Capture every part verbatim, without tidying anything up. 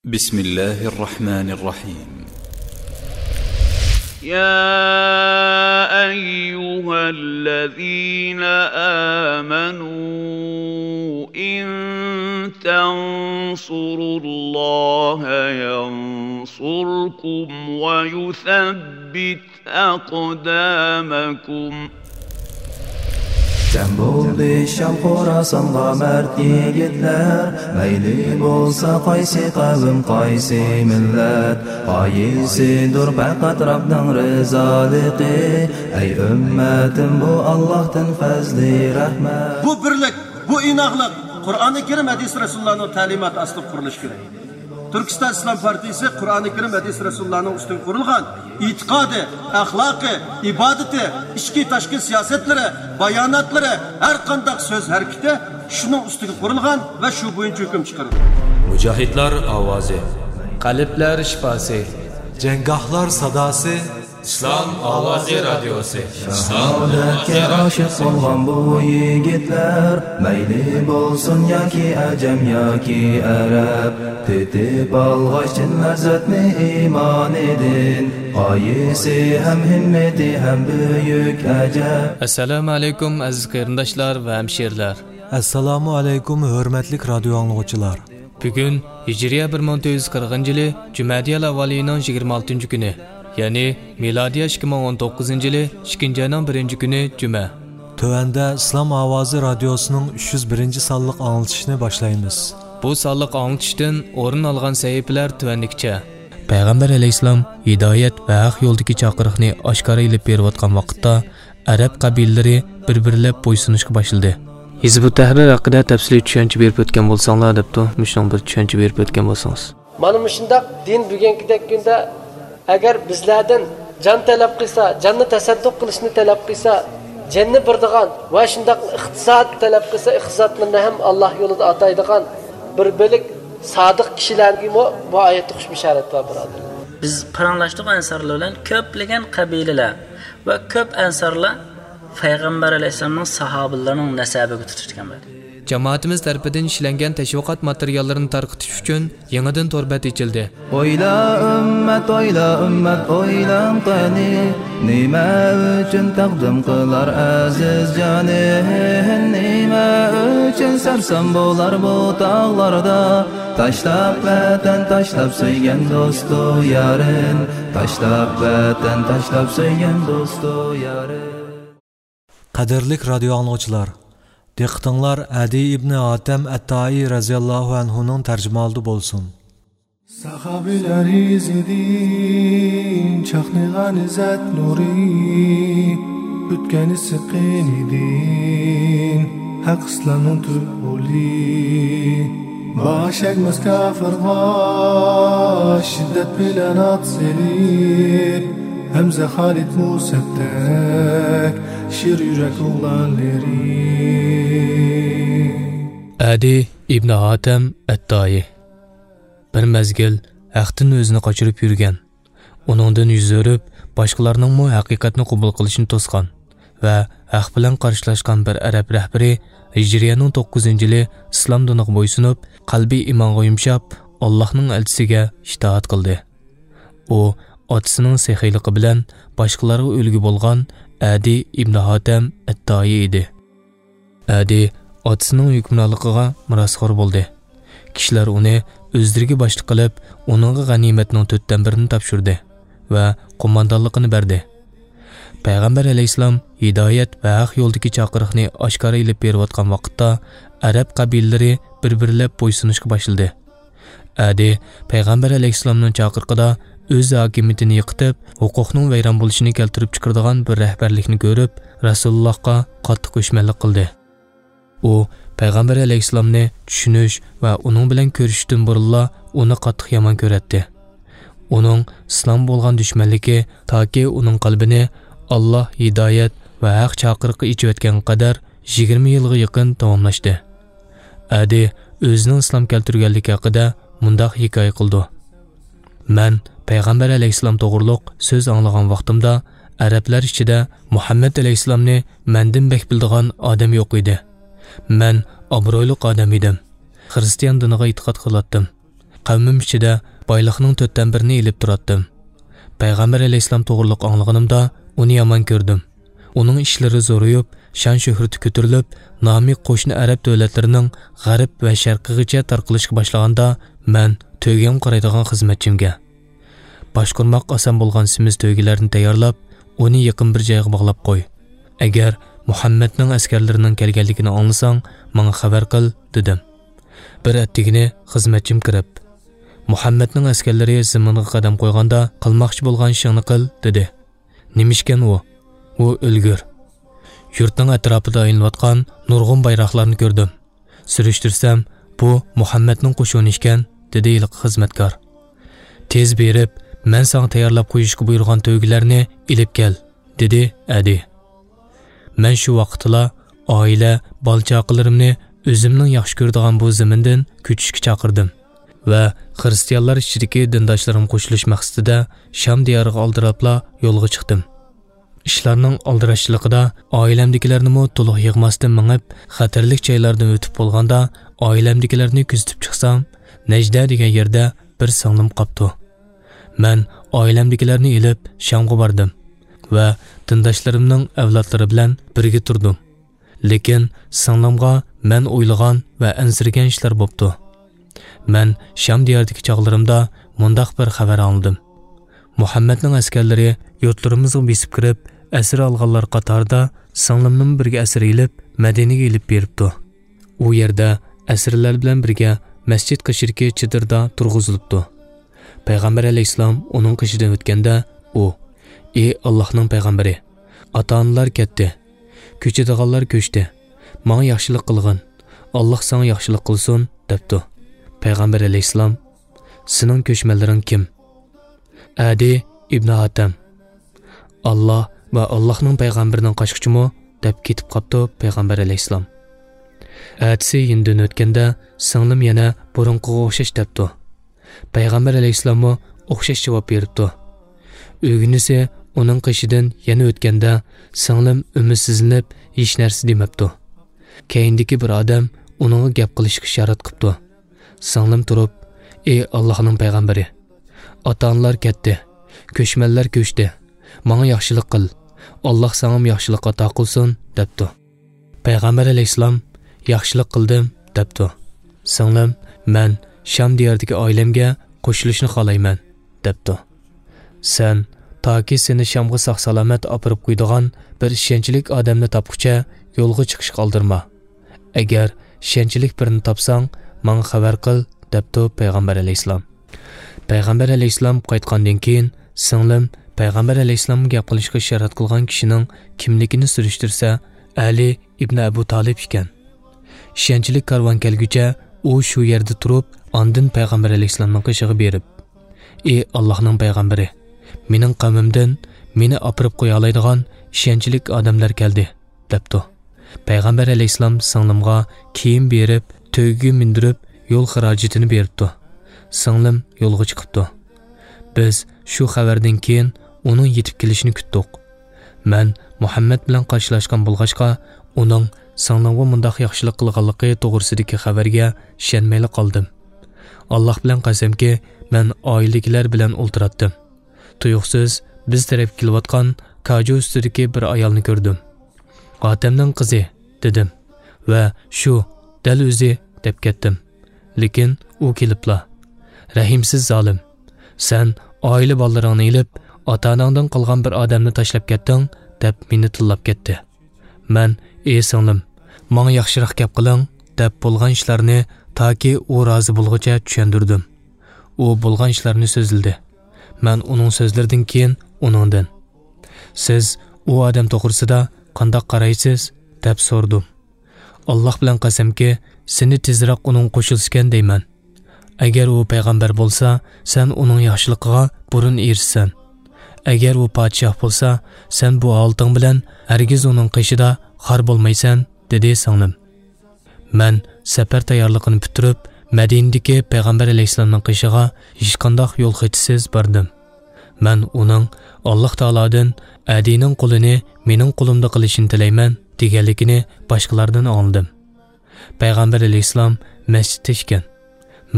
بسم الله الرحمن الرحيم. يا أيها الذين آمنوا إن تنصروا الله ينصركم ويثبت أقدامكم. جەم بولدى شام خوراسانغا مەرد يىگىتلەر، مەيلى بولسا قايسى قەۋم، قايسى مىللەت، غايىسىدۇر پەقەت رەبنىڭ رىزالىقى. ئەي ئۈممەتىم، بۇ ئاللاھتىن پەزلى رەھمەت. بۇ بىرلىك، بۇ ئىناقلىق قۇرئانى كەرىم، ھەدىس رەسۇلۇللانىڭ تەلىماتى ئاستىدا قۇرۇلۇشى كېرەك. تۈركىستان ئىسلام پارتىيىسى قۇرئانى كەرىم، ھەدىس رەسۇلۇللانىڭ ئۈستىگە قۇرۇلغان ئېتىقادى، ئەخلاقى، ئىبادىتى، ئىچكى تاشقى سىياسەتلىرى، باياناتلىرى، ھەر قانداق سۆز ھەرىكىتى شۇنىڭ ئۈستىگە قۇرۇلغان ۋە شۇ بويىچە ھۆكۈم چىقىرىدۇ. مۇجاھىدلار ئاۋازى. قەلبلەر شىپاسى. جەڭگاھلار ساداسى. ئىسلام ئاۋازى رادىيوسى. شاھادەتكە ئاشىق بولغان بۇ يىگىتلەر، مەيلى بولسۇن ياكى ئەجەم ياكى ئەرەب، تېتىپ ئالغاچ چىن لەززەتنى ئىمانىدىن، غايىسى ھەم ھىممىتى ھەم بۈيۈك ئەجەب. ئەسسالامۇ ئەلەيكۇم، ئەزىز قېرىنداشلار ۋە ھەمشىرىلەر. ئەسسالامۇ ئەلەيكۇم، ھۆرمەتلىك رادىيو ئاڭلىغۇچىلار. بۈگۈن ھىجرىيە بىر مىڭ تۆت يۈز قىرىقىنچى يىلى جۈمەدىيەل ئەۋۋال ئېيىنىڭ يىگىرمە ئالتىنچى كۈنى، يەنى مىلادىيە ئىككى مىڭ ئون توققۇزىنچى يىلى ئىككىنچى ئاينىڭ بىرىنچى كۈنى جۈمە. تۆۋەندە ئىسلام ئاۋازى رادىيوسىنىڭ ئۈچ يۈز بىرىنچى سانلىق ئاڭلىتىشىنى باشلايمىز. بۇ سانلىق ئاڭلىتىشتىن ئورۇن ئالغان سەھىپىلەر تۆۋەندىكىچە. پەيغەمبەر ئەلەيھىسسالام ھىدايەت ۋە ھەق يولدىكى چاقىرىقنى ئاشكارا ئېلىپ بېرىۋاتقان ۋاقىتتا، ئەرەب قەبىلىلىرى بىر-بىرلەپ بويسۇنۇشقا باشلىدى. ھىزبۇت تەھرىر ھەققىدە تەپسىلىي چۈشەنچە بېرىپ ئۆتكەن بولساڭلار دەپتۇ، مۇشۇنىڭ بىر چۈشەنچە بېرىپ ئۆتكەن بولسىڭىز. مانا مۇشۇنداق دىن بۈگۈنكىدەك كۈندە ئەگەر بىزلەردىن جان تەلەپ قىلسا، جاننى تەسەددۇق قىلىشنى تەلەپ قىلسا، جاننى بېرىدىغان ۋە شۇنداق ئىقتىساد تەلەپ قىلسا، ئىقتىسادلىرىنى ھەم ئاللاھ يولىدا ئاتايدىغان بىر بۆلەك سادىق كىشىلەرگىمۇ بۇ ئايەتتە ئوخشاش بىشارەت بار، بۇرادەرلەر. بىز پاراڭلاشتۇق ئەنسارلار بىلەن، كۆپلىگەن قەبىلىلەر ۋە كۆپ ئەنسارلار پەيغەمبەر ئەلەيھىسسالامنىڭ ساھابىلىرىنىڭ نەسەبىگە تۇتۇشتۇرغان بولدى. جامائىتىمىز تەرىپىدىن ئىشلەنگەن تەشۋىقات ماتېرىياللىرىنى تارقىتىش ئۈچۈن يېڭىدىن تور بەت ئېچىلدى. ئويلا ئۈممەت، ئويلا ئۈممەت، ئويلاڭ قېنى، نېمە ئۈچۈن تەقدىم قىلار ئەزىز جانى؟ نېمە ئۈچۈن سەرسان بولار بۇ تاغلاردا؟ تاشلاپ ۋەتەن، تاشلاپ سۆيگەن دوستۇ يارىن، تاشلاپ ۋەتەن، تاشلاپ سۆيگەن دوستۇ يارىن. قەدىرلىك رادىيو ئاڭلىغۇچىلار، دىققىتىڭلار ئەدى ئىبنى ھاتەم ئەتتائى رەزىياللاھۇ ئەنھۇنىڭ تەرجىمىھالىدا بولسۇن. ساھابىلەر ئىزىدىن چاقنىغان ئىززەت نۇرى، ئۆتكەن ئىسسىق قېنىدىن ھەق ئىسلامنىڭ تۈپ ئۇلى. باش ئەگمەس كاپىرغا شىددەت بىلەن ئات سېلىپ، ھەمزە خالىد مۇسەبدەك شىر يۈرەك ئوغلانلىرى. ئەدى ئىبنى ھاتەم ئەتتائى. بىر مەزگىل ھەقتىن ئۆزىنى قاچۇرۇپ يۈرگەن، ئۇنىڭدىن يۈز ئۆرۈپ، باشقىلارنىڭمۇ ھەقىقەتنى قوبۇل قىلىشىنى توسقان ۋە ھەق بىلەن قارشىلاشقان بىر ئەرەب رەھبىرى ھىجرىيەنىڭ توققۇزىنچى يىلى ئىسلام دىنىغا بويسۇنۇپ، قەلبى ئىمانغا يۇمشاپ، ئاللاھنىڭ ئەلچىسىگە ئىتائەت قىلدى. ئۇ ئاتىسىنىڭ سېخىيلىقى بىلەن باشقىلارغا ئۈلگە بولغان ئەدى ئىبنى ھاتەم ئەتتائى ئىدى. ئەدى ئاتىسىنىڭ ھۆكۈمرانلىقىغا مىراسخور بولدى. كىشىلەر ئۇنى ئۆزلىرىگە باشلىق قىلىپ، ئۇنىڭغا غەنىيمەتنىڭ تۆتتىن بىرىنى تاپشۇردى ۋە قوماندانلىقىنى بەردى. پەيغەمبەر ئەلەيھىسسالام ھىدايەت ۋە ھەق يولىدىكى چاقىرىقنى ئاشكارا ئېلىپ بېرىۋاتقان ۋاقىتتا، ئەرەب قەبىلىلىرى بىر-بىرلەپ بويسۇنۇشقا باشلىدى. ئەدى پەيغەمبەر ئەلەيھىسسالامنىڭ چاقىرىقىدا ئۆز ھاكىمىيىتىنى يىقىتىپ، ھوقۇقنىڭ ۋەيران بولۇشىنى كەلتۈرۈپ چىقىرىدىغان بىر رەھبەرلىكنى كۆرۈپ، رەسۇلۇللاھقا قاتتىق ئۆچمەنلىك قىلدى. ئۇ پەيغەمبەر ئەلەيھىسسالامنى چۈشىنىش ۋە ئۇنىڭ بىلەن كۆرۈشۈشتىن بۇرۇنلا ئۇنى قاتتىق يامان كۆرەتتى. ئۇنىڭ ئىسلامغا بولغان دۈشمەنلىكى تاكى ئۇنىڭ قەلبىنى ئاللاھ ھىدايەت ۋە ھەق چاقىرىقى ئېچىۋەتكەنگە قەدەر يىگىرمە يىلغا يېقىن داۋاملاشتى. ئەدى ئۆزىنىڭ ئىسلام كەلتۈرگەنلىكى ھەققىدە مۇنداق ھېكايە قىلىدۇ. مەن پەيغەمبەر ئەلەيھىسسالام توغرۇلۇق سۆز ئاڭلىغان ۋاقتىمدا، ئەرەبلەر ئىچىدە مۇھەممەد ئەلەيھىسسالامنى مەندىن بەك بىلىدىغان ئادەم يوق ئىدى. مەن ئابرۇيلۇق ئادەم ئىدىم. خىرىستىيان دىنىغا ئېتىقاد قىلاتتىم. قەۋمىم ئىچىدە بايلىقنىڭ تۆتتىن بىرىنى ئېلىپ تۇراتتىم. پەيغەمبەر ئەلەيھىسسالام توغرىلىق ئاڭلىغىنىمدا ئۇنى يامان كۆردۈم. ئۇنىڭ ئىشلىرى زورىيىپ، شان-شۆھرىتى كۆتۈرۈلۈپ، نامى قوشنا ئەرەب دۆلەتلىرىنىڭ غەرب ۋە شەرقىغىچە تارقىلىشقا باشلىغاندا، مەن تۆگەمگە قارايدىغان خىزمەتچىمگە، باشقۇرماق ئاسان بولغان سېمىز تۆگىلەرنى تەييارلاپ، ئۇنى يېقىن بىر جايغا باغلاپ قوي. ئەگەر مۇھەممەدنىڭ ئەسكەرلىرىنىڭ كەلگەنلىكىنى ئاڭلىساڭ، ماڭا خەۋەر قىل، دېدىم. بىر ئەتىگىنى خىزمەتچىم كىرىپ، مۇھەممەدنىڭ ئەسكەرلىرى زېمىنغا قەدەم قويغاندا قىلماقچى بولغان ئىشىڭنى قىل، دېدى. نېمىشكەن ئۇ؟ ئۇ ئۆلگۈر. يۇرتنىڭ ئەتراپىدا ئايلىنىۋاتقان نۇرغۇن بايراقلارنى كۆردۈم. سۈرۈشتۈرسەم، بۇ مۇھەممەدنىڭ قوشۇنى ئىكەن، دېدى ھېلىقى خىزمەتكار. تېز بېرىپ، مەن ساڭا تەييارلاپ قويۇشقا بۇيرۇغان تۆگىلەرنى ئېلىپ كەل، دېدى ئەدى. مەن شۇ ۋاقىتتىلا ئائىلە، بالا-چاقىلىرىمنى ئۆزۈمنىڭ ياخشى كۆرىدىغان بۇ زېمىندىن كۆچۈشكە چاقىردىم ۋە خىرىستىيانلار ئىچىدىكى دىنداشلىرىمغا قوشۇلۇش مەقسىتىدە شام دىيارىغا ئالدىراپلا يولغا چىقتىم. ئىشلارنىڭ ئالدىراشچىلىقىدا ئائىلەمدىكىلەرنىمۇ تولۇق يىغماستىن مېڭىپ، خەتەرلىك جايلاردىن ئۆتۈپ بولغاندا، ئائىلەمدىكىلەرنى كۆزىتىپ چىقسام، نەجدە دېگەن يەردە بىر سىڭلىم قاپتۇ. مەن ئائىلەمدىكىلەرنى ئېلىپ شامغا باردىم ۋە دىنداشلىرىمنىڭ ئەۋلادلىرى بىلەن بىرگە تۇردۇم. لېكىن سىڭلىمغا مەن ئويلىغان ۋە ئەنسىرىگەن ئىشلار بوپتۇ. مەن شام دىيارىدىكى چاغلىرىمدا مۇنداق بىر خەۋەر ئاڭلىدىم. مۇھەممەدنىڭ ئەسكەرلىرى يۇرتلىرىمىزغا بېسىپ كىرىپ، ئەسىر ئالغانلار قاتارىدا سىڭلىمنىمۇ بىرگە ئەسىر ئېلىپ، مەدىنىگە ئېلىپ بېرىپتۇ. ئۇ يەردە ئەسىرلەر بىلەن بىرگە مەسچىت قېشىدىكى چېدىردا تۇرغۇزۇلۇپتۇ. پەيغەمبەر ئەلەيھىسسالام ئۇنىڭ قېشىدىن ئۆتكەندە، ئۇ، ئى ئاللاھنىڭ پەيغەمبىرى، ئاتا-ئانىلار كەتتى، كۆچىدىغانلار كۆچتى، ماڭا ياخشىلىق قىلغىن، ئاللاھ ساڭا ياخشىلىق قىلسۇن، دەپتۇ. پەيغەمبەر ئەلەيھىسسالام، سېنىڭ كۆچمەنلىرىڭ كىم؟ ئەدى ئىبنى ھاتەم. ئاللاھ ۋە ئاللاھنىڭ پەيغەمبىرىنىڭ قاچقۇچىمۇ؟ دەپ كېتىپ قاپتۇ پەيغەمبەر ئەلەيھىسسالام. ئەتىسى يېنىدىن ئۆتكەندە، سىڭلىم يەنە بۇرۇنقىغا ئوخشاش دەپتۇ. پەيغەمبەر ئەلەيھىسسالاممۇ ئوخشاش جاۋاب بېرىپتۇ. ئۆگىنىسى ئۇنىڭ قېشىدىن يەنە ئۆتكەندە، سىڭلىم ئۈمىدسىزلىنىپ، ھېچ نەرسە دېمەپتۇ. كەينىدىكى بىر ئادەم ئۇنىڭغا گەپ قىلىشقا ئىشارەت قىپتۇ. سىڭلىم تۇرۇپ، ئى ئاللاھنىڭ پەيغەمبىرى، ئاتا-ئانىلار كەتتى، كۆچمەنلەر كۆچتى، ماڭا ياخشىلىق قىل، ئاللاھ ساڭىمۇ ياخشىلىق ئاتا قىلسۇن، دەپتۇ. پەيغەمبەر ئەلەيھىسسالام، ياخشىلىق قىلدىم، دەپتۇ. سىڭلىم، مەن شام دىيارىدىكى ئائىلەمگە قوشۇلۇشنى خالايمەن، دەپتۇ. سەن تاكى سېنى شامغا ساق-سالامەت ئاپىرىپ قويىدىغان بىر ئىشەنچلىك ئادەمنى تاپقۇچە يولغا چىقىشقا ئالدىرما. ئەگەر ئىشەنچلىك بىرىنى تاپساڭ، ماڭا خەۋەر قىل، دەپتۇ پەيغەمبەر ئەلەيھىسسالام. پەيغەمبەر ئەلەيھىسسالام قايتقاندىن كېيىن، سىڭلىم پەيغەمبەر ئەلەيھىسسالامغا گەپ قىلىشقا ئىشارەت قىلغان كىشىنىڭ كىملىكىنى سۈرۈشتۈرسە، ئەلى ئىبنى ئەبۇ تالىپ ئىكەن. ئىشەنچلىك كارۋان كەلگۈچە ئۇ شۇ يەردە تۇرۇپ، ئاندىن پەيغەمبەر ئەلەيھىسسالامنىڭ قېشىغا بېرىپ، ئى ئاللاھنىڭ پەيغەمبىرى، مېنىڭ قەۋمىمدىن مېنى ئاپىرىپ قويالايدىغان ئىشەنچلىك ئادەملەر كەلدى، دەپتۇ. پەيغەمبەر ئەلەيھىسسالام سىڭلىمغا كىيىم بېرىپ، تۆگىگە مىندۈرۈپ، يول خىراجىتىنى بېرىپتۇ. سىڭلىم يولغا چىقىپتۇ. بىز شۇ خەۋەردىن كېيىن ئۇنىڭ يېتىپ كېلىشىنى كۈتتۇق. مەن مۇھەممەد بىلەن قارشىلاشقان بولغاچقا، ئۇنىڭ سىڭلىمغا مۇنداق ياخشىلىق قىلغانلىقى توغرىسىدىكى خەۋەرگە ئىشەنمەيلا قالدىم. ئاللاھ بىلەن قەسەمكى، مەن ئائىلىدىكىلەر بىلەن ئولتۇراتتىم. تۇيۇقسىز بىز تەرەپكە كېلىۋاتقان كاجۇ ئۈستىدىكى بىر ئايالنى كۆردۈم. «ئاتەمنىڭ قىزى» دېدىم ۋە «شۇ، دەل ئۆزى» دەپ كەتتىم. لېكىن ئۇ كېلىپلا، «رەھىمسىز زالىم! سەن ئائىلە بالىلىرىڭنى ئېلىپ، ئاتا-ئاناڭدىن قالغان بىر ئادەمنى تاشلاپ كەتتىڭ» دەپ مېنى تىللاپ كەتتى. مەن، «ئى سىڭلىم، ماڭا ياخشىراق گەپ قىلىڭ» دەپ بولغان ئىشلارنى تاكى ئۇ رازى بولغۇچە چۈشەندۈردۈم. ئۇ بولغان ئىشلارنى سۆزلىدى. مەن ئۇنىڭ سۆزلىرىدىن كېيىن ئۇنىڭدىن، «سىز ئۇ ئادەم توغرىسىدا قانداق قارايسىز؟» دەپ سورىدىم. «ئاللاھ بىلەن قەسەمكى، سېنى تېزرەك ئۇنىڭغا قوشۇلسىكەن دەيمەن. ئەگەر ئۇ پەيغەمبەر بولسا، سەن ئۇنىڭ ياخشىلىقىغا بۇرۇن ئېرىشىسەن. ئەگەر ئۇ پادىشاھ بولسا، سەن بۇ ھالىتىڭ بىلەن ھەرگىز ئۇنىڭ قېشىدا خار بولمايسەن» دېدى سىڭلىم. مەن سەپەر تەييارلىقىنى پۈتتۈرۈپ، مەدىنىدىكى پەيغەمبەر ئەلەيھىسسالامنىڭ قېشىغا ھېچقانداق يول خېتىسىز باردىم. مەن ئۇنىڭ ئاللاھ تائالادىن «ئەدىنىڭ قۇلىنى مېنىڭ قۇلۇمدا قىلىشىنى تىلەيمەن» دېگەنلىكىنى باشقىلاردىن ئاڭلىدىم. پەيغەمبەر ئەلەيھىسسالام مەسچىتتە ئىكەن.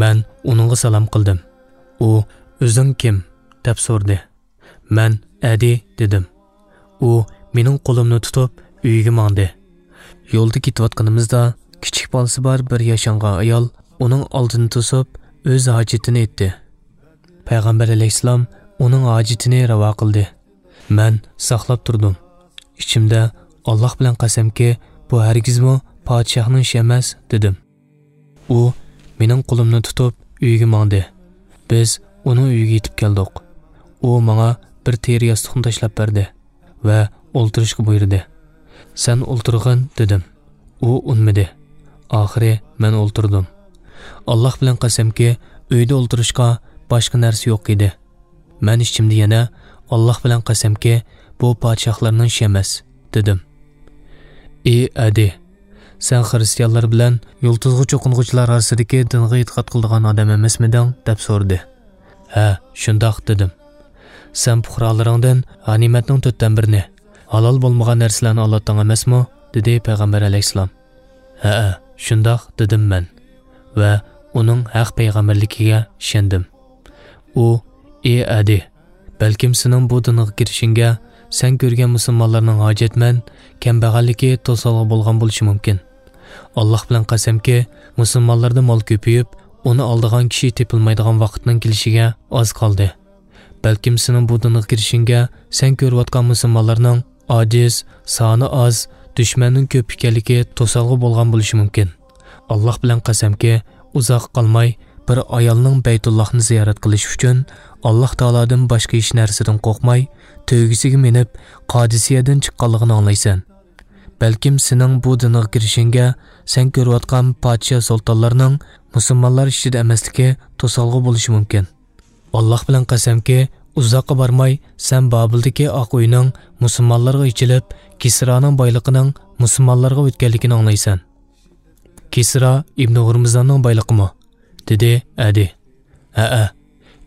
مەن ئۇنىڭغا سالام قىلدىم. ئۇ، «ئۆزۈڭ كىم؟» دەپ سورىدى. مەن، «ئەدى» دېدىم. ئۇ مېنىڭ قولۇمنى تۇتۇپ ئۆيىگە ماڭدى. يولدا كېتىۋاتقىنىمىزدا كىچىك بالىسى بار بىر ياشانغان ئايال ئۇنىڭ ئالدىنى توسۇپ ئۆز ھاجىتىنى ئېيتتى. پەيغەمبەر ئەلەيھىسسالام ئۇنىڭ ھاجىتىنى راۋا قىلدى. مەن ساقلاپ تۇردۇم. ئىچىمدە، «ئاللاھ بىلەن قەسەمكى، بۇ ھەرگىزمۇ پادىشاھنىڭ ئىشى ئەمەس» دېدىم. ئۇ مېنىڭ قولۇمنى تۇتۇپ ئۆيىگە ماڭدى. بىز ئۇنىڭ ئۆيىگە يېتىپ كەلدۇق. ئۇ ماڭا بىر تېرە ياستۇقنى تاشلاپ بەردى ۋە ئولتۇرۇشقا بۇيرۇدى. «سەن ئولتۇرغىن» دېدىم. ئۇ ئۇنىمىدى. ئاخىرى مەن ئولتۇردۇم. ئاللاھ بىلەن قەسەمكى، ئۆيدە ئولتۇرۇشقا باشقا نەرسە يوق ئىدى. مەن ئىچىمدە يەنە، «ئاللاھ بىلەن قەسەمكى، بۇ پادىشاھلارنىڭ ئىشى ئەمەس» دېدىم. «ئى ئەدى، سەن خىرىستىيانلار بىلەن يۇلتۇزغا چوقۇنغۇچىلار ئارىسىدىكى دىنغا ئېتىقاد قىلىدىغان ئادەم ئەمەسمىدىڭ؟» دەپ سورىدى. «ھە، شۇنداق» دېدىم. «سەن پۇقرالىرىڭدىن غەنىيمەتنىڭ تۆتتىن بىرىنى، ھالال بولمىغان نەرسىلەرنى ئالاتتىڭ ئەمەسمۇ؟» دېدى پەيغەمبەر ئەلەيھىسسالام. «ھەئە، شۇنداق» دېدىم مەن ۋە ئۇنىڭ ھەق پەيغەمبەرلىكىگە ئىشەندىم. ئۇ، «ئى ئەدى، بەلكىم سېنىڭ بۇ دىنغا كىرىشىڭگە سەن كۆرگەن مۇسۇلمانلارنىڭ ھاجەتمەن، كەمبەغەللىكى توسالغۇ بولغان بولۇشى مۇمكىن. ئاللاھ بىلەن قەسەمكى، مۇسۇلمانلاردا مال كۆپىيىپ، ئۇنى ئالىدىغان كىشى تېپىلمايدىغان ۋاقىتنىڭ كېلىشىگە ئاز قالدى. بەلكىم سېنىڭ بۇ دىنغا كىرىشىڭگە سەن كۆرۈۋاتقان مۇسۇلمانلارنىڭ ئاجىز، سانى ئاز، دۈشمەننىڭ كۆپ ئىكەنلىكى توسالغۇ بولغان بولۇشى مۇمكىن. ئاللاھ بىلەن قەسەمكى، ئۇزاققا قالماي بىر ئايالنىڭ بەيتۇللاھنى زىيارەت قىلىشى ئۈچۈن ئاللاھ تائالادىن باشقا ھېچ نەرسىدىن قورقماي، تۆگىسىگە مىنىپ، قادىسىيەدىن چىققانلىقىنى ئاڭلايسەن. بەلكىم سېنىڭ بۇ دىنغا كىرىشىڭگە سەن كۆرۈۋاتقان پادىشاھ سۇلتانلارنىڭ مۇسۇلمانلار ئىچىدە ئەمەسلىكى توسالغۇ بولۇشى مۇمكىن. ئاللاھ بىلەن قەسەمكى، ئۇزاققا بارماي سەن بابىلدىكى ئاق ئۆينىڭ مۇسۇلمانلارغا ئېچىلىپ، كىسرانىڭ بايلىقىنىڭ مۇسۇلمانلارغا ئۆتكەنلىكىنى ئاڭلايسەن. كىسرا ئىبنى ھۇرمۇزداننىڭ بايلىقىمۇ؟ دېدى ئەدى. ھەئە،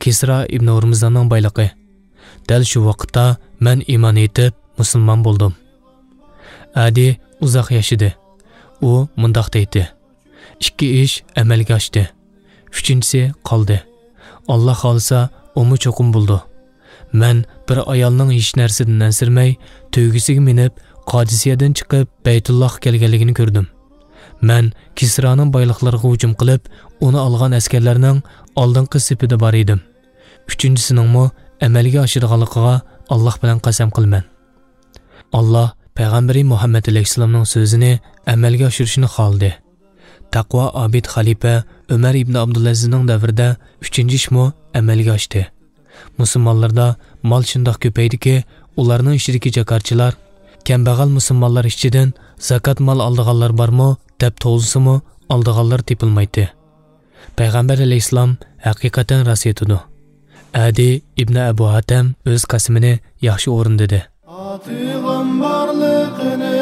كىسرا ئىبنى ھۇرمۇزداننىڭ بايلىقى. دەل شۇ ۋاقىتتا مەن ئىمان ئېيتىپ مۇسۇلمان بولدۇم. ئەدى ئۇزاق ياشىدى. ئۇ مۇنداق دەيتتى: ئىككى ئىش ئەمەلگە ئاشتى. ئۈچىنچىسى قالدى. ئاللا خالىسا، ئۇمۇ چوقۇم بولىدۇ. مەن بىر ئايالنىڭ ھېچ نەرسىدىن ئەنسىرىمەي، تۆگىسىگە مىنىپ، قادىسىيەدىن چىقىپ، بەيتۇللاھقا كەلگەنلىكىنى كۆردۈم. مەن كىسرانىڭ بايلىقلىرىغا ھۇجۇم قىلىپ، ئۇنى ئالغان ئەسكەرلەرنىڭ ئالدىنقى سېپىدە بار ئىدىم. ئۈچىنچىسىنىڭمۇ ئەمەلگە ئاشىدىغانلىقىغا ئاللا بىلەن قەسەم قىلىمەن. ئاللا پەيغەمبىرى مۇھەممەد ئەلەيھىسسالامنىڭ سۆزىنى ئەمەلگە ئاشۇرۇشنى خالىدى. تەقۋا ئابىد خەلىپە ئۆمەر ئىبنى ئابدۇلئەزىزنىڭ دەۋرىدە ئۈچىنچى ئىشمۇ ئەمەلگە ئاشتى. مۇسۇلمانلاردا مال شۇنداق كۆپەيدىكى، ئۇلارنىڭ ئىچىدىكى جاكارچىلار، كەمبەغەل مۇسۇلمانلار ئىچىدىن زاكات مال ئالىدىغانلار بارمۇ دەپ توۋلىسىمۇ، ئالىدىغانلار تېپىلمايتتى. پەيغەمبەر ئەلەيھىسسالام ھەقىقەتەن راست ئېيتىدۇ. ئەدى ئىبنى ئەبۇ ھاتەم ئۆز قەسىمىنى ياخشى ئورۇندىدى. ئاتىغان بارلىقىنى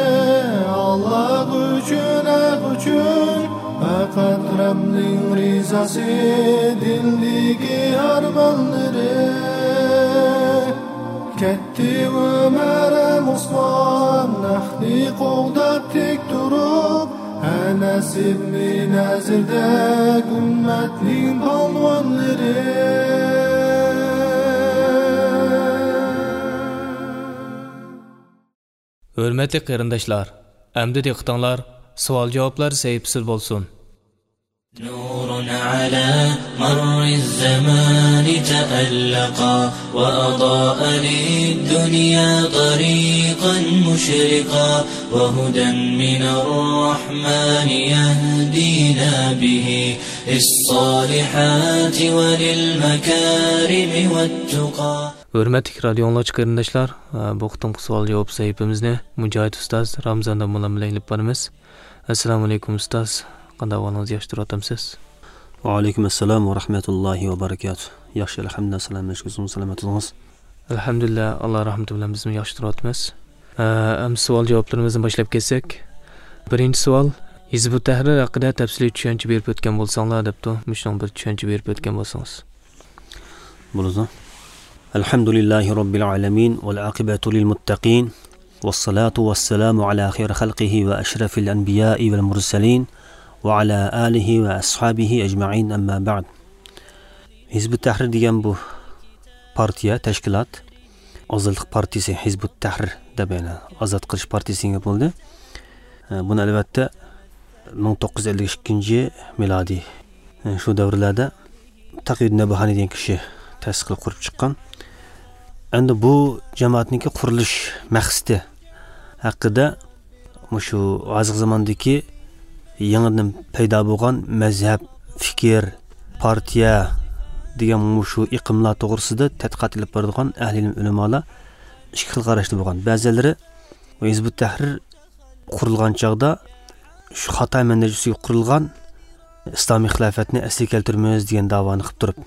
ئاللا ئۈچۈن، ھەق ئۈچۈن، پەقەت رەبنىڭ رىزاسى دىلدىكى ئارمانلىرى. كەتتى ئۆمەر ھەم ئوسمان، ھەقنى قوغداپ تىك تۇرۇپ، ئەنەس ئىبنى نەزىردەك ئۈممەتنىڭ پالۋانلىرى. ھۆرمەتلىك قېرىنداشلار، ئەمدى دىققىتىڭلار سوئال-جاۋابلار سەھىپىسىدە بولسۇن. نور على مر الزمان تألقا، وأضاء للدنيا طريقا مشرقا، وهدى من الرحمن يهدينا به للصالحات وللمكارم والتقى. ھۆرمەتلىك رادىيو ئاڭلىغۇچى قېرىنداشلار، بۇ قېتىمقى سوئال-جاۋاب سەھىپىمىزنى مۇجاھىد ئۇستاز رامزان داموللام بىلەن ئېلىپ بارىمىز. ئەسسالامۇئەلەيكۇم ئۇستاز، قانداق ئەھۋالىڭىز، ياخشى تۇرۇۋاتامسىز؟ ۋەئەلەيكۇم ئەسسالام ۋە رەھمەتۇللاھى ۋە بەرىكاتۇھ. ياخشى، ئەلھەمدۇلىللا، سالامەتلىك، ئۆزىڭىز سالامەت تۇرۇڭىز. ئەلھەمدۇلىللا، ئاللا رەھمىتى بىلەن بىزمۇ ياخشى تۇرۇۋاتىمىز. ئە، ئەمدى سوئال-جاۋابلىرىمىزنى باشلاپ كەتسەك. بىرىنچى سوئال، ھىزبۇت تەھرىر ھەققىدە تەپسىلىي چۈشەنچە بېرىپ ئۆتكەن بولساڭلار دەپتۇ. مۇشۇنىڭ بىر چۈشەنچە بېرىپ ئۆتكەن بولسىڭىز. بولىدۇ. الحمد لله رب العالمين والعاقبة للمتقين والصلاة والسلام على خير خلقه وأشرف الأنبياء والمرسلين وعلى آله وأصحابه أجمعين، أما بعد. ھىزبۇت تەھرىر دېگەن بۇ پارتىيە، تەشكىلات، ئازادلىق پارتىيىسى ھىزبۇت تەھرىر دەپ، يەنى ئازاد قىلىش پارتىيىسى دېگەن گەپ بولدى. بۇنى ئەلۋەتتە مىڭ توققۇز يۈز ئەللىك ئىككىنچى مىلادىي، شۇ دەۋرلەردە تەقىيۇددىن نەبھانى دېگەن كىشى تەسىس قىلىپ قۇرۇپ چىققان. ئەمدى بۇ جامائەتنىڭكى قۇرۇلۇش مەقسىتى ھەققىدە مۇشۇ ھازىرقى زاماندىكى يېڭىدىن پەيدا بولغان مەزھەپ، پىكىر، پارتىيە دېگەن مۇشۇ ئېقىملار توغرىسىدا تەتقىقات ئېلىپ بارىدىغان ئەھلى ئىلىم ئۆلىمالار ئىككى خىل قاراشتا بولغان. بەزىلىرى ھىزبۇت تەھرىر قۇرۇلغان چاغدا شۇ خاتا مەنھەج ئۈستىگە قۇرۇلغان ئىسلامىي خىلاپەتنى ئەسلىگە كەلتۈرىمىز دېگەن داۋانى قىلىپ تۇرۇپ،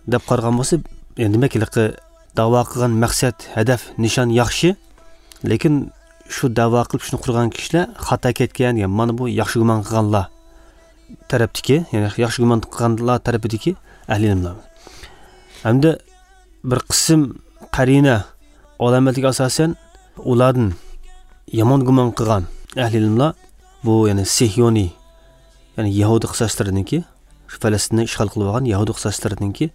دەپ قارىغان بولسا، يەنى دېمەك، ھېلىقى داۋا قىلغان مەقسەت، ھەدەپ، نىشان ياخشى، لېكىن شۇ داۋا قىلىپ شۇنى قۇرغان كىشىلەر خاتا كەتكەن دېگەن، مانا بۇ ياخشى گۇمان قىلغانلار تەرەپتىكى، يەنى ياخشى گۇمان قىلغانلار تەرىپىدىكى ئەھلى ئىلىملار. ھەمدە بىر قىسىم قەرىنە، ئالامەتلەرگە ئاساسەن، ئۇلاردىن يامان گۇمان قىلغان ئەھلى ئىلىملار بۇ، يەنى سېھيونىي، يەنى يەھۇدىي قىساسلىرىنىڭكى، شۇ پەلەستىننى ئىشغال قىلىۋالغان يەھۇدىي قىساسلىرىنىڭكى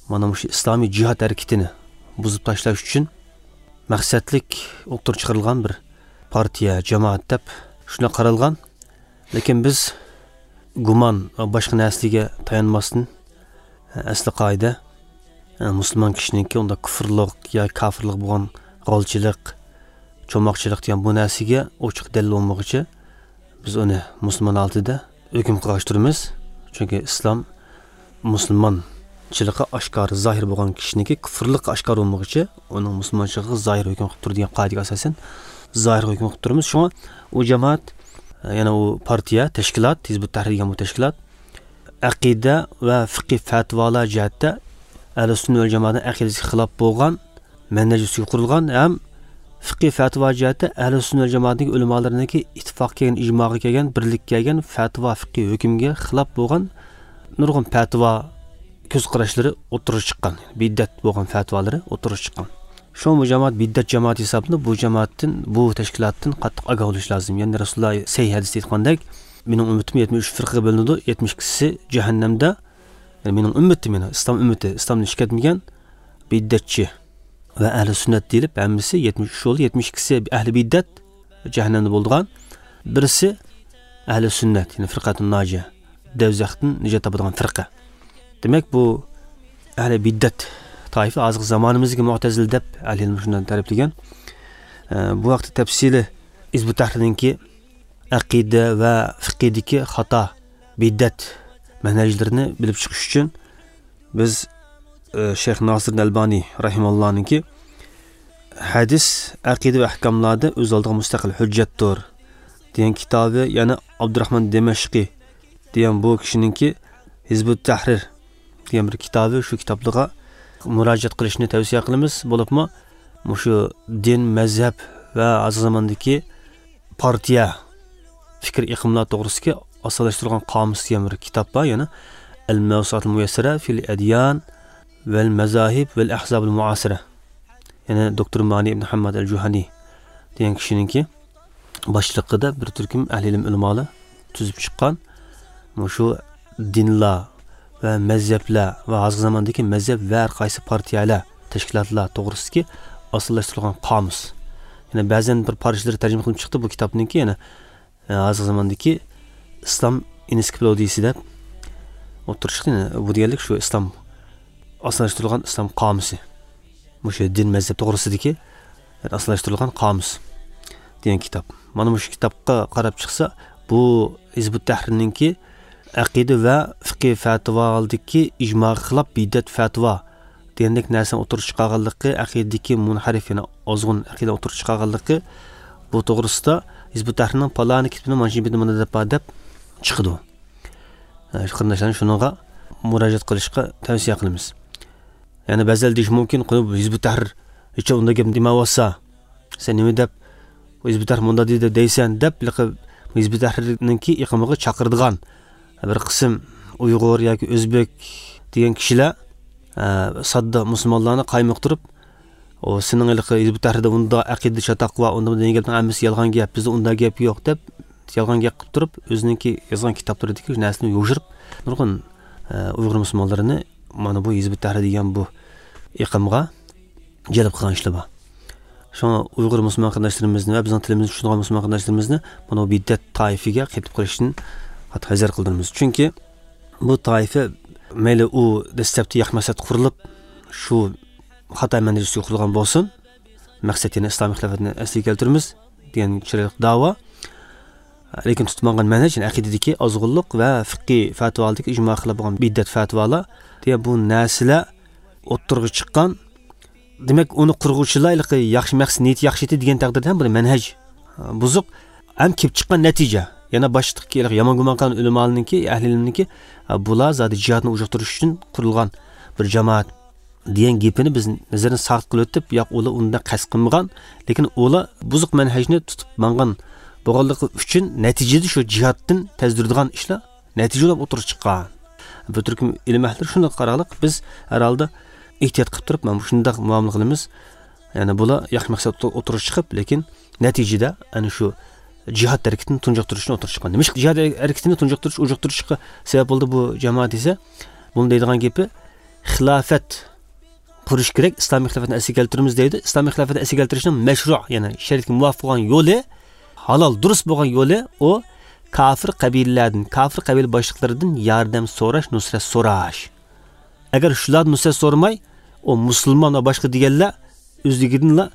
مانا مۇشۇ ئىسلامىي جىھاد ھەرىكىتىنى بۇزۇپ تاشلاش ئۈچۈن مەقسەتلىك ئوتتۇرىغا چىقىرىلغان بىر پارتىيە، جامائەت دەپ شۇنداق قارالغان. لېكىن بىز گۇمان ۋە باشقا نەرسىلەرگە تايانماستىن، ئەسلى قائىدە، مۇسۇلمان كىشىنىڭكى ئۇنداق كۇفۇرلۇق يا كاپىرلىق بولغان غالچىلىق، چوماقچىلىق دېگەن بۇ نەرسىگە ئوچۇق دەلىل بولمىغۇچە، بىز ئۇنى مۇسۇلمان ھالىتىدە ھۆكۈم قىلغاچ تۇرىمىز. چۈنكى ئىسلام مۇسۇلمانچىلىقى ئاشكارا، زاھىر بولغان كىشىنىڭكى كۇفۇرلۇقى ئاشكارا بولمىغۇچە، ئۇنىڭ مۇسۇلمانچىلىقىغا زاھىر ھۆكۈم قىلىپ تۇر دېگەن قائىدىگە ئاساسەن، زاھىر ھۆكۈم قىلىپ تۇرىمىز. شۇڭا ئۇ جامائەت، يەنى ئۇ پارتىيە، تەشكىلات، ھىزبۇت تەھرىر دېگەن بۇ تەشكىلات ئەقىدە ۋە فىقھىي پەتىۋالار جەھەتتە ئەھلى سۈننە ۋەل جامائەتنىڭ ئەقىدىسىگە خىلاپ بولغان مەنھەج ئۈستىگە قۇرۇلغان ھەم فىقھىي پەتىۋا جەھەتتە ئەھلى سۈننە ۋەل جامائەتنىڭ ئۆلىمالىرىنىڭكى ئىتتىپاق كەلگەن، ئىجماغا كەلگەن، بىرلىككە كەلگەن پەتىۋا، فىقھىي ھۆكۈمگە خىلاپ بولغان نۇرغۇن پەتىۋا كۆز قاراشلىرى ئوتتۇرىغا چىققان، بىدئەت بولغان پەتىۋالىرى ئوتتۇرىغا چىققان. شۇڭا بۇ جامائەت بىدئەت جامائىتى ھېسابلىنىپ، بۇ جامائەتتىن، بۇ تەشكىلاتتىن قاتتىق ئاگاھ بولۇش لازىم. يەنى رەسۇلۇللا سەھىھ ھەدىستە ئېيتقاندەك، مېنىڭ ئۈممىتىم يەتمىش ئۈچ فىرقىگە بۆلۈنىدۇ، يەتمىش ئىككىسى جەھەننەمدە. يەنى مېنىڭ ئۈممىتىم، يەنى ئىسلام ئۈممىتى، ئىسلامدىن چىقىپ كەتمىگەن بىدئەتچى ۋە ئەھلى سۈننەت دېيىلىپ، ھەممىسى يەتمىش ئۈچ بولدى، يەتمىش ئىككىسى ئەھلى بىدئەت، جەھەننەمدە بولىدىغان، بىرسى ئەھلى سۈننەت، يەنى فىرقەتۇن ناجىيە، دەۋزەختىن نىجات تاپىدىغان فىرقە. دېمەك، بۇ ئەھلى بىدئەت تائىپە، ھازىرقى زامانىمىزدىكى مۇئتەزىلە دەپ ئەھلى ئىلىم شۇنداق تەرىپلىگەن. ئە، بۇ ھەقتە تەپسىلىي ھىزبۇت تەھرىرنىڭكى ئەقىدە ۋە فىقھىدىكى خاتا بىدئەت مەنھەجلىرىنى بىلىپ چىقىش ئۈچۈن بىز، ئە، شەيخ ناسىردىن ئەلبانى رەھىمەھۇللانىڭكى ھەدىس، ئەقىدە ۋە ئەھكاملاردا ئۆز ئالدىغا مۇستەقىل ھۆججەتتۇر دېگەن كىتابى، يەنە ئابدۇراخمان دىمەشقى دېگەن بۇ كىشىنىڭكى ھىزبۇت تەھرىر دېگەن بىر كىتابى، شۇ كىتابلىرىغا مۇراجىئەت قىلىشنى تەۋسىيە قىلىمىز. بولۇپمۇ مۇشۇ دىن، مەزھەپ ۋە ھازىرقى زاماندىكى پارتىيە، پىكىر ئېقىملار توغرىسىدىكى ئاسانلاشتۇرۇلغان قامۇس دېگەن بىر كىتاب بار، يەنى ئەل مەۋسۇئاتۇل مۇيەسسەرە فىل ئەديان ۋەل مەزاھىب ۋەل ئەھزابىل مۇئاسىرە، يەنى دوكتور مانى ئىبن ھەمماد ئەل جۇھەنى دېگەن كىشىنىڭكى باشلىقىدا بىر تۈركۈم ئەھلى ئىلىم ئۆلىمالار تۈزۈپ چىققان مۇشۇ دىنلار ۋە مەزھەپلەر ۋە ھازىرقى زاماندىكى مەزھەپ ۋە ھەر قايسى پارتىيەلەر، تەشكىلاتلار توغرىسىدىكى ئاسانلاشتۇرۇلغان قامۇس. يەنە بەزەن بىر پارچىلىرى تەرجىمە قىلىنىپ چىقتى بۇ كىتابنىڭكى، يەنە، ئە، ھازىرقى زاماندىكى ئىسلام ئېنسىكلوپېدىيىسى دەپ ئوتتۇرىغا چىقتى. يەنە بۇ دېگەنلىك شۇ ئىسلام، ئاسانلاشتۇرۇلغان ئىسلام قامۇسى. مۇشۇ دىن مەزھەپ توغرىسىدىكى ئاسانلاشتۇرۇلغان قامۇس دېگەن كىتاب. مانا مۇشۇ كىتابقا قاراپ چىقسا، بۇ ھىزبۇت تەھرىرنىڭكى ئەقىدە ۋە فىقھىي پەتىۋادىكى ئىجماغا خىلاپ بىدئەت پەتىۋا دېگەندەك نەرسىنى ئوتتۇرىغا چىقارغانلىقى، ئەقىدىدىكى مۇنھەرىف، يەنى ئازغۇن ئەقىدە ئوتتۇرىغا چىقارغانلىقى، بۇ توغرىسىدا ھىزبۇت تەھرىرنىڭ پالانى كىتابىنىڭ مانا شۇ بېتىدە مانا دەپ بار دەپ چىقىدۇ. ھە، شۇ قېرىنداشلارنى شۇنىڭغا مۇراجىئەت قىلىشقا تەۋسىيە قىلىمىز. يەنى بەزىلەر دېيىشى مۇمكىن، قوي، ھىزبۇت تەھرىر ھېچ ئۇنداق گەپنى دېمەيۋاتسا، سەن نېمە دەپ، ھىزبۇت تەھرىر مۇنداق دېدى دەيسەن دەپ، ھېلىقى ھىزبۇت تەھرىرنىڭكى ئېقىمىغا چاقىرىدىغان بىر قىسىم ئۇيغۇر ياكى ئۆزبېك دېگەن كىشىلەر، ئە، ساددا مۇسۇلمانلارنى قايمۇقتۇرۇپ، ئۇ سېنىڭ ھېلىقى ھىزبۇت تەھرىردە ئۇنداق ئەقىدە چاتاق بار، ئۇنداق دېگەن گەپنىڭ ھەممىسى يالغان گەپ، بىزدە ئۇنداق گەپ يوق دەپ، يالغان گەپ قىلىپ تۇرۇپ، ئۆزىنىڭكى يازغان كىتابلىرىدىكى نەرسىنى يوشۇرۇپ، نۇرغۇن، ئە، ئۇيغۇر مۇسۇلمانلىرىنى مانا بۇ ھىزب ئۇت تەھرىر دېگەن بۇ ئېقىمغا جەلپ قىلغان ئىشلار بار. شۇڭا ئۇيغۇر مۇسۇلمان قېرىنداشلىرىمىزنى ۋە بىزنىڭ تىلىمىزنى چۈشىنىدىغان مۇسۇلمان قېرىنداشلىرىمىزنى مانا بۇ بىدئەت تائىپىگە قېتىپ قېلىشتىن قاتتىق ھەزەر قىلدۇرىمىز. چۈنكى بۇ تائىپە مەيلى ئۇ دەسلەپتە ياخشى مەقسەت قۇرۇلۇپ، شۇ خاتا مەنھەج ئۈستىگە قۇرۇلغان بولسۇن، مەقسەت يەنە ئىسلامىي خىلاپەتنى ئەسلىگە كەلتۈرىمىز دېگەن چىرايلىق داۋا. لېكىن تۇتۇپ ماڭغان مەنھەج، يەنى ئەقىدىدىكى ئازغۇنلۇق ۋە فىقھىي پەتىۋالىرىدىكى ئىجما خىلاپ بولغان بىدئەت پەتىۋالار دېگەن بۇ نەرسىلەر ئوتتۇرىغا چىققان. دېمەك، ئۇنى قۇرغۇچىلار ھېلىقى ياخشى مەقسەت، نىيىتى ياخشى ئىدى دېگەن تەقدىردە ھەم بۇ مەنھەج بۇزۇق، ھەم كېلىپ چىققان نەتىجە. يەنە باشتىكى ھېلىقى يامان گۇمان قىلغان ئۆلىمالارنىڭكى، ئەھلى ئىلىمنىڭكى، بۇلار زادى جىھادنى ئۇجۇقتۇرۇش ئۈچۈن قۇرۇلغان بىر جامائەت دېگەن گېپىنى بىز نەزەردىن ساقىت قىلىۋېتىپ، ياق، ئۇلار ئۇنداق قەست قىلمىغان، لېكىن ئۇلار بۇزۇق مەنھەجنى تۇتۇپ ماڭغان بولغانلىقى ئۈچۈن نەتىجىدە شۇ جىھادتىن تەزدۈرىدىغان ئىشلار نەتىجە بولۇپ ئوتتۇرىغا چىققان. بىر تۈركۈم ئىلىم ئەھلىلىرى شۇنداق قارالىق، بىز ھەر ھالدا ئېھتىيات قىلىپ تۇرۇپ، مانا مۇشۇنداق مۇئامىلە قىلىمىز. يەنى بۇلار ياخشى مەقسەت ئوتتۇرىغا چىقىپ، لېكىن نەتىجىدە ئەنە شۇ جىھاد ھەرىكىتىنى تۇنجۇقتۇرۇشنى ئوتتۇرىغا چىققان. نېمىشقا جىھاد ھەرىكىتىنى تۇنجۇقتۇرۇش، ئوجۇقتۇرۇشقا سەۋەب بولدى بۇ جامائەت دېسە، بۇنى دەيدىغان گېپى، خىلاپەت قۇرۇش كېرەك، ئىسلامىي خىلاپەتنى ئەسلىگە كەلتۈرىمىز دەيدۇ. ئىسلامىي خىلاپەتنى ئەسلىگە كەلتۈرۈشنىڭ مەشرۇ، يەنى شەرىئەتكە مۇۋاپىق بولغان يولى، ھالال، دۇرۇس بولغان يولى ئۇ كاپىر قەبىلىلەردىن، كاپىر قەبىلە باشلىقلىرىدىن ياردەم سوراش، نۇسرەت سوراش. ئەگەر شۇلاردىن نۇسرەت سورىماي، ئۇ مۇسۇلمان ۋە باشقا دېگەنلەر ئۆزلۈكىدىنلا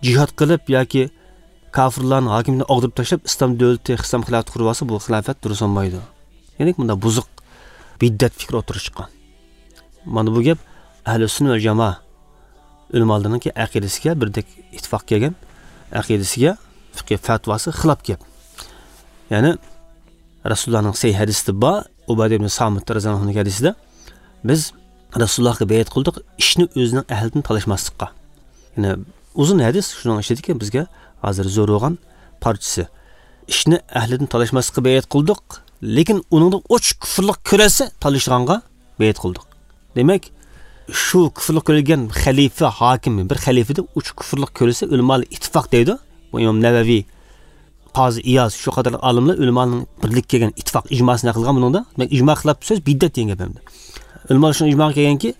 جىھاد قىلىپ ياكى كاپىرلارنىڭ ھاكىمىيىتىنى ئاغدۇرۇپ تاشلاپ، ئىسلام دۆلىتى، ئىسلام خىلاپىتى قۇرۇپ ئالسا، بۇ خىلاپەت دۇرۇس بولمايدۇ. يەنى مۇنداق بۇزۇق بىدئەت پىكرى ئوتتۇرىغا چىققان. مانا بۇ گەپ ئەھلى سۈننە ۋەل جامائە ئۆلىمالىرىنىڭكى ئەقىدىسىگە بىردەك ئىتتىپاق كەلگەن، ئەقىدىسىگە، فىقھىي پەتىۋاسىغا خىلاپ گەپ. يەنى رەسۇلۇللانىڭ سەھىھ ھەدىسىدە بار، ئۇبادە ئىبن سامىت رەزىياللاھۇ ئەنھۇنىڭ ھەدىسىدە، بىز رەسۇلۇللاھقا بەيئەت قىلدۇق، ئىشنى ئۆزىنىڭ ئەھلىدىن تالاشماسلىققا. يەنى ئۇزۇن ھەدىس، شۇنىڭ ئىچىدىكى بىزگە ھازىر زۆرۈر بولغان پارچىسى. ئىشنى ئەھلىدىن تالاشماسلىققا بەيئەت قىلدۇق، لېكىن ئۇنىڭدا ئوچۇق كۇفرلۇق كۆرۈلسە، تالىشىدىغانغا بەيئەت قىلدۇق. دېمەك، شۇ كۇفرلۇق كۆرۈلگەن خەلىپە، ھاكىم، بىر خەلىپىدە ئوچۇق كۇفرلۇق كۆرۈلسە، ئۆلىمالار ئىتتىپاق دەيدۇ. بۇ ئىمام نەۋەۋى، قازى ئىياز، شۇ قاتارلىق ئالىملار ئۆلىمالارنىڭ بىرلىككە كەلگەن ئىتتىپاق ئىجماسىنى نەقىل قىلغان بۇنىڭدا. دېمەك، ئىجما خىلاپ سۆز بىدئەت دېگەن گەپ ئەمدى. ئۆلىمالار شۇ ئىجماغا كەلگەنكى،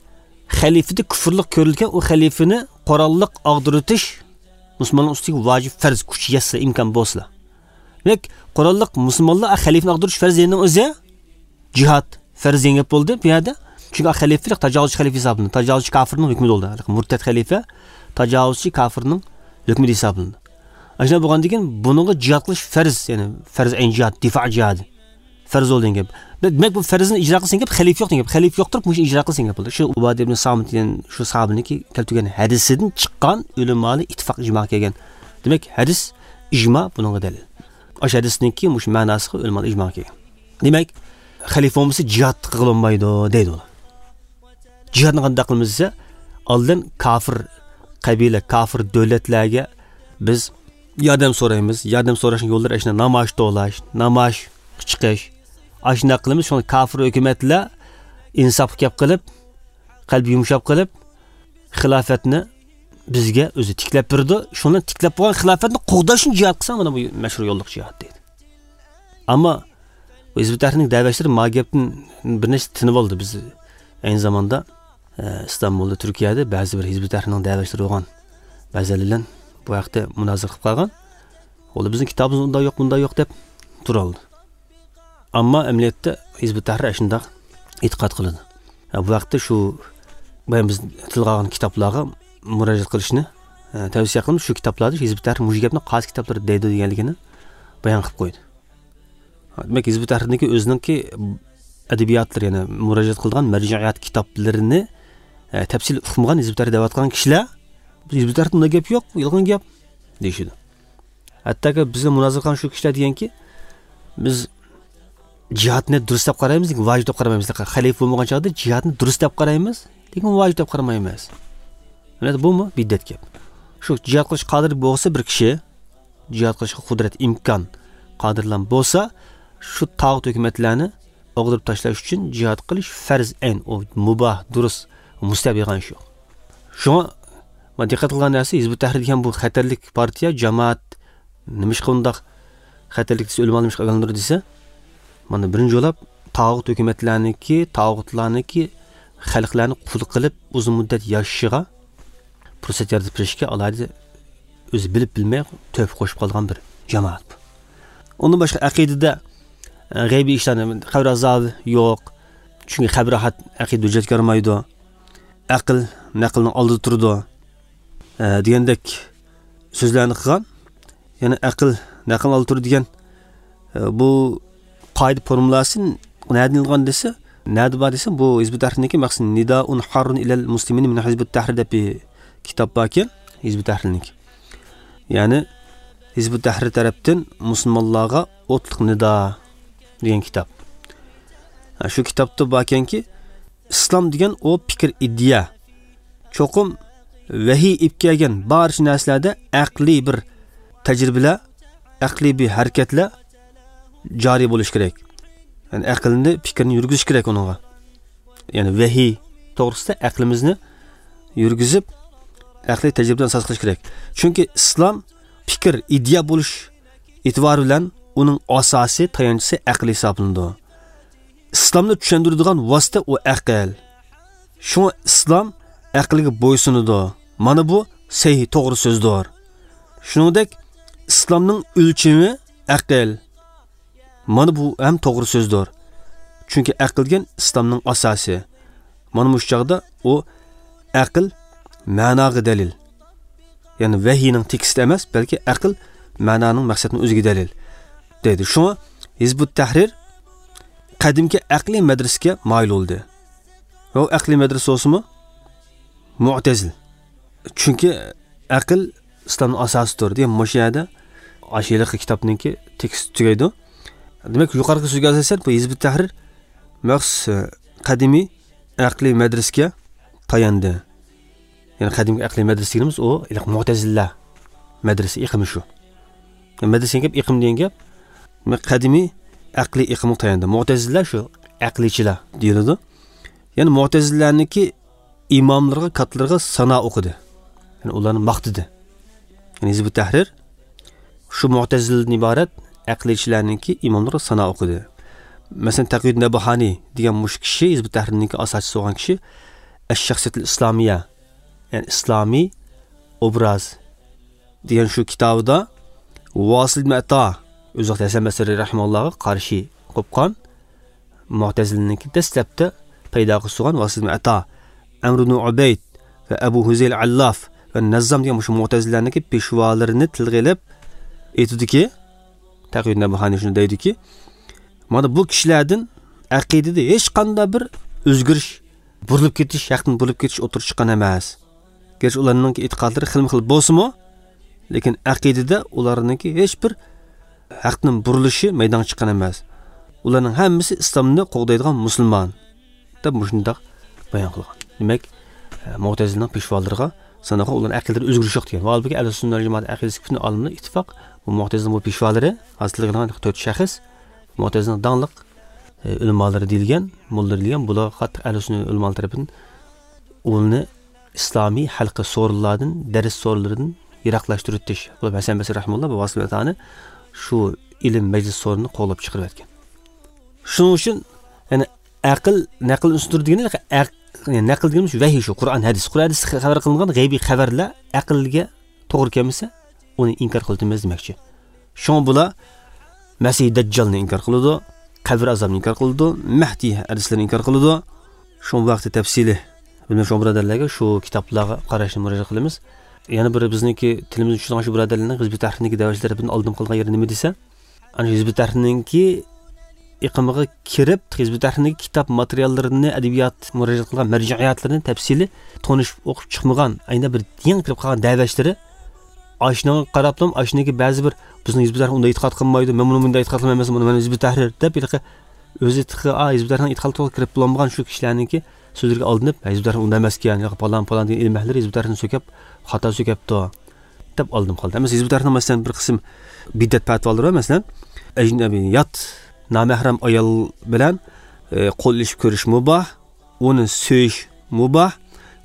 خەلىپىدە كۇفرلۇق كۆرۈلگەن، ئۇ خەلىپىنى قوراللىق ئاغدۇرۇۋېتىش مۇسۇلمانلار ئۈستىگە ۋاجىپ، پەرز، كۈچ يەتسە، ئىمكان بولسىلا. دېمەك، قوراللىق مۇسۇلمانلار خەلىپىنى ئاغدۇرۇش پەرز دېگەننىڭ ئۆزى جىھاد پەرز دېگەن گەپ بولدى بۇ يەردە. چۈنكى خەلىپىلىك تاجاۋۇزچى خەلىپە ھېسابلىنىدۇ. تاجاۋۇزچى كافىرنىڭ ھۆكمىدە بولدى. مۇرتەت خەلىپە تاجاۋۇزچى كافىرنىڭ ھۆكمىدە ھېسابلىنىدۇ. ئاشۇنداق بولغاندىن كېيىن بۇنىڭغا جىھاد قىلىش پەرز، يەنى پەرز ئەين جىھاد، دىفا جىھادى. پەرز بولدى دېگەن گەپ. دېمەك، بۇ پەرزنى ئىجرا قىلسا دېگەن گەپ، خەلىپە يوق دېگەن گەپ. خەلىپە يوق تۇرۇپ، مۇشۇ ئىجرا قىلسا دېگەن گەپ بولدى. شۇ ئۇبادە ئىبن سامىت دېگەن شۇ ساھابىنىڭكى كەلتۈرگەن ھەدىسىدىن چىققان ئۆلىمالار ئىتتىپاق ئىجماغا كەلگەن. دېمەك، ھەدىس ئىجما بۇنىڭغا دەلىل. ئاشۇ ھەدىسنىڭكى مۇشۇ مەناسىغا ئۆلىمالار ئىجماغا كەلگەن. دېمەك، خەلىپە بولمىسا جىھاد قىلغىلى بولمايدۇ دەيدۇ ئۇلار. جىھادنى قانداق قىلىمىز دېسە، ئالدىن كافىر قەبىلە، كافىر دۆلەتلەرگە بىز ياردەم سورايمىز. ياردەم سوراشنىڭ يوللىرى ئاشۇنداق نامايىش توۋلاش، نامايىشقا چىقىش. ئاشۇنداق قىلىمىز. شۇڭا كافىر ھۆكۈمەتلەر ئىنساپقا كەپ قىلىپ، قەلبى يۇمشاپ قىلىپ، خىلاپەتنى بىزگە ئۆزى تىكلەپ بېرىدۇ. شۇنى تىكلەپ بولغان خىلاپەتنى قوغداش ئۈچۈن جىھاد قىلساڭ، مانا بۇ مەشھۇر يوللۇق جىھاد دەيدۇ. ئەمما بۇ ھىزب ئۇت تەھرىرنىڭ دەۋەتچىلىرى ما گەپتىن بىر نەچچە تىنىپ ئالدى. بىز ئەينى زاماندا، ئە، ئىستانبۇلدا، تۈركىيەدە بەزى بىر ھىزب ئۇت تەھرىرنىڭ دەۋەتچىلىرى بولغان بەزىلەر بىلەن بۇ ھەقتە مۇنازىرە قىلىپ قالغان. ئۇلار بىزنىڭ كىتابىمىزدا ئۇنداق يوق، بۇنداق يوق دەپ تۇرالدى. ئەمما ئەمەلىيەتتە ھىزب ئۇت تەھرىر ئاشۇنداق ئېتىقاد قىلىدۇ. ھە، بۇ ھەقتە شۇ بايام بىز تىلغا ئالغان كىتابلارغا مۇراجىئەت قىلىشنى، ھە، تەۋسىيە قىلىمىز. شۇ كىتابلاردا ھىزب ئۇت تەھرىر مۇشۇ گەپنى قايسى كىتابلاردا دەيدۇ دېگەنلىكىنى بايان قىلىپ قويدى. دېمەك، ھىزب ئۇت تەھرىرنىڭكى ئۆزىنىڭكى ئەدەبىياتلىرى، يەنى مۇراجىئەت قىلىدىغان مەرجىئىيەت كىتابلىرىنى، ھە، تەپسىلىي ئۇقمىغان، ھىزب ئۇت تەھرىر دەۋاتقان كىشىلەر، بۇ ھىزب ئۇت تەھرىردە بۇنداق گەپ يوق، يالغان گەپ دېيىشىدۇ. ھەتتاكى بىزنى مۇنازىرە قىلغان شۇ كىشىلەر دېگەنكى، بىز جىھادنى دۇرۇس دەپ قارايمىز، لېكىن ۋاجىپ دەپ قارىمايمىز. خەلىپە بولمىغان چاغدا جىھادنى دۇرۇس دەپ قارايمىز، لېكىن ۋاجىپ دەپ قارىمايمىز. مانا بۇمۇ بىدئەت گەپ. شۇ جىھاد قىلىشقا قادىر بولسا بىر كىشى، جىھاد قىلىشقا قۇدرەت، ئىمكان، قادىرلام بولسا، شۇ تاغۇت ھۆكۈمەتلەرنى ئاغدۇرۇپ تاشلاش ئۈچۈن جىھاد قىلىش پەرز ئەين، ئۇ مۇباھ، دۇرۇس، مۇستەھەب، يالغان ئىش يوق. شۇڭا مانا دىققەت قىلغان نەرسە، ھىزب ئۇت تەھرىر دېگەن بۇ خەتەرلىك پارتىيە، جامائەت، نېمىشقا ئۇنداق خەتەرلىك دېسە، ئۆلىمالارنى ئىشقا ئايلاندۇرىدۇ دېسە، مانا بىرىنچى بولاپ تاغۇت ھۆكۈمەتلەرنىكى، تاغۇتلارنىكى خەلقلەرنى قۇل قىلىپ ئۇزۇن مۇددەت ياشىشىغا پۇرسەت يارىتىپ بېرىشكە ئالاھىدە ئۆزى بىلىپ بىلمەي تۆھپە قوشۇپ قالغان بىر جامائەت بۇ. ئۇندىن باشقا ئەقىدىدە، ئە، غەيبىي ئىشلارنى، قەبرە ئازابى يوق. چۈنكى قەبرە راھەت ئەقىدە ھۆججەتكە يارىمايدۇ. ئەقىل نەقىلنىڭ ئالدىدا تۇرىدۇ، ئە، دېگەندەك سۆزلەرنى قىلغان. يەنى ئەقىل نەقىلنىڭ ئالدىدا تۇرىدۇ دېگەن، ئە، بۇ قائىدە فورمۇلاسى نەدىن ئېلىنغان دېسە، نەدە بار دېسە، بۇ ھىزبۇت تەھرىرنىڭكى مەخسۇس نىدائۇن ھاررۇن ئىلەل مۇسلىمىن مىن ھىزبۇت تەھرىر دەپ بىر كىتاب باركەن، ھىزبۇت تەھرىرنىڭكى. يەنى ھىزبۇت تەھرىر تەرەپتىن مۇسۇلمانلارغا ئوتلۇق نىدا دېگەن كىتاب. ھە، شۇ كىتابتا باركەنكى، ئىسلام دېگەن ئۇ پىكىر، ئىدىيە. چوقۇم ۋەھىي ئېلىپ كەلگەن بارچە نەرسىلەردە ئەقلىي بىر تەجرىبىلەر، ئەقلىي بىر ھەرىكەتلەر جارى بولۇشى كېرەك. يەنى ئەقىلنى، پىكىرنى يۈرگۈزۈش كېرەك ئۇنىڭغا. يەنى ۋەھىي توغرىسىدا ئەقلىمىزنى يۈرگۈزۈپ، ئەقلىي تەجرىبىدىن ئاساس قىلىش كېرەك. چۈنكى ئىسلام پىكىر، ئىدىيە بولۇش ئېتىبارى بىلەن ئۇنىڭ ئاساسى، تايانچىسى ئەقىل ھېسابلىنىدۇ. ئىسلامنى چۈشەندۈرىدىغان ۋاسىتە ئۇ ئەقىل. شۇڭا ئىسلام ئەقىلگە بويسۇنىدۇ. مانا بۇ سەھىھ، توغرا سۆزدۇر. شۇنىڭدەك ئىسلامنىڭ ئۆلچىمى ئەقىل. مانا بۇ ھەم توغرا سۆزدۇر. چۈنكى ئەقىل دېگەن ئىسلامنىڭ ئاساسى. مانا مۇشۇ چاغدا ئۇ ئەقىل مەناغا دەلىل. يەنى ۋەھىينىڭ تېكىستى ئەمەس، بەلكى ئەقىل مەنانىڭ، مەقسەتنىڭ ئۆزىگە دەلىل دەيدۇ. شۇڭا ھىزبۇت تەھرىر قەدىمكى ئەقلىي مەدرىسىگە مايىل بولدى. ۋە ئەقلىي مەدرىسە بولسىمۇ مۇئتەزىل. چۈنكى ئەقىل ئىسلامنىڭ ئاساسىدۇر دېگەن مۇشۇ يەردە ئاشۇ ھېلىقى كىتابنىڭكى تېكىستى تۈگەيدۇ. دېمەك، يۇقىرىقى سۆزگە ئاساسەن، بۇ ھىزبۇت تەھرىر مەخسۇس، ئە، قەدىمىي ئەقلىي مەدرىسىگە تاياندى. يەنى قەدىمكى ئەقلىي مەدرىسە دېگىنىمىز ئۇ، ھېلىقى مۇئتەزىلە مەدرىسە ئېقىمى شۇ. مەدرىسە دېگەن گەپ، ئېقىم دېگەن گەپ. دېمەك، قەدىمىي ئەقلىي ئېقىمغا تاياندى. مۇئتەزىلە شۇ ئەقلىيچىلەر دېيىلىدۇ. يەنى مۇئتەزىلەنىڭكى ئىماملىرىغا، كاتىلىرىغا سانا ئوقۇدى. يەنى ئۇلارنى ماختىدى. يەنى ھىزبۇت تەھرىر شۇ مۇئتەزىلىدىن ئىبارەت ئەقلىيچىلەرنىڭكى ئىماملىرىغا سانا ئوقۇدى. مەسىلەن، تەقىيۇددىن نەبباھانى دېگەن مۇشۇ كىشى، ھىزبۇت تەھرىرنىڭكى ئاساسچىسى بولغان كىشى، ئەش-شەخسىيەتۇل ئىسلامىيە، يەنى ئىسلامىي ئوبراز دېگەن شۇ كىتابىدا ۋاسىل ئىبن ئەتا، ئۆزى ھەسەن بەسرى رەھىمەھۇللاغا قارشى قوپقان مۇئتەزىلىنىڭكى دەسلەپتە پەيدا قىلسۇغان ۋاسىل ئەتا، ئەمر ئىبن ئۇبەيد ۋە ئەبۇ ھۇزەيل ئەللاف ۋە نەززام دېگەن مۇشۇ مۇئتەزىلىلەرنىڭكى پېشۋالىرىنى تىلغا ئېلىپ ئېيتىدۇكى، تەقىيۇددىن نەبباھانى شۇنى دەيدۇكى، مانا بۇ كىشىلەردىن ئەقىدىدە ھېچقانداق بىر ئۆزگىرىش، بۇرۇلۇپ كېتىش، ھەقتىن بۇرۇلۇپ كېتىش ئوتتۇرىغا چىققان ئەمەس. گەرچە ئۇلارنىڭكى ئېتىقادلىرى خىلمۇ خىل بولسىمۇ، لېكىن ئەقىدىدە ئۇلارنىڭكى ھېچ بىر ھەقتىن بۇرۇلۇشى مەيدانغا چىققان ئەمەس. ئۇلارنىڭ ھەممىسى ئىسلامنى قوغدايدىغان مۇسۇلمان، دەپ مۇشۇنداق بايان قىلغان. دېمەك، ئە، مۇئتەزىلىنىڭ پېشۋالىرىغا ساناققا ئۇلارنىڭ ئەقىدىلىرى ئۆزگىرىش يوق دېگەن. ۋە ھالبۇكى، ئەھلى سۈننە ۋەل جامائەت ئەقىدىسى پۈتۈن ئالىملار ئىتتىپاق، بۇ مۇئتەزىلىنىڭ بۇ پېشۋالىرى، ھازىر تىلغا ئېلىنغان تۆت شەخس مۇئتەزىلىنىڭ داڭلىق، ئە، ئۆلىمالىرى دېيىلگەن، موللىلىرى دېيىلگەن، بۇلارغا قاتتىق ئەھلى سۈننە ئۆلىمالىرى تەرىپىدىن ئۇلىنى ئىسلامىي ھەلقە سورۇنلاردىن، دەرس سورۇنلىرىدىن يىراقلاشتۇرۇۋېتىش. بۇ ھەسەن بەسرى رەھىمۇللا بۇ ۋاسىل ئەتانى شۇ ئىلىم مەجلىس سورۇنىنى قوغلاپ چىقىرىۋەتكەن. شۇنىڭ ئۈچۈن، يەنى ئەقىل، نەقىل ئۈستۈندۇر دېگىنى ئەق-، يەنى نەقىل دېگىنىمىز ۋەھىي شۇ، قۇرئان، ھەدىس. قۇرئان، ھەدىستە خەۋەر قىلىنغان غەيبىي خەۋەرلەر ئەقىلگە توغرا كەلمىسە، ئۇنى ئىنكار قىلىۋېتىمىز دېمەكچى. شۇڭا بۇلار مەسىھ دەججالنى ئىنكار قىلىدۇ، قەبرە ئازابىنى ئىنكار قىلىدۇ، مەھدى ھەدىسلىرىنى ئىنكار قىلىدۇ. شۇڭا بۇ ھەقتە تەپسىلىي بىلمەي شۇڭا بۇرادەرلەرگە شۇ كىتابلارغا قاراشنى مۇراجىئەت قىلىمىز. يەنە بىر بىزنىڭكى تىلىمىزنى چۈشىنىدىغان شۇ بۇرادەرلەرنىڭ ھىزبۇت تەھرىرنىڭكى دەۋەتىشلىرى بىلەن ئالدىن قالغان يېرى نېمە دېسە، ئەنە ھىزبۇت تەھرىرنىڭكى ئېقىمىغا كىرىپ، ھىزبۇت تەھرىرنىڭكى كىتاب ماتېرىياللىرىنى، ئەدەبىيات مۇراجىئەت قىلغان مەرجىئىياتلىرىنى تەپسىلىي تونۇشۇپ ئوقۇپ چىقمىغان، ئەينە بىر يېڭى كىرىپ قالغان دەۋەتىشلىرى، ئاشۇنىڭغا قاراپلا، ئاشۇنىڭكى بەزى بىر، بىزنىڭ ھىزبۇت تەھرىر ئۇنداق ئېتىقاد قىلمايدۇ، مەن بۇنى مۇنداق ئېتىقاد قىلمايمەن، مەن ھىزبۇت تەھرىر دەپ ھېلىقى ئۆزى تېخى، ئا، ھىزبۇت تەھرىرنىڭ ئېتىقادىغا توغرا كىرىپ بولمىغان شۇ كىشىلەرنىڭكى سۆزلىرىگە ئالدىنىپ، ھە، ھىزبۇت تەھرىر ئۇنداق ئەمەسكەن، ياكى پالان، پالان دېگەن ئىلىم ئەھلىلىرى ھىزبۇت تەھرىرنى سۆكەپ، خاتا سۆكەپتۇ، دەپ ئالدىنىپ قالدى. ئەمەسە ھىزبۇت تەھرىرنىڭ، مەسىلەن، بىر قىسىم بىدئەت پەتىۋالىرى بار، مەسىلەن، ئەجنەبىي، يات، نامەھرەم ئايال بىلەن، ئە، قول ئېلىشىپ كۆرۈش مۇباھ، ئۇنى سۆيۈش مۇباھ،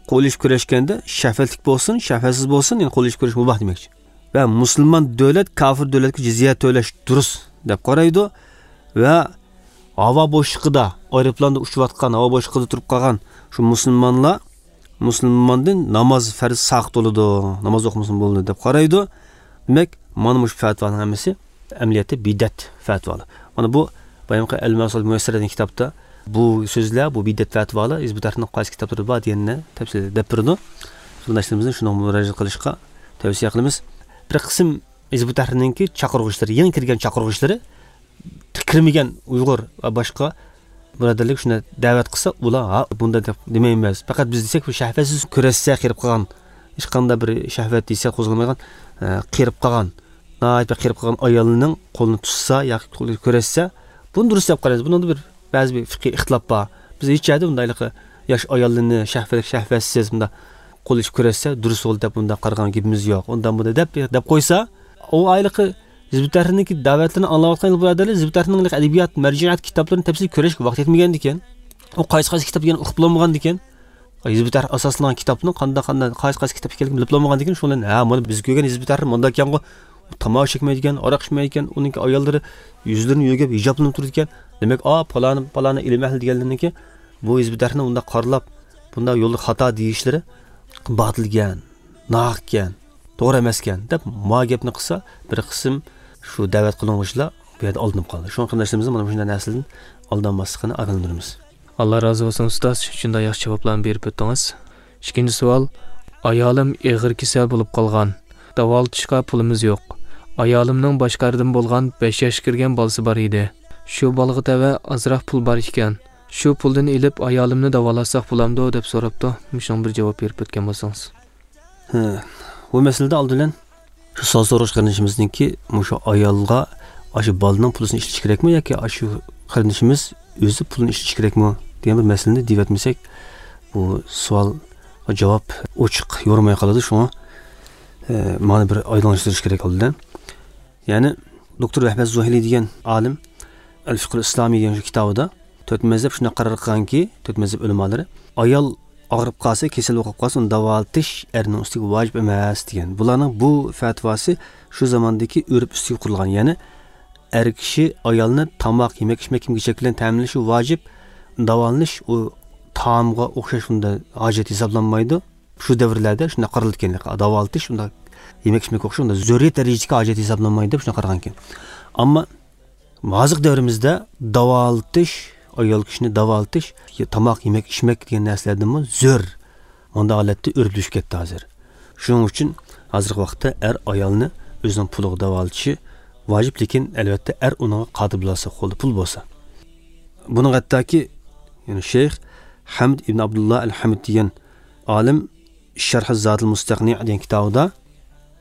قول ئېلىشىپ كۆرۈشكەندە شەھۋەتلىك بولسۇن، شەھۋەتسىز بولسۇن، يەنى قول ئېلىشىپ كۆرۈش مۇباھ دېمەكچى. ۋە مۇسۇلمان دۆلەت كاپىر دۆلەتكە جىزيە تۆلەش دۇرۇس دەپ قارايدۇ. ۋە ھاۋا بوشلۇقىدا، ئايروپىلاندا ئۇچۇۋاتقان، ھاۋا بوشلۇقىدا تۇرۇپ قالغان شۇ مۇسۇلمانلار، مۇسۇلماندىن ناماز پەرز ساقىت بولىدۇ، ناماز ئوقۇمىسىمۇ بولىدۇ دەپ قارايدۇ. دېمەك، مانا مۇشۇ پەتىۋالارنىڭ ھەممىسى ئەمەلىيەتتە بىدئەت پەتىۋالار. مانا بۇ بايامقى ئەل مەسۇل مۇيەسسەر دېگەن كىتابتا بۇ سۆزلەر، بۇ بىدئەت پەتىۋالار ھىزب ئۇت تەھرىرنىڭ قايسى كىتابلىرىدا بار دېگەننى تەپسىلىي دەپ بېرىدۇ. قېرىنداشلىرىمىزنى شۇنىڭغا مۇراجىئەت قىلىشقا تەۋسىيە قىلىمىز. بىر قىسىم ھىزب ئۇت تەھرىرنىڭكى چاقىرغۇچىلىرى، يېڭى كىرگەن چاقىرغۇچىلىرى، كىرمىگەن ئۇيغۇر ۋە باشقا بۇرادەرلىك شۇنداق دەۋەت قىلسا، ئۇلار ھا بۇنداق دەپ دېمەيمىز. پەقەت بىز دېسەك، بۇ شەھۋەتسىز كۆرەتسە قېرىپ قالغان، ھېچقانداق بىر شەھۋەت دېسە قوزغالمايدىغان، ئە، قېرىپ قالغان، ناھايىتى بىر قېرىپ قالغان ئايالنىڭ قولىنى تۇتسا ياكى قولىنى كۆرەتسە، بۇنى دۇرۇس دەپ قارايمىز. بۇنىڭدا بىر بەزى بىر فىقھىي ئىختىلاپ بار. بىز ھېچ يەردە بۇنداق ھېلىقى ياش ئايالنى شەھۋەتلىك، شەھۋەتسىز بۇنداق قول ئېچىپ كۆرەتسە دۇرۇس بولدى دەپ بۇنداق قارىغان گېپىمىز يوق. ئۇنداق بۇنداق دەپ، دەپ قويسا، ئۇ ھېلىقى ھىزب ئۇت تەھرىرنىڭكى دەۋەتلىرىنى ئاڭلاۋاتقان بۇرادەرلەر، ھىزب ئۇت تەھرىرنىڭ ئەدەبىيات، مەرجىئات كىتابلىرىنى تەپسىلىي كۆرۈشكە ۋاقتى يەتمىگەندىكىن، ئۇ قايسى، قايسى كىتاب ئىكەنلىكىنى ئۇقۇپ بولمىغاندىكىن، ھىزب ئۇت تەھرىر ئاساسلانغان كىتابنىڭ قانداق، قانداق، قايسى، قايسى كىتاب ئىكەنلىكىنى بىلىپ بولمىغاندىكىن، شۇنىڭ بىلەن، ھە، مانا بىز كۆرگەن ھىزب ئۇت تەھرىر مۇنداق ئىكەنغۇ، تاماكا چەكمەيدىكەن، ئاراق ئىچمەيدىكەن، ئۇنىڭكى ئاياللىرى يۈزلىرىنى يۆگەپ ھىجابلىنىپ تۇرىدىكەن. دېمەك، ئا، پالانى، پالانى ئىلىم ئەھلى دېگەنلىرىنىڭكى بۇ ھىزب ئۇت تەھرىرنى ئۇنداق قارىلاپ، بۇنداق يولدا خاتا دېيىشلىرى باتىلكەن، ناھەقكەن، توغرا ئەمەسكەن دەپ ما گەپنى قىلسا، بىر قىسىم شۇ دەۋەت قىلىنغۇچىلار بۇ يەردە ئالدىنىپ قالدى. شۇڭا قېرىنداشلىرىمىزنىڭ مانا مۇشۇنداق نەرسىدىن ئالدانماسلىقىنى ئاگاھلاندۇرىمىز. ئاللا رازى بولسۇن ئۇستاز، شۇنداق ياخشى جاۋابلارنى بېرىپ ئۆتتىڭىز. ئىككىنچى سوئال، ئايالىم ئېغىر كېسەل بولۇپ قالغان، داۋالىتىشقا پۇلىمىز يوق. ئايالىمنىڭ باشقا ئەردىن بولغان بەش ياشقا كىرگەن بالىسى بار ئىدى. شۇ بالىغا تەۋە ئازراق پۇل بار ئىكەن. شۇ پۇلدىن ئېلىپ ئايالىمنى داۋالاتساق بولامدۇ دەپ سوراپتۇ. مۇشۇنىڭغا بىر جاۋاب بېرىپ ئۆتكەن بولسىڭىز. ھە، بۇ مەسىلىدە ئالدى بىلەن شۇ سوئال سورىغۇچى قېرىندىشىمىزنىڭكى مۇشۇ ئايالغا ئاشۇ بالىنىڭ پۇلىسىنى ئىشلىتىش كېرەكمۇ ياكى ئاشۇ قېرىندىشىمىز ئۆزى پۇلىنى ئىشلىتىش كېرەكمۇ دېگەن بىر مەسىلىنى دېيىۋەتمىسەك، بۇ سوئالغا جاۋاب ئوچۇق يورۇماي قالىدۇ. شۇڭا، ئە، مانا بىر ئايدىڭلاشتۇرۇش كېرەك ئالدى بىلەن. يەنى دوكتور ۋەھبەت زۇھىلى دېگەن ئالىم، ئەل فىقھۇل ئىسلامىي دېگەن شۇ كىتابىدا، تۆت مەزھەپ شۇنداق قارار قىلغانكى، تۆت مەزھەپ ئۆلىمالىرى، ئايال ئاغرىپ قالسا، كېسەل بولۇپ قالسا، ئۇنى داۋالىتىش ئەرنىڭ ئۈستىگە ۋاجىپ ئەمەس دېگەن. بۇلارنىڭ بۇ فەتىۋاسى شۇ زاماندىكى ئۆرپ ئۈستىگە قۇرۇلغان. يەنى ئەر كىشى ئايالنى تاماق، يېمەك، ئىچمەك، كىيىم-كېچەك بىلەن تەمىنلىشى ۋاجىپ، داۋالىنىش ئۇ تائامغا ئوخشاش ئۇنداق ھاجەت ھېسابلانمايدۇ. شۇ دەۋرلەردە شۇنداق قارىلىدىكەن، داۋالىتىش ئۇنداق يېمەك، ئىچمەك ئوخشاش ئۇنداق زۆرۈرىيەت دەرىجىدىكى ھاجەت ھېسابلانمايدۇ دەپ شۇنداق قارىغانىكەن. ئەمما ھازىرقى دەۋرىمىزدە داۋالىتىش، ئايال كىشىنى داۋالىتىش، تاماق، يېمەك، ئىچمەك دېگەن نەرسىلەردىنمۇ زۆر. مۇنداق ھالەتتە ئۆرپلىشىپ كەتتى ھازىر. شۇنىڭ ئۈچۈن ھازىرقى ۋاقىتتا ئەر ئايالنى ئۆزىنىڭ پۇلىغا داۋالىتىشى ۋاجىپ، لېكىن ئەلۋەتتە ئەر ئۇنىڭغا قادىر بولسا، قولىدا پۇل بولسا. بۇنىڭغا ھەتتاكى، يەنى شەيخ ھەمد ئىبن ئابدۇللا ئەل ھەمد دېگەن ئالىم شەرھ زادىل مۇستەقنى دېگەن كىتابىدا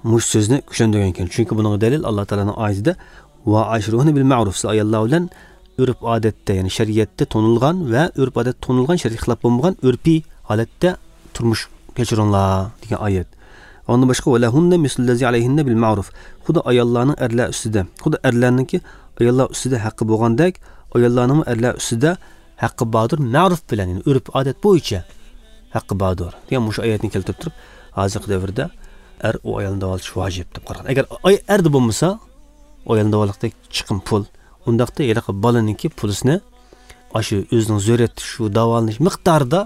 مۇشۇ سۆزنى كۈچلەندۈرگەن ئىكەن. چۈنكى بۇنىڭغا دەلىل ئاللا تائالانىڭ ئايىتىدە، «ۋە ئاشىرۇھۇننە بىل مەئرۇف»، سىز ئاياللار بىلەن ئۆرپ ئادەتتە، يەنى شەرىئەتتە تونۇلغان ۋە ئۆرپ ئادەتتە تونۇلغان، شەرئىي خىلاپ بولمىغان ئۆرپىي ھالەتتە تۇرمۇش كەچۈرۈڭلار دېگەن ئايەت. ئۇنىڭدىن باشقا، «ۋە لەھۇننە مىسلۇللەزى ئەلەيھىننە بىل مەئرۇف»، خۇددى ئاياللارنىڭ ئەرلەر ئۈستىدە، خۇددى ئەرلەرنىڭكى ئاياللار ئۈستىدە ھەققى بولغاندەك، ئاياللارنىڭمۇ ئەرلەر ئۈستىدە ھەققى باردۇر، مەرۇف بىلەن، يەنى ئۆرپ ئادەت بويىچە ھەققى باردۇر دېگەن مۇشۇ ئايەتنى كەلتۈرۈپ تۇرۇپ، ھازىرقى دەۋردە ئەر ئۇ ئايالنى داۋالىتىش ۋاجىپ دەپ قارىغان. ئەگەر ئاي-، ئەردە بولمىسا، ئۇ ئايالنى داۋالىغۇدەك چىقىم پۇل، ئۇنداقتا ھېلىقى بالىنىڭكى پۇلىسىنى ئاشۇ ئۆزىنىڭ زۆرۈرىيەت شۇ داۋالىنىش مىقدارىدا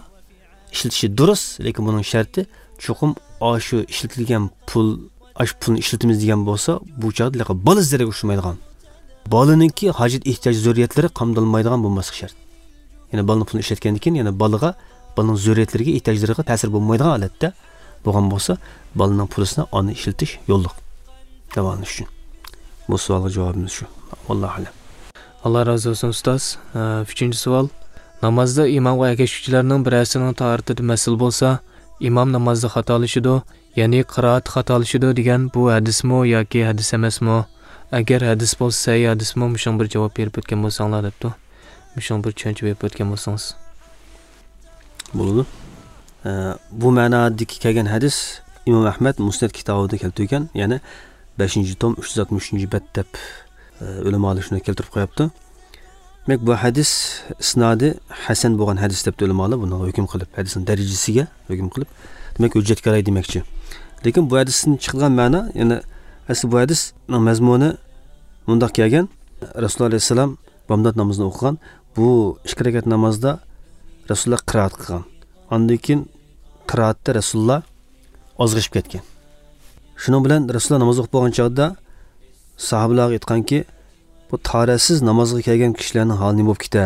ئىشلىتىشى دۇرۇس، لېكىن بۇنىڭ شەرتى چوقۇم ئاشۇ ئىشلىتىلگەن پۇل، ئاشۇ پۇلنى ئىشلىتىمىز دېگەن بولسا، بۇ چاغدا ھېلىقى بالا زەرەرگە ئۇچرىمايدىغان، بالىنىڭكى ھاجەت ئېھتىياج زۆرۈرىيەتلىرى قامدالمايدىغان بولماسلىقى شەرت. يەنى بالىنىڭ پۇلىنى ئىشلەتكەندىن كېيىن يەنە بالىغا، بالىنىڭ زۆرۈرىيەتلىرىگە، ئېھتىياجلىرىغا تەسىر بولمايدىغان ھالەتتە بولغان بولسا، بالىنىڭ پۇلىسىنى ئاندىن ئىشلىتىش يوللۇق داۋالىنىش ئۈچۈن. بۇ سوئالغا جاۋابىمىز شۇ. ۋاللاھۇ ئەلەم. ئاللا رازى بولسۇن ئۇستاز. ئە، ئۈچىنچى سوئال. نامازدا ئىمامغا ئەگەشكۈچىلەرنىڭ بىرەرسىنىڭ تاھارىتىدە مەسىلە بولسا، ئىمام نامازدا خاتالىشىدۇ، يەنى قىرائەت خاتالىشىدۇ دېگەن بۇ ھەدىسمۇ ياكى ھەدىس ئەمەسمۇ؟ ئەگەر ھەدىس بولسا سەھىھ ھەدىسمۇ؟ مۇشۇڭا بىر جاۋاب بېرىپ ئۆتكەن بولساڭلار دەپتۇ. مۇشۇڭا بىر چۈشەنچە بېرىپ ئۆتكەن بولسىڭىز. بولىدۇ. ئە، بۇ مەنادىكى كەلگەن ھەدىس ئىمام ئەھمەد مۇسنەد كىتابىدا كەلتۈرگەن، يەنى بەشىنچى توم ئۈچ يۈز ئاتمىش ئۈچىنچى بەت دەپ، ئە، ئۆلىمالار شۇنى كەلتۈرۈپ قويۇپتۇ. دېمەك، بۇ ھەدىس ئىسنادى ھەسەن بولغان ھەدىس دەپتۇ ئۆلىمالار بۇنىڭغا ھۆكۈم قىلىپ، ھەدىسنىڭ دەرىجىسىگە ھۆكۈم قىلىپ، دېمەك، ھۆججەتكە رايى دېمەكچى. لېكىن بۇ ھەدىستىن چىقىدىغان مەنا، يەنى ئەسلى بۇ ھەدىسنىڭ مەزمۇنى مۇنداق كەلگەن: رەسۇلۇللاھ ئەلەيھىسسالام بامدات نامىزىنى ئوقۇغان. بۇ ئىككى رەكەت نامازدا رەسۇلۇللاھ قىرائەت قىلغان. ئاندىن كېيىن قىرائەتتە رەسۇلۇللاھ ئازغىشىپ كەتكەن. شۇنىڭ بىلەن رەسۇلۇللاھ ناماز ئوقۇپ بولغان چاغدا ساھابىلارغا ئېيتقانكى، بۇ تاھارەتسىز نامازغا كەلگەن كىشىلەرنىڭ ھالى نېمە بولۇپ كېتە؟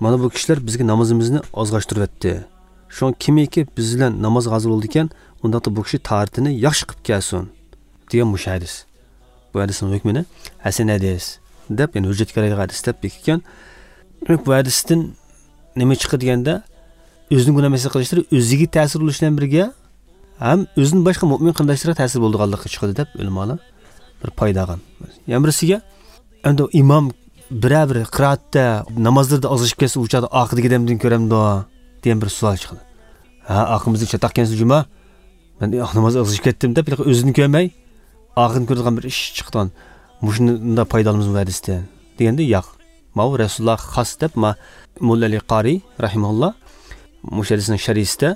مانا بۇ كىشىلەر بىزگە نامىزىمىزنى ئازغاشتۇرۇۋەتتى. شۇڭا كىمكى بىز بىلەن نامازغا ھازىر بولىدىكەن، ئۇنداقتا بۇ كىشى تاھارىتىنى ياخشى قىلىپ كەلسۇن، دېگەن مۇشۇ ھەدىس. بۇ ھەدىسنىڭ ھۆكمىنى ھەسەن ھەدىس دەپ، يەنى ھۆججەتكە قارايدىغان ھەدىس دەپ بېكىتكەن. دېمەك، بۇ ھەدىستىن نېمە چىقتى دېگەندە، ئۆزىنىڭ گۇناھ ئەمەسلىكىنى قىلىشلىرى ئۆزىگە تەسىر بولۇش بىلەن بىرگە، ھەم ئۆزىدىن باشقا مۆمىن قېرىنداشلىرىغا تەسىر بولىدىغانلىقى چىقىدۇ دەپ ئۆلىمالار بىر پايدا ئالغان. يەنە بىرسىگە، ئەمدى ئىمام بىرەر بىر قىرائەتتە، نامازلىرىدا ئازىشىپ كەتسە، ئۇ چاغدا ئارقىدىكى ئادەمدىن كۆرەمدۇ دېگەن بىر سوئال چىقىدۇ. ھە، ئارقىمىزدىكى چاتاقكەنسىز جۇما، مەن نامازدا ئازىشىپ كەتتىم دەپ، ئۆزىنى كۆرمەي، ئارقىدىن كۆرىدىغان بىر ئىش چىقىدىغان. مۇشۇنداق پايدا ئالىمىزمۇ ھەدىستىن دېگەندە، ياق. ماۋۇ رەسۇلۇللاھقا خاس دەپ، ما-، موللا ئەلى قارىي رەھىمەھۇللا مۇشۇ ھەدىسنىڭ شەرھىسىدە،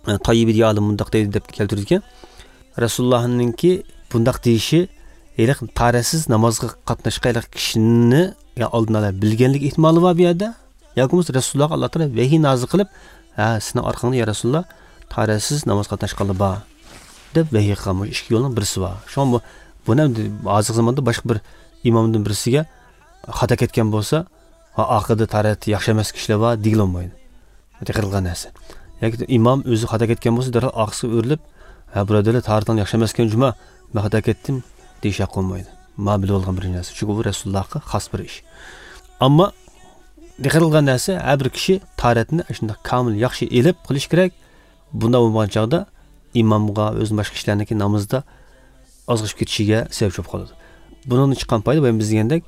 ئە، تاييىبىدىيە ئالىم مۇنداق دەيدۇ دەپ كەلتۈرىدىكەن. رەسۇلۇللاھنىڭكى بۇنداق دېيىشى ھېلىقى تاھارەتسىز نامازغا قاتناشقان ھېلىقى كىشىنى يا ئالدىن ئالا بىلگەنلىك ئېھتىمالى بار بۇ يەردە. ياكى بولمىسا رەسۇلۇللاھقا ئاللا تائالا ۋەھىي نازىل قىلىپ، ھە، سېنىڭ ئارقاڭدا يا رەسۇلۇللاھ، تاھارەتسىز ناماز قاتناشقانلار بار، دەپ ۋەھىي قىلغان. بۇ ئىككى يولنىڭ بىرسى بار. شۇڭا بۇ، بۇنى ئەمدى ھازىرقى زاماندا باشقا بىر ئىمامدىن بىرسىگە خاتا كەتكەن بولسا، ھا، ئارقىدا تاھارەت ياخشى ئەمەس كىشىلەر بار دېگىلى بولمايدۇ. تەقرىر قىلغان نەرسە. ياكى ئىمام ئۆزى خاتا كەتكەن بولسا، دەرھال ئارقىسىغا ئۆرۈلۈپ، ھە، بۇرادەرلەر، تاھارىتىڭ ياخشى ئەمەسكەن جۇما، مەن خاتا كەتتىم، دېيىش ھەق بولمايدۇ. ما بىلىپ ئالغان بىر نەرسە. چۈنكى بۇ رەسۇلۇللاھقا خاس بىر ئىش. ئەمما تەقرىر قىلغان نەرسە، ھەر بىر كىشى تاھارەتنى شۇنداق كامىل ياخشى ئېلىپ قىلىش كېرەك. بۇنداق بولمىغان چاغدا ئىمامغا، ئۆزىدىن باشقا كىشىلەرنىڭكى نامىزىدا ئازغىشىپ كېتىشىگە سەۋەبچى بولۇپ قالىدۇ. بۇنىڭدىن چىققان پايدا، بايام بىز دېگەندەك،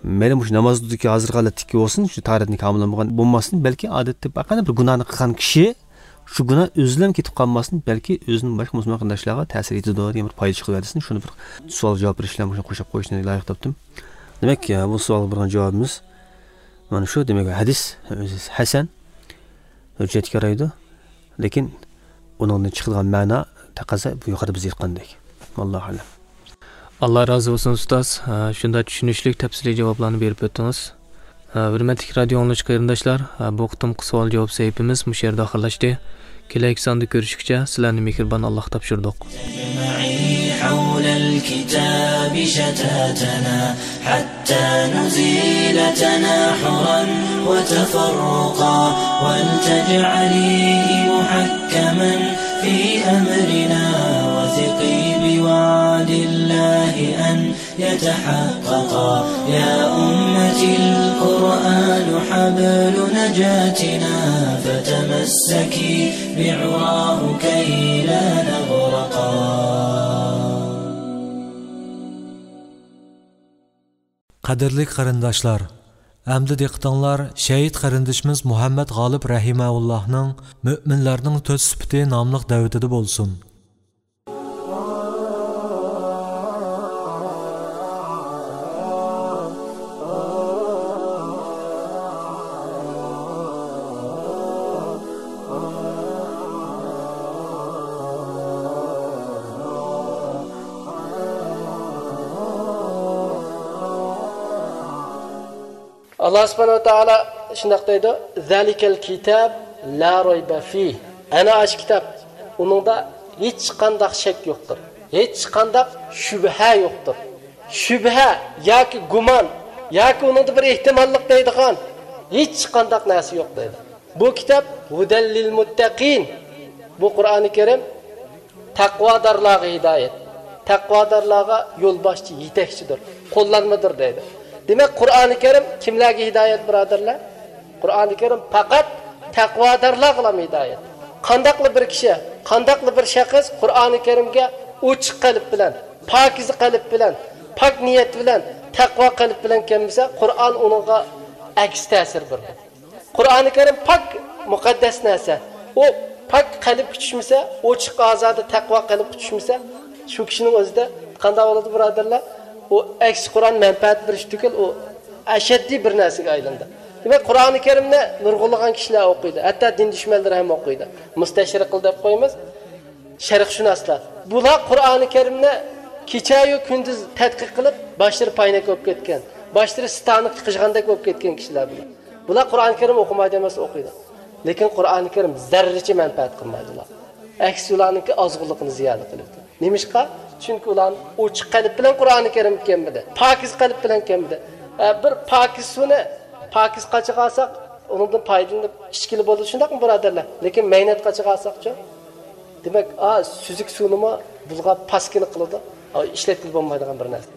مەيلى مۇشۇ نامازدىكى ھازىرقى ھالەتتىكى بولسۇن، شۇ تاھارەتنى كامىل بولمىغان بولماستىن، بەلكى ئادەتتە ھەرقانداق بىر گۇناھنى قىلغان كىشى شۇ گۇناھ ئۆزىدىن كېتىپ قالماستىن، بەلكى ئۆزىدىن باشقا مۇسۇلمان قېرىنداشلارغا تەسىر يېتىدۇ دېگەن بىر پايدا چىقىۋەرسۇن. شۇنى بىر سوئال جاۋاب بېرىش بىلەن مۇشۇنى قوشاپ قويۇشنى لايىق تاپتىم. دېمەك، بۇ سوئالغا بەرگەن جاۋابىمىز، مانا شۇ، دېمەك، ھەدىس ئۆزى ھەسەن، ھۆججەتكە يارايدۇ، لېكىن ئۇنىڭدىن چىقىدىغان مەنا، تەقەززا، بۇ يۇقىرىدا بىز ئېيتقاندەك. ۋاللاھۇ ئەلەم. ئاللا رازى بولسۇن، ئۇستاز. ھە، شۇنداق چۈشىنىشلىك، تەپسىلىي جاۋابلارنى بېرىپ ئۆتتىڭىز. ھە، ھۆرمەتلىك رادىيو ئاڭلىغۇچى قېرىنداشلار، ھە، بۇ قېتىمقى سوئال جاۋاب سەھىپىمىز مۇشۇ يەردە ئاخىرلاشتى. كېلەركى ساندا كۆرۈشكىچە، سىلەرنى مېھرىبان ئاللاغا تاپشۇردۇق. أجمعي حول الكتاب شتاتنا، حتى نزيل تناحرا وتفرقا، ولتجعليه محكما في أمرنا، وثقي بوعد الله أن يتحققا. يا أمتي، القرآن حبل نجاتنا، فتمسكي بعراه كي لا نغرقا. قەدىرلىك قېرىنداشلار، ئەمدى دىققىتىڭلار شېھىت قېرىندىشىمىز مۇھەممەد غالىپ رەھىمەھۇللاھنىڭ مۆمىنلەرنىڭ تۆت سۈپىتى ناملىق دەۋىتىدە بولسۇن. ئاللا سۇبھانەھۇ ۋە تائالا شۇنداق دەيدۇ، «زالىكەل كىتاب لا رايبە فىھ.» ئەنە ئاشۇ كىتاب، ئۇنىڭدا ھېچقانداق شەك يوقتۇر، ھېچقانداق شۈبھە يوقتۇر. شۈبھە ياكى گۇمان ياكى ئۇنىڭدا بىر ئېھتىماللىق دەيدىغان ھېچقانداق نەرسە يوق دەيدۇ. بۇ كىتاب ھۇدەل لىل مۇتتەقىن. بۇ قۇرئانى كەرىم تەقۋادارلارغا ھىدايەت، تەقۋادارلارغا يولباشچى، يېتەكچىدۇر، قوللانمىدۇر دەيدۇ. دېمەك، قۇرئانى كەرىم كىملەرگە ھىدايەت، بۇرادەرلەر؟ قۇرئانى كەرىم پەقەت تەقۋادارلارغىلا ھىدايەت. قانداقلا بىر كىشى، قانداقلا بىر شەخس قۇرئانى كەرىمگە ئوچۇق قەلب بىلەن، پاكىزە قەلب بىلەن، پاك نىيەت بىلەن، تەقۋا قەلب بىلەن كەلمىسە، قۇرئان ئۇنىڭغا ئەكس تەسىر بېرىدۇ. قۇرئانى كەرىم پاك، مۇقەددەس نەرسە. ئۇ پاك قەلبكە چۈشمىسە، ئوچۇق ئازادە تەقۋا قەلبكە چۈشمىسە، شۇ كىشىنىڭ ئۆزىدە قانداق بولىدۇ، بۇرادەرلەر؟ ئۇ ئەكسى قۇرئان مەنپەئەت بېرىش تۈگۈل، ئۇ ئەشەددىي بىر نەرسىگە ئايلىنىدۇ. دېمەك، قۇرئانى كەرىمنى نۇرغۇنلىغان كىشىلەر ئوقۇيدۇ. ھەتتا دىن دۈشمەنلىرى ھەم ئوقۇيدۇ. مۇستەشرىقلار دەپ قويىمىز، شەرقشۇناسلار. بۇلار قۇرئانى كەرىمنى كېچەيۇ كۈندۈز تەتقىق قىلىپ، باشلىرى پاينەك بولۇپ كەتكەن، باشلىرى ستانوكقا قىچىغاندەك بولۇپ كەتكەن كىشىلەر بۇلار. بۇلار قۇرئان كەرىم ئوقۇمايدۇ ئەمەس، ئوقۇيدۇ. لېكىن قۇرئان كەرىم زەررىچە مەنپەئەت قىلمايدۇ ئۇلار. ئەكسىچە ئۇلارنىڭكى ئازغۇنلۇقىنى زىيادە قىلىدۇ. نېمىشقا؟ چۈنكى ئۇلار ئوچۇق قەلب بىلەن قۇرئان كەرىم كەمبىدى. پاكىز قەلب بىلەن كەمبىدى. ئە، بىر پاكىز سۇنى پاكىز قاچىغا ئالساق، ئۇنىڭدىن پايدىلىنىپ ئىچكىلى بولىدۇ، شۇنداقمۇ بۇرادەرلەر؟ لېكىن مەينەت قاچىغا ئالساقچۇ؟ دېمەك، ئا، سۈزۈك سۇنىمۇ بۇلغاپ پاسكىنا قىلىدۇ. ئا، ئىشلەتكىلى بولمايدىغان بىر نەرسە.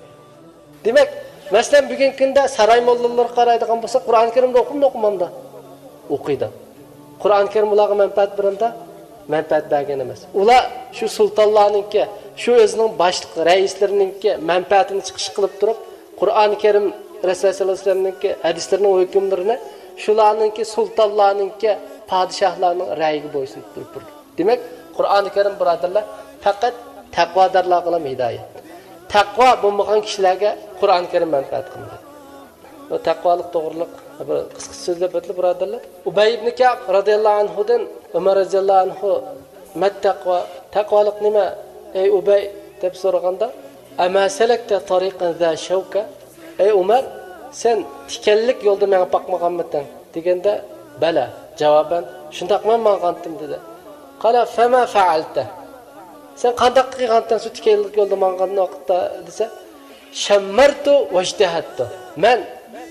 دېمەك، مەسىلەن، بۈگۈنكى كۈندە ساراي موللىلىرىغا قارايدىغان بولساق، قۇرئان كەرىمنى ئوقۇمدۇ، ئوقۇمامدۇ؟ ئوقۇيدۇ. قۇرئان كەرىم ئۇلارغا مەنپەئەت بېرەمدۇ؟ مەنپەئەت بەرگەن ئەمەس. ئۇلار شۇ سۇلتانلارنىڭكى، شۇ ئۆزىنىڭ باشلىق رەئىسلىرىنىڭكى مەنپەئەتىنى چىقىش قىلىپ تۇرۇپ، قۇرئان كەرىم، رەسۇلۇللاھ سەللەللاھۇ ئەلەيھى ۋەسەللەمنىڭكى ھەدىسلىرىنىڭ ھۆكۈملىرىنى شۇلارنىڭكى، سۇلتانلارنىڭكى، پادىشاھلارنىڭ رەئىيىگە بويسۇنۇپ تۇرۇپ بېرىدۇ. دېمەك، قۇرئانى كەرىم، بۇرادەرلەر، پەقەت تەقۋادارلارغىلا ھىدايەت. تەقۋا بولمىغان كىشىلەرگە قۇرئانى كەرىم مەنپەئەت قىلمايدۇ. بۇ تەقۋالىق توغرىلىق بىر قىسقىچە سۆزلەپ ئۆتىلى، بۇرادەرلەر. ئۇبەي ئىبنى كەئب رەزىياللاھۇ ئەنھۇدىن ئۆمەر رەزىياللاھۇ ئەنھۇ، «مەت تەقۋا؟ تەقۋالىق نېمە، ئەي ئۇبەي؟» دەپ سورىغاندا، «ئەمە سەلەكتە تارىقەن زا شەۋكە؟» «ئەي ئۆمەر، سەن تىكەنلىك يولدا مېڭىپ باقمىغانمىتىڭ؟» دېگەندە، «بەلە، جاۋابەن، شۇنداقمەن ماڭغانتىم» دېدى. قال، «فەما فەئەلتە؟» «سەن قانداق قىلغانتىڭ شۇ تىكەنلىك يولدا ماڭغان ۋاقىتتا؟» دېسە، «شەممەرتۇ ۋەجتەھەتتۇ.» «مەن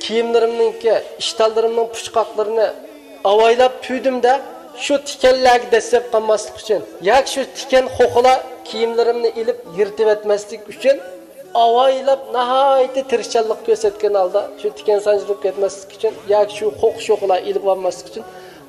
كىيىملىرىمنىڭكى، ئىشتانلىرىمنىڭ پۇچقاقلىرىنى ئاۋايلاپ پۈۋدۈم-دە، شۇ تىكەنلەرگە دەسسەپ قالماسلىق ئۈچۈن، ياكى شۇ تىكەن خوخىلار كىيىملىرىمنى ئېلىپ يىرتىۋەتمەسلىك ئۈچۈن، ئاۋايلاپ، ناھايىتى تىرىشچانلىق كۆرسەتكەن ھالدا، شۇ تىكەن سانجىلىپ كەتمەسلىك ئۈچۈن ياكى شۇ خوخ-شوخلار ئېلىپ ئالماسلىق ئۈچۈن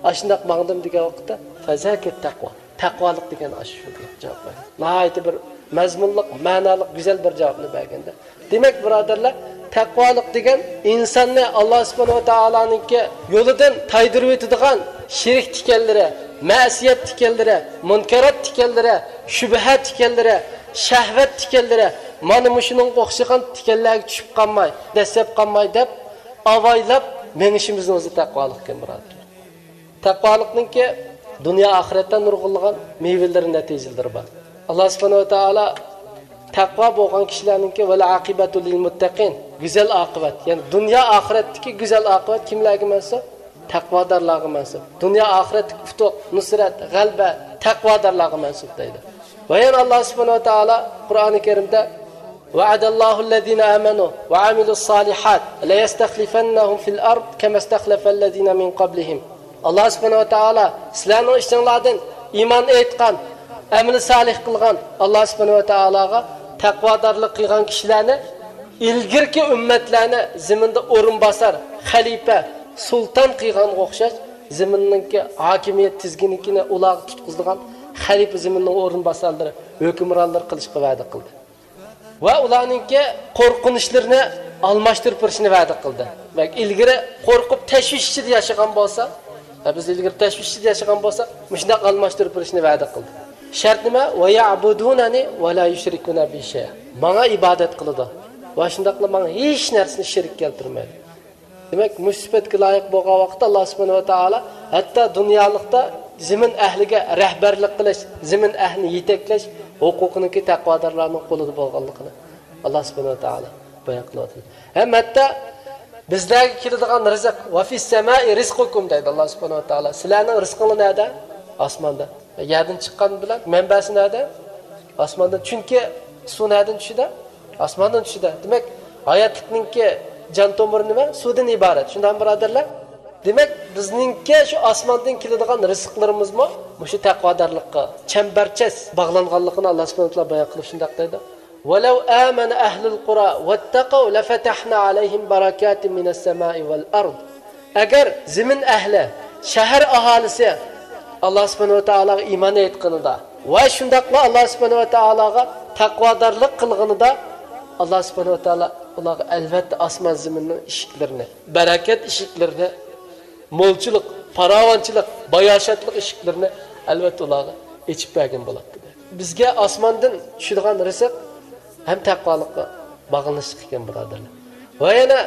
ئاشۇنداق ماڭدىم» دېگەن ۋاقىتتا، «فەزاكەت تەقۋا، تەقۋالىق دېگەن ئاشۇ» دەپ جاۋاب بەردى. ناھايىتى بىر مەزمۇنلۇق، مەنالىق، گۈزەل بىر جاۋابنى بەرگەندە. دېمەك، بۇرادەرلەر، تەقۋالىق دېگەن ئىنساننى ئاللا سۇبھانەھۇ ۋە تائالانىڭكى يولىدىن تايدۇرۇۋېتىدىغان شىرك تىكەنلىرى، مەسىيەت تىكەنلىرى، مۇنكەرات تىكەنلىرى، شۈبھە تىكەنلىرى، شەھۋەت تىكەنلىرى، مانا مۇشۇنىڭغا ئوخشىغان تىكەنلەرگە چۈشۈپ قالماي، دەسسەپ قالماي دەپ، ئاۋايلاپ مېڭىشىمىزنىڭ ئۆزى تەقۋالىقكەن، بۇرادەر. تەقۋالىقنىڭكى دۇنيا ئاخىرەتتە نۇرغۇنلىغان مېۋىلىرى، نەتىجىلىرى بار. ئاللا سۇبھانەھۇ ۋە تائالا تەقۋا بولغان كىشىلەرنىڭكى ۋەل ئاقىبەتۇ لىل مۇتتەقىن، گۈزەل ئاقىۋەت، يەنى دۇنيا ئاخىرەتتىكى گۈزەل ئاقىۋەت كىملەرگە مەنسۇپ؟ تەقۋادارلارغا مەنسۇپ. دۇنيا ئاخىرەتتىكى ئۇتۇق، نۇسرەت، غەلىبە تەقۋادارلارغا مەنسۇپ دەيدۇ. ۋە يەنە ئاللا سۇبھانەھۇ ۋە تائالا قۇرئانى كەرىمدە، «وعد الله الذين آمنوا وعملوا الصالحات ليستخلفنهم في الأرض كما استخلف الذين من قبلهم». ئاللا سۇبھانەھۇ ۋە تائالا سىلەرنىڭ ئىچىڭلاردىن ئىمان ئېيتقان، ئەمىلى سالىھ قىلغان، ئاللا سۇبھانەھۇ ۋە تائالاغا تەقۋادارلىق قىلغان كىشىلەرنى ئىلگىرىكى ئۈممەتلەرنى زېمىندا ئورۇنباسار، خەلىپە، سۇلتان قىلغانغا ئوخشاش، زېمىننىڭكى ھاكىمىيەت تىزگىنلىكىنى ئۇلارغا تۇتقۇزىدىغان خەلىپە، زېمىننىڭ ئورۇنباسارلىرى، ھۆكۈمرانلىرى قىلىشقا ۋەدە قىلدى. ۋە ئۇلارنىڭكى قورقۇنچلىرىنى ئالماشتۇرۇپ بېرىشنى ۋەدە قىلدى. بەك ئىلگىرى قورقۇپ، تەشۋىش ئىچىدە ياشىغان بولسا، ۋە بىز ئىلگىرى تەشۋىش ئىچىدە ياشىغان بولساق، مۇشۇنداق ئالماشتۇرۇپ بېرىشنى ۋەدە قىلدى. شەرت نېمە؟ «ويعبدونني ولا يشركون بي شيئا». ماڭا ئىبادەت قىلىدۇ ۋە شۇنداقلا ماڭا ھېچ نەرسىنى شېرىك كەلتۈرمەيدۇ. دېمەك، مۇشۇ سۈپەتكە لايىق بولغان ۋاقىتتا، ئاللا سۇبھانەھۇ ۋە تائالا ھەتتا دۇنيالىقتا زېمىن ئەھلىگە رەھبەرلىك قىلىش، زېمىن ئەھلىنى يېتەكلەش ھوقۇقىنىڭكى تەقۋادارلارنىڭ قولىدا بولغانلىقىنى ئاللا سۇبھانەھۇ ۋە تائالا بايان قىلىۋاتىدۇ. ھەم ھەتتا بىزلەرگە كېلىدىغان رىزىق، «ۋە فىس سەمائى رىزقۇكۇم» دەيدۇ ئاللا سۇبھانەھۇ ۋە تائالا. سىلەرنىڭ رىزقىڭلار نەدە؟ ئاسماندا. يەردىن چىققان بىلەن مەنبەسى نەدە؟ ئاسماندىن. چۈنكى سۇ نەدىن چۈشىدۇ؟ ئاسماندىن چۈشىدۇ. دېمەك، ھاياتلىقنىڭكى جان تومۇرى نېمە؟ سۇدىن ئىبارەت. شۇنداقمۇ، بۇرادەرلەر؟ دېمەك، بىزنىڭكى شۇ ئاسماندىن كېلىدىغان رىزىقلىرىمىزمۇ مۇشۇ تەقۋادارلىققا چەمبەرچاس باغلانغانلىقىنى ئاللا سۇبھانەھۇ ۋە تائالا بايان قىلىپ شۇنداق دەيدۇ. «ولو آمن أهل القرى واتقوا لفتحنا عليهم بركات من السماء والأرض». ئەگەر زېمىن ئەھلى، شەھەر ئاھالىسى ئاللا سۇبھانەھۇ ۋە تائالاغا ئىمان ئېيتقىنىدا ۋە شۇنداقلا ئاللا سۇبھانەھۇ ۋە تائالاغا تەقۋادارلىق قىلغىنىدا، ئاللا سۇبھانەھۇ ۋە تائالا ئۇلارغا ئەلۋەتتە ئاسمان زېمىننىڭ ئىشىكلىرىنى، بەرىكەت ئىشىكلىرىنى، مولچىلىق، پاراۋانچىلىق، باياشاتلىق ئىشىكلىرىنى ئەلۋەتتە ئۇلارغا ئېچىپ بەرگەن بولاتتى. بىزگە ئاسماندىن چۈشىدىغان رىزىق ھەم تەقۋالىققا باغلىنىشلىق ئىكەن، بۇرادەرلەر. ۋە يەنە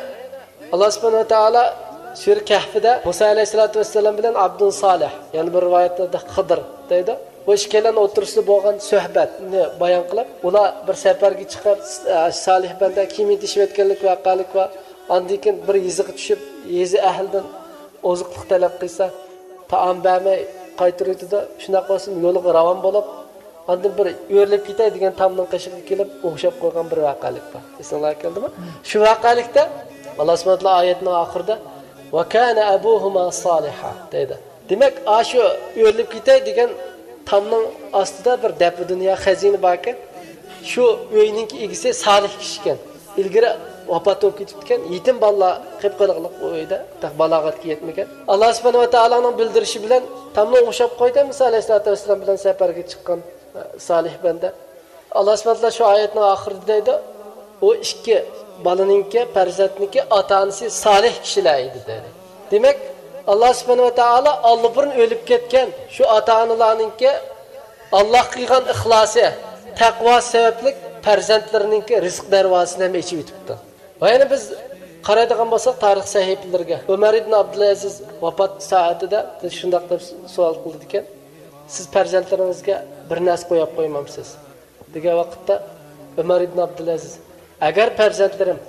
ئاللا سۇبھانەھۇ ۋە تائالا سۈرە كەھفىدە مۇسا ئەلەيھىسسالاتۇ ۋەسسالام بىلەن ئابدۇن سالىھ، يەنە بىر رىۋايەتلەردە خىدىر دەيدۇ. بۇ ئىككىيلەننىڭ ئوتتۇرىسىدا بولغان سۆھبەتنى بايان قىلىپ، ئۇلار بىر سەپەرگە چىقىپ، سالىھ بەندە كىيىم يېتىشىۋەتكەنلىك ۋەقەلىك بار. ئاندىن كېيىن بىر يېزىغا چۈشۈپ، يېزا ئەھلىدىن ئوزۇقلۇق تەلەپ قىلسا، تائام بەرمەي قايتۇرۇۋېتىدۇ. شۇنداق بولسىمۇ يولىغا راۋان بولۇپ، ئاندىن بىر ئۆرۈلۈپ كېتەي دېگەن تامنىڭ قېشىغا كېلىپ ئوخشاپ قويغان بىر ۋەقەلىك بار. ئېسىڭلارغا كەلدىمۇ؟ شۇ ۋەقەلىكتە ئاللا سۇبھانەھۇ ۋە تائالا ئايەتنىڭ ئاخىرىدا، «ۋە كانە ئەبۇھۇما سالىھا» دەيدۇ. دېمەك، ئاشۇ ئۆرۈلۈپ كېتەي دېگەن تامنىڭ ئاستىدا بىر دەپە دۇنيا خەزىنە باركەن. شۇ ئۆينىڭكى ئىگىسى سالىھ كىشى ئىكەن. ئىلگىرى ۋاپات بولۇپ كېتىپتىكەن. يېتىم بالىلار قېلىپ قالغانلىق ئۇ ئۆيدە. تېخى بالاغەتكە يەتمىگەن. ئاللا سۇبھانەھۇ ۋە تائالانىڭ بىلدۈرۈشى بىلەن تامنى ئوڭشاپ قويدى. مۇسا ئەلەيھىسسالاتۇ ۋەسسالام بىلەن سەپەرگە چىققان، ئە، سالىھ بەندە. ئاللا سۇبھانەھۇ ۋە تائالا شۇ ئايەتنىڭ ئاخىرىدا دەيدۇ، ئۇ ئىككى بالىنىڭكى، پەرزەنتنىڭكى ئاتا-ئانىسى سالىھ كىشىلەر ئىدى دەيدۇ. دېمەك، ئاللا سۇبھانەھۇ ۋە تائالا ئاللىبۇرۇن ئۆلۈپ كەتكەن شۇ ئاتا-ئانىلارنىڭكى ئاللاغا قىلغان ئىخلاسى، تەقۋاسى سەۋەبلىك پەرزەنتلىرىنىڭكى رىزىق دەرۋازىسىنى ھەم ئېچىۋېتىپتۇ. ۋە يەنە بىز قارايدىغان بولساق تارىخ سەھىپىلىرىگە، ئۆمەر ئىبن ئابدۇلئەزىز ۋاپات سائەتىدە بىز شۇنداق دەپ سوئال قىلىدىكەن، سىز پەرزەنتلىرىڭىزگە بىر نەرسە قويۇپ قويمامسىز؟ دېگەن ۋاقىتتا ئۆمەر ئىبن ئابدۇلئەزىز، ئەگەر پەرزەنتلىرىم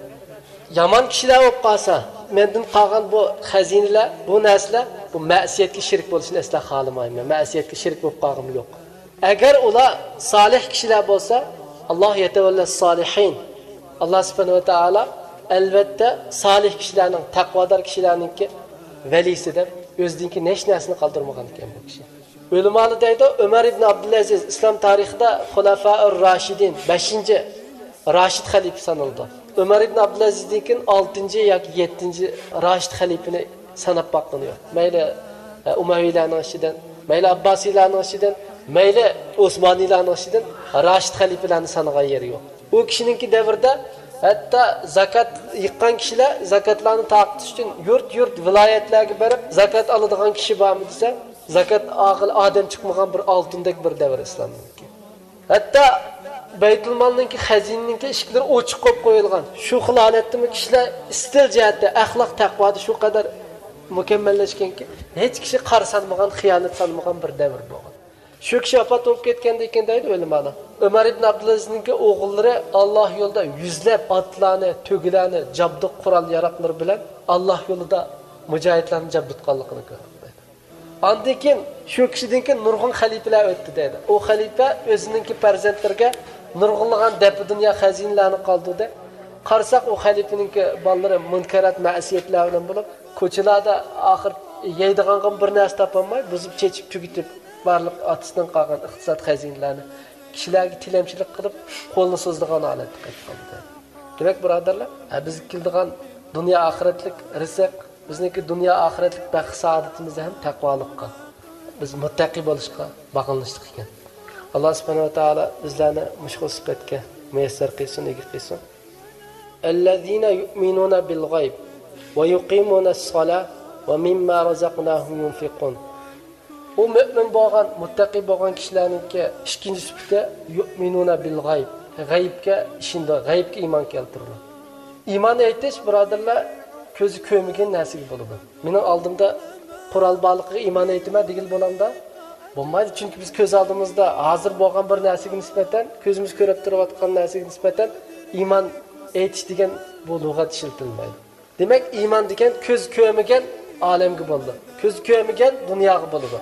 يامان كىشىلەر بولۇپ قالسا، مەندىن قالغان بۇ خەزىنىلەر، بۇ نەرسىلەر، بۇ مەسىيەتكە شېرىك بولۇشنى ئەسلا خالىمايمەن. مەسىيەتكە شېرىك بولۇپ قالغۇم يوق. ئەگەر ئۇلار سالىھ كىشىلەر بولسا، ئاللا يەتەۋەللە سالىھىن. ئاللا سۇبھانەھۇ ۋە تائالا ئەلۋەتتە سالىھ كىشىلەرنىڭ، تەقۋادار كىشىلەرنىڭكى ۋەلىسى دەپ، ئۆزىدىنكى ھېچ نەرسىنى قالدۇرمىغان ئىكەن بۇ كىشى. ئۆلىمالار دەيدۇ، ئۆمەر ئىبن ئابدۇلئەزىز ئىسلام تارىخىدا خۇلەفائۇر راشىدىن، بەشىنچى راشىد خەلىپە سانىلىدۇ. ئۆمەر ئىبن ئابدۇلئەزىزدىن كېيىن ئالتىنچى ياكى يەتتىنچى راشىد خەلىپىنى ساناپ باققىنى يوق. مەيلى، ئە، ئۇمەۋىيلەرنىڭ ئىچىدىن، مەيلى ئابباسىيلارنىڭ ئىچىدىن، مەيلى ئوسمانىيلارنىڭ ئىچىدىن راشىد خەلىپىلەرنى سانىغان يېرى يوق. ئۇ كىشىنىڭكى دەۋرىدە ھەتتا زاكات يىغقان كىشىلەر زاكاتلارنى تارقىتىش ئۈچۈن يۇرت-يۇرت، ۋىلايەتلەرگە بېرىپ، زاكات ئالىدىغان كىشى بارمۇ دېسە، زاكات ئالغىلى ئادەم چىقمىغان بىر ئالتۇندەك بىر دەۋر ئىسلامنىڭكى. ھەتتا بەيتۇلمالنىڭكى، خەزىنىنىڭكى ئىشىكلىرى ئوچۇق قويۇپ قويۇلغان. شۇ خىل ھالەتتىمۇ كىشىلەر ئىستىل جەھەتتە، ئەخلاق تەقۋادا شۇ قەدەر مۇكەممەللەشكەنكى، ھېچ كىشى قارا سالمىغان، خىيانەت سالمىغان بىر دەۋر بولغان. شۇ كىشى ۋاپات بولۇپ كەتكەندىن كېيىن دەيدۇ ئۆلىمالار، ئۆمەر ئىبن ئابدۇلئەزىزنىڭكى ئوغۇللىرى ئاللا يولىدا يۈزلەپ ئاتلارنى، تۆگىلەرنى، جابدۇق قورال-ياراغلىرى بىلەن ئاللا يولىدا مۇجاھىدلارنى جابدۇتقانلىقىنى كۆردۇق دەيدۇ. ئاندىن كېيىن شۇ كىشىدىن كېيىن نۇرغۇن خەلىپىلەر ئۆتتى دەيدۇ. ئۇ خەلىپە ئۆزىنىڭكى پەرزەنتلىرىگە نۇرغۇنلىغان دەپە دۇنيا خەزىنىلەرنى قالدۇردى. قارىساق، ئۇ خەلىپىنىڭكى بالىلىرى مۇنكەرات، مەسىيەتلەر بىلەن بولۇپ، كوچىلاردا ئاخىر يەيدىغانغىمۇ بىر نەرسە تاپالماي، بۇزۇپ چېچىپ تۈگىتىپ، بارلىق ئاتىسىدىن قالغان ئىقتىساد خەزىنىلەرنى كىشىلەرگە تىلەمچىلىك قىلىپ، قولىنى سوزىدىغان ھالەتكە قېلىپ قالدى. دېمەك، بۇرادەرلەر، ھە، بىزگە كېلىدىغان دۇنيا ئاخىرەتلىك رىزىق، بىزنىڭكى دۇنيا ئاخىرەتلىك بەخت سائادىتىمىز ھەم تەقۋالىققا، بىز مۇتتەقىي بولۇشقا باغلىنىشلىق ئىكەن. ئاللا سۇبھانەھۇ ۋە تائالا بىزلەرنى مۇشۇ خىل سۈپەتكە مۇيەسسەر قىلسۇن، ئىگە قىلسۇن. الذين يؤمنون بالغيب ويقيمون الصلاة ومما رزقناهم ينفقون. ئۇ مۆمىن بولغان، مۇتتەقىي بولغان كىشىلەرنىڭكى ئىككىنچى سۈپىتى، يؤمنون بالغيب، غەيىبكە ئىشىنىدۇ، غەيىبكە ئىمان كەلتۈرىدۇ. ئىمان ئېيتىش، بۇرادەرلەر، كۆزى كۆرمىگەن نەرسىگە بولىدۇ. مېنىڭ ئالدىمدا قورال بارلىقىغا ئىمان ئېيتىمەن دېگىلى بولامدا؟ بولمايدۇ، چۈنكى بىز كۆز ئالدىمىزدا ھازىر بولغان بىر نەرسىگە نىسبەتەن، كۆزىمىز كۆرۈپ تۇرۇۋاتقان نەرسىگە نىسبەتەن ئىمان ئېيتىش دېگەن بۇ لۇغەت ئىشلىتىلمەيدۇ. دېمەك، ئىمان دېگەن كۆز كۆرمىگەن ئالەمگە بولىدۇ. كۆز كۆرمىگەن دۇنياغا بولىدۇ.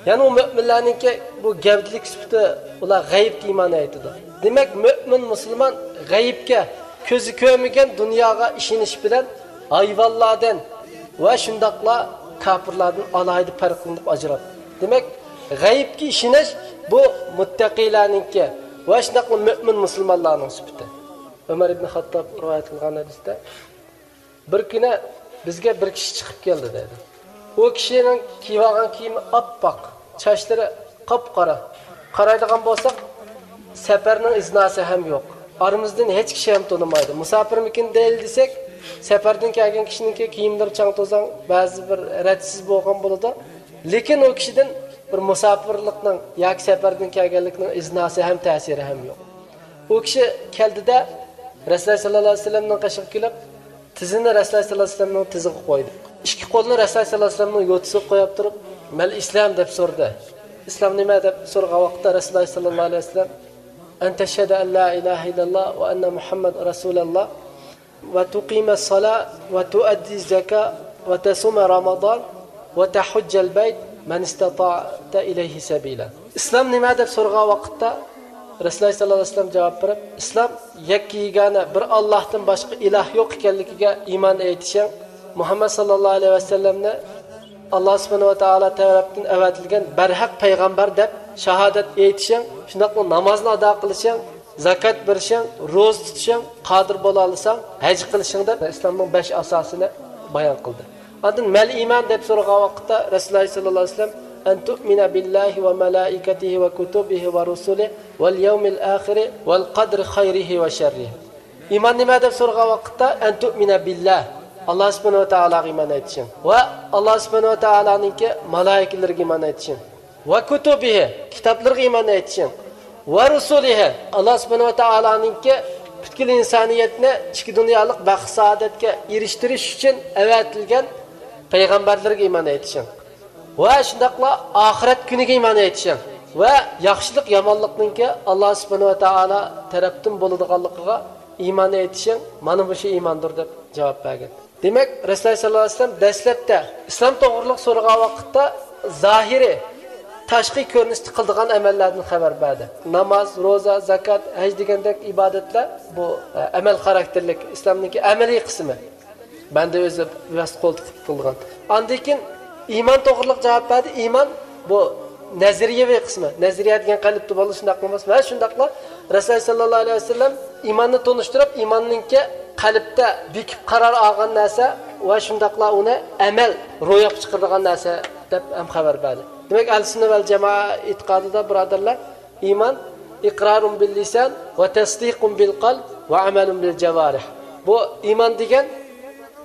يەنى ئۇ مۆمىنلەرنىڭكى بۇ گەۋدىلىك سۈپىتى، ئۇلار غەيىبكە ئىمان ئېيتىدۇ. دېمەك، مۆمىن مۇسۇلمان غەيىبكە، كۆزى كۆرمىگەن دۇنياغا ئىشىنىش بىلەن ھايۋانلاردىن ۋە شۇنداقلا كاپىرلاردىن ئالاھىدە پەرقلىنىپ ئاجراپ. دېمەك، غەيىبكە ئىشىنىش بۇ مۇتتەقىيلەرنىڭكى ۋە شۇنداقلا مۆمىن مۇسۇلمانلارنىڭ سۈپىتى. ئۆمەر ئىبن خاتتاب رىۋايەت قىلغان ھەدىستە، بىر كۈنى بىزگە بىر كىشى چىقىپ كەلدى دەيدۇ. ئۇ كىشىنىڭ كىيىۋالغان كىيىمى ئاپئاق، چاچلىرى قاپقارا. قارايدىغان بولساق، سەپەرنىڭ ئىزناسى ھەم يوق. ئارىمىزدىن ھېچ كىشى ھەم تونۇمايدۇ. مۇساپىرمىكىن دەيلى دېسەك، سەپەردىن كەلگەن كىشىنىڭكى كىيىملىرى چاڭ توزان، بەزى بىر رەتسىز بولغان بولىدۇ. لېكىن ئۇ كىشىدىن بىر مۇساپىرلىقنىڭ ياكى سەپەردىن كەلگەنلىكنىڭ ئىزناسى ھەم تەسىرى ھەم يوق. ئۇ كىشى كەلدىدە، رەسۇلۇللا سەللەللاھۇ ئەلەيھى ۋەسەللەمنىڭ قېشىغا كېلىپ، تىزىنى رەسۇلۇللا سەللەللاھۇ ئەلەيھى ۋەسەللەمنىڭ تىزىغا قويدى. ئىككى قولىنى رەسۇلۇللا سەللەللاھۇ ئەلەيھى ۋەسەللەمنىڭ يوتىسىغا قويۇپ تۇرۇپ، مەل ئىسلام دەپ سورىدى. ئىسلام نېمە دەپ سورىغان ۋاقىتتا رەسۇلۇللاھ ساللاللاھۇ ئەلەيھى ۋەسەللەم، أن تشهد أن لا إله إلا الله وأن محمدا رسول الله وتقيم الصلاة وتؤدي الزكاة وتصوم رمضان وتحج البيت إن استطعت إليه سبيلا. ئىسلام نېمە دەپ سورىغان ۋاقىتتا رەسۇلۇللاھ ساللاللاھۇ ئەلەيھى ۋەسەللەم جاۋاب بېرىپ، ئىسلام يەككە يېگانە بىر ئاللاھتىن باشقا ئىلاھ يوق ئىكەنلىكىگە ئىمان ئېيتىشىڭ، مۇھەممەد ساللاللاھۇ ئەلەيھى ۋەسەللەمنى ئاللاھ سۇبھانەھۇ ۋە تائالا تەرەپتىن ئەۋەتىلگەن بەرھەق پەيغەمبەر دەپ شاھادەت ئېيتىشىڭ، شۇنداقلا نامازنى ئادا قىلىشىڭ، زاكات بېرىشىڭ، روزا تۇتۇشىڭ، قادىر بولالىساڭ ھەج قىلىشىڭ دەپ ئىسلامنىڭ بەش ئاساسىنى بايان قىلدى. ئاندىن مەل ئىمان دەپ سورىغان ۋاقىتتا رەسۇلۇللاھ ساللاللاھۇ ئەلەيھى ۋەسەللەم، أن تؤمن بالله وملائكته وكتبه ورسله واليوم الآخر والقدر خيره وشره. ئىمان نېمە دەپ سورىغان ۋاقىتتا، أن تؤمن بالله، ئاللاھ سۇبھانەھۇ ۋە تائالاغا ئىمان ئېيتىشىڭ ۋە ئاللاھ سۇبھانەھۇ ۋە تائالانىڭكى مالائىكىلىرىگە ئىمان ئېيتىشىڭ، وكتبه، كىتابلىرىغا ئىمان ئېيتىشىڭ، ورسله، ئاللاھ سۇبھانەھۇ ۋە تائالانىڭكى پۈتكۈل ئىنسانىيەتنى ئىچكى دۇنيالىق بەخت سائادەتكە ئېرىشتۈرۈش ئۈچۈن ئەۋەتىلگەن پەيغەمبەرلىرىگە ئىمان ئېيتىشىڭ ۋە شۇنداقلا ئاخىرەت كۈنىگە ئىمان ئېيتىشىڭ ۋە ياخشىلىق يامانلىقنىڭكى ئاللاھ سۇبھانەھۇ ۋە تائالا تەرەپتىن بولىدىغانلىقىغا ئىمان ئېيتىشىڭ، مانا مۇشۇ ئىماندۇر دەپ جاۋاب بەرگەن. دېمەك، رەسۇلۇللاھ ساللاللاھۇ ئەلەيھى ۋەسەللەم دەسلەپتە ئىسلام توغرىلىق سورىغان ۋاقىتتا زاھىرىي، تاشقى كۆرۈنۈشتە قىلىدىغان ئەمەللەردىن خەۋەر بەردى. ناماز، روزا، زاكات، ھەج دېگەندەك ئىبادەتلەر بۇ، ئە، ئەمەل خاراكتېرلىك ئىسلامنىڭكى ئەمەلىي قىسمى. بەندە ئۆزى بىۋاسىتە قول تىقىپ قىلىدىغان. ئاندىن كېيىن ئىمان توغرىلىق جاۋاب بەردى. ئىمان بۇ نەزەرىيەۋى قىسمى. نەزەرىيە دېگەن قەلبتە بولىدۇ، شۇنداقمۇ ئەمەسمۇ؟ ھە، شۇنداقلا رەسۇلۇللاھ ساللاللاھۇ ئەلەيھى ۋەسەللەم ئىماننى تونۇشتۇرۇپ، ئىماننىڭكى قەلبتە بېكىپ قارار ئالغان نەرسە ۋە شۇنداقلا ئۇنى ئەمەل روياپقا چىقىرىدىغان نەرسە دەپ ھەم خەۋەر بەردى. دېمەك، ئەھلى سۈننە ۋەل جامائە ئېتىقادىدا، بۇرادەرلەر، ئىمان، إقرار باللسان وتصديق بالقلب وعمل بالجوارح. بۇ ئىمان دېگەن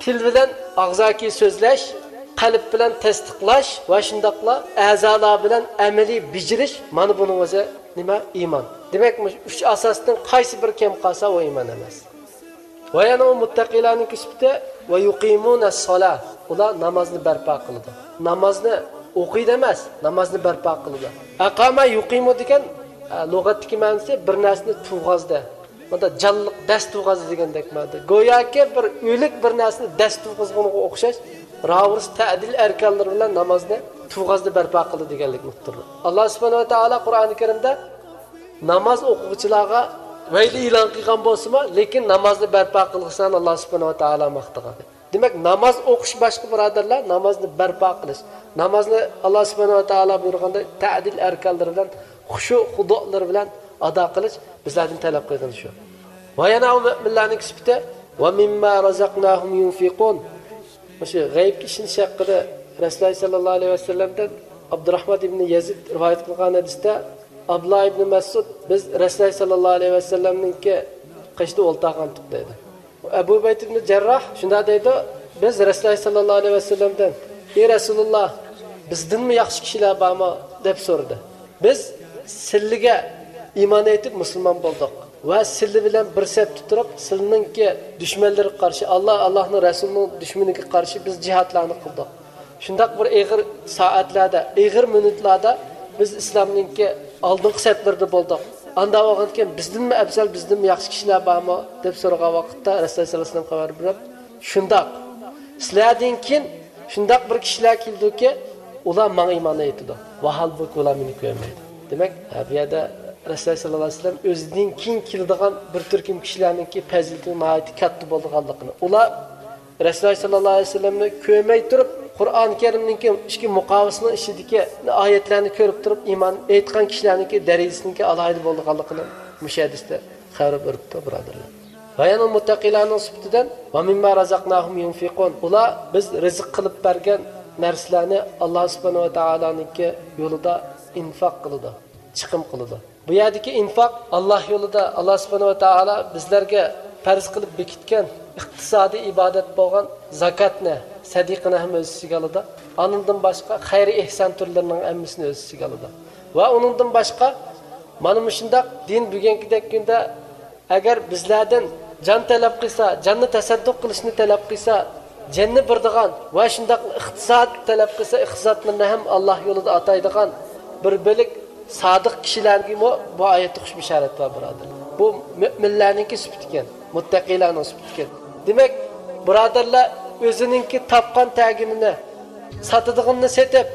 تىل بىلەن ئاغزاكى سۆزلەش، قەلب بىلەن تەستىقلاش ۋە شۇنداقلا ئەزالار بىلەن ئەمەلىي بېجىرىش، مانا بۇنىڭ ئۆزى نېمە؟ ئىمان. دېمەك، مۇشۇ ئۈچ ئاساستىن قايسى بىرى كەم قالسا، ئۇ ئىمان ئەمەس. ۋە يەنە ئۇ مۇتتەقىلارنىڭكى سۈپىتى، ويقيمون الصلاة، ئۇلار نامازنى بەرپا قىلىدۇ. نامازنى ئوقۇيدۇ ئەمەس، نامازنى بەرپا قىلىدۇ. أقام يقيم دېگەن، ئە، لۇغەتتىكى مەنىسى بىر نەرسىنى تۇرغۇزدى. بۇندا جانلىق دەس تۇرغۇزدى دېگەندەك مەنىدە. گوياكى بىر ئۆلۈك بىر نەرسىنى دەس تۇرغۇزغىنىغا ئوخشاش، راۋۇرۇس تەدىل ئەركانلىرى بىلەن نامازنى تۇرغۇزدى، بەرپا قىلدى دېگەنلىكنى ئۇقتۇردى. ئاللاھ سۇبھانەھۇ ۋە تائالا قۇرئانى كەرىمدە ناماز ئوقۇغۇچىلارغا ۋەيلى ئېلان قىلغان بولسىمۇ، لېكىن نامازنى بەرپا قىلغۇچىلارنى ئاللاھ سۇبھانەھۇ ۋە تائالا ماختىغان. دېمەك، ناماز ئوقۇش باشقا، بۇرادەرلەر، نامازنى بەرپا قىلىش. نامازنى ئاللاھ سۇبھانەھۇ ۋە تائالا بۇيرۇغاندا تەدىل ئەركانلىرى بىلەن، خۇشۇ خۇدۇلىرى بىلەن ئادا قىلىش بىزلەردىن تەلەپ قىلغىنى شۇ. ۋە يەنە ئۇ مۆمىنلەرنىڭ سۈپىتى، ومما رزقناهم ينفقون. مۇشۇ غەيىبكە ئىشىنىش ھەققىدە رەسۇلۇللاھ ساللاللاھۇ ئەلەيھى ۋەسەللەمدىن ئابدۇراھمان ئىبنى يەزىد رىۋايەت قىلغان ھەدىستە، ئابدۇللاھ ئىبنى مەسئۇد، بىز رەسۇلۇللاھ ساللاللاھۇ ئەلەيھى ۋەسەللەمنىڭكى قېشىدا ئولتۇرغانتۇق دەيدۇ. ئەبۇ ئۇبەيدە ئىبنى جەرراھ شۇنداق دەيدۇ، بىز رەسۇلۇللاھ ساللاللاھۇ ئەلەيھى ۋەسەللەمدىن، ئى رەسۇلۇللاھ، بىزدىنمۇ ياخشى كىشىلەر بارمۇ؟ دەپ سورىدى. بىز سىلىگە ئىمان ئېيتىپ مۇسۇلمان بولدۇق ۋە سىلى بىلەن بىر سەپتە تۇرۇپ، سىلىنىڭكى دۈشمەنلىرىگە قارشى، ئاللاھ، ئاللاھنىڭ رەسۇلىنىڭ دۈشمىنىگە قارشى بىز جىھادلارنى قىلدۇق. شۇنداق بىر ئېغىر سائەتلەردە، ئېغىر مىنۇتلاردا بىز ئىسلامنىڭكى ئالدىنقى سەپلىرىدە بولدۇق. ئاندا بولغاندىكىن بىزدىنمۇ ئەپزەل، بىزدىنمۇ ياخشى كىشىلەر بارمۇ؟ دەپ سورىغان ۋاقىتتا رەسۇلۇللاھ ساللاللاھۇ ئەلەيھى ۋەسەللەم خەۋەر بېرىپ، شۇنداق، سىلەردىن كېيىن شۇنداق بىر كىشىلەر كېلىدۇكى، ئۇلار ماڭا ئىمان ئېيتىدۇ. ۋاھالبۇكى، ئۇلار مېنى كۆرمەيدۇ. دېمەك، ھە، بۇ يەردە رەسۇلۇللاھ ساللاللاھۇ ئەلەيھى ۋەسەللەم ئۆزىدىن كېيىن كېلىدىغان بىر تۈركۈم كىشىلەرنىڭكى پەزىلىتىنىڭ ناھايىتى كاتتا بولىدىغانلىقىنى، ئۇلار رەسۇلۇللاھ ساللاللاھۇ ئەلەيھى ۋەسەللەمنى كۆرمەي تۇرۇپ، قۇرئان كەرىمنىڭكى ئىچكى مۇقاۋىسىنىڭ ئىچىدىكى ئايەتلەرنى كۆرۈپ تۇرۇپ، ئىمان ئېيتقان كىشىلەرنىڭكى دەرىجىسىنىڭكى ئالاھىدە بولىدىغانلىقىنى مۇشۇ ھەدىستە خەۋەر بېرىپتۇ، بۇرادەرلەر. ۋە يەنە مۇتتەقىلارنىڭ سۈپىتىدىن، ومما رزقناهم ينفقون. ئۇلار بىز رىزىق قىلىپ بەرگەن نەرسىلەرنى ئاللاھ سۇبھانەھۇ ۋە تائالانىڭكى يولىدا ئىنفاق قىلىدۇ، چىقىم قىلىدۇ. بۇ يەردىكى ئىنفاق ئاللاھ يولىدا، ئاللاھ سۇبھانەھۇ ۋە تائالا بىزلەرگە پەرز قىلىپ بېكىتكەن ئىقتىسادىي ئىبادەت بولغان زاكاتنى، سەدىقىنى ھەم ئۆز ئىچىگە ئالىدۇ. ئانىڭدىن باشقا خەير ئېھسان تۈرلىرىنىڭ ھەممىسىنى ئۆز ئىچىگە ئالىدۇ. ۋە ئۇنىڭدىن باشقا مانا مۇشۇنداق دىن بۈگۈنكىدەك كۈندە ئەگەر بىزلەردىن جان تەلەپ قىلسا، جاننى تەسەددۇق قىلىشنى تەلەپ قىلسا، جاننى بېرىدىغان ۋە شۇنداق ئىقتىساد تەلەپ قىلسا، ئىقتىسادلىرىنى ھەم ئاللاھ يولىدا ئاتايدىغان بىر بۆلەك سادىق كىشىلەرگىمۇ بۇ ئايەتتە خۇش بېشارەت بار، بۇرادەرلەر. بۇ مۆمىنلەرنىڭكى سۈپىتىكەن، مۇتتەقىلەرنىڭ سۈپىتىكەن. دېمەك، بۇرادەرلەر، ئۆزىنىڭكى تاپقان تەگىنىنى، ساتىدىغىنىنى سېتىپ،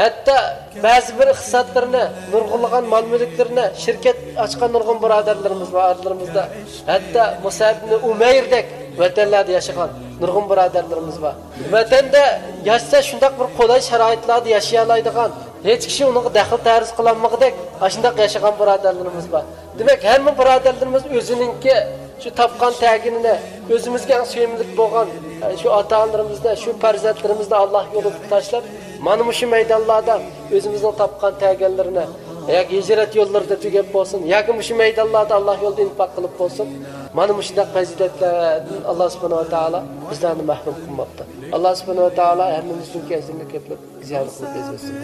ھەتتا بەزى بىر ئىقتىسادلىرىنى، نۇرغۇنلىغان مال-مۈلۈكلىرىنى، شىركەت ئاچقان نۇرغۇن بۇرادەرلىرىمىز بار ئارىلىرىمىزدا. ھەتتا مۇسئەب ئىبنى ئۇمەيردەك ۋەتەنلەردە ياشىغان نۇرغۇن بۇرادەرلىرىمىز بار. ۋەتەندە ياشىسا، شۇنداق بىر قولاي شارائىتلاردا ياشىيالايدىغان، ھېچ كىشى ئۇنىڭغا دەخلى تەرۇز قىلالمىغۇدەك، ئاشۇنداق ياشىغان بۇرادەرلىرىمىز بار. دېمەك، ھەممە بۇرادەرلىرىمىز ئۆزىنىڭكى شۇ تاپقان تەگىنىنى، ئۆزىمىزگە ئەڭ سۆيۈملۈك بولغان، ئە، شۇ ئاتا-ئانىلىرىمىزنى، شۇ پەرزەنتلىرىمىزنى ئاللا يولىدا تاشلاپ، مانا مۇشۇ مەيدانلاردا ئۆزىمىزنىڭ تاپقان تەگەنلىرىنى ياكى ھىجرەت يوللىرىدا تۈگەپ بولسۇن، ياكى مۇشۇ مەيدانلاردا ئاللا يولىدا ئىنفاق قىلىپ بولسۇن. مانا مۇشۇنداق پەزىلەتلەردىن ئاللا سۇبھانەھۇ ۋە تائالا بىزلەرنى مەھرۇم قىلماپتۇ. ئاللا سۇبھانەھۇ ۋە تائالا ھەممىمىزنىڭكى ئەجرىنى كۆپلەپ زىيادە قىلىپ بەرسۇن.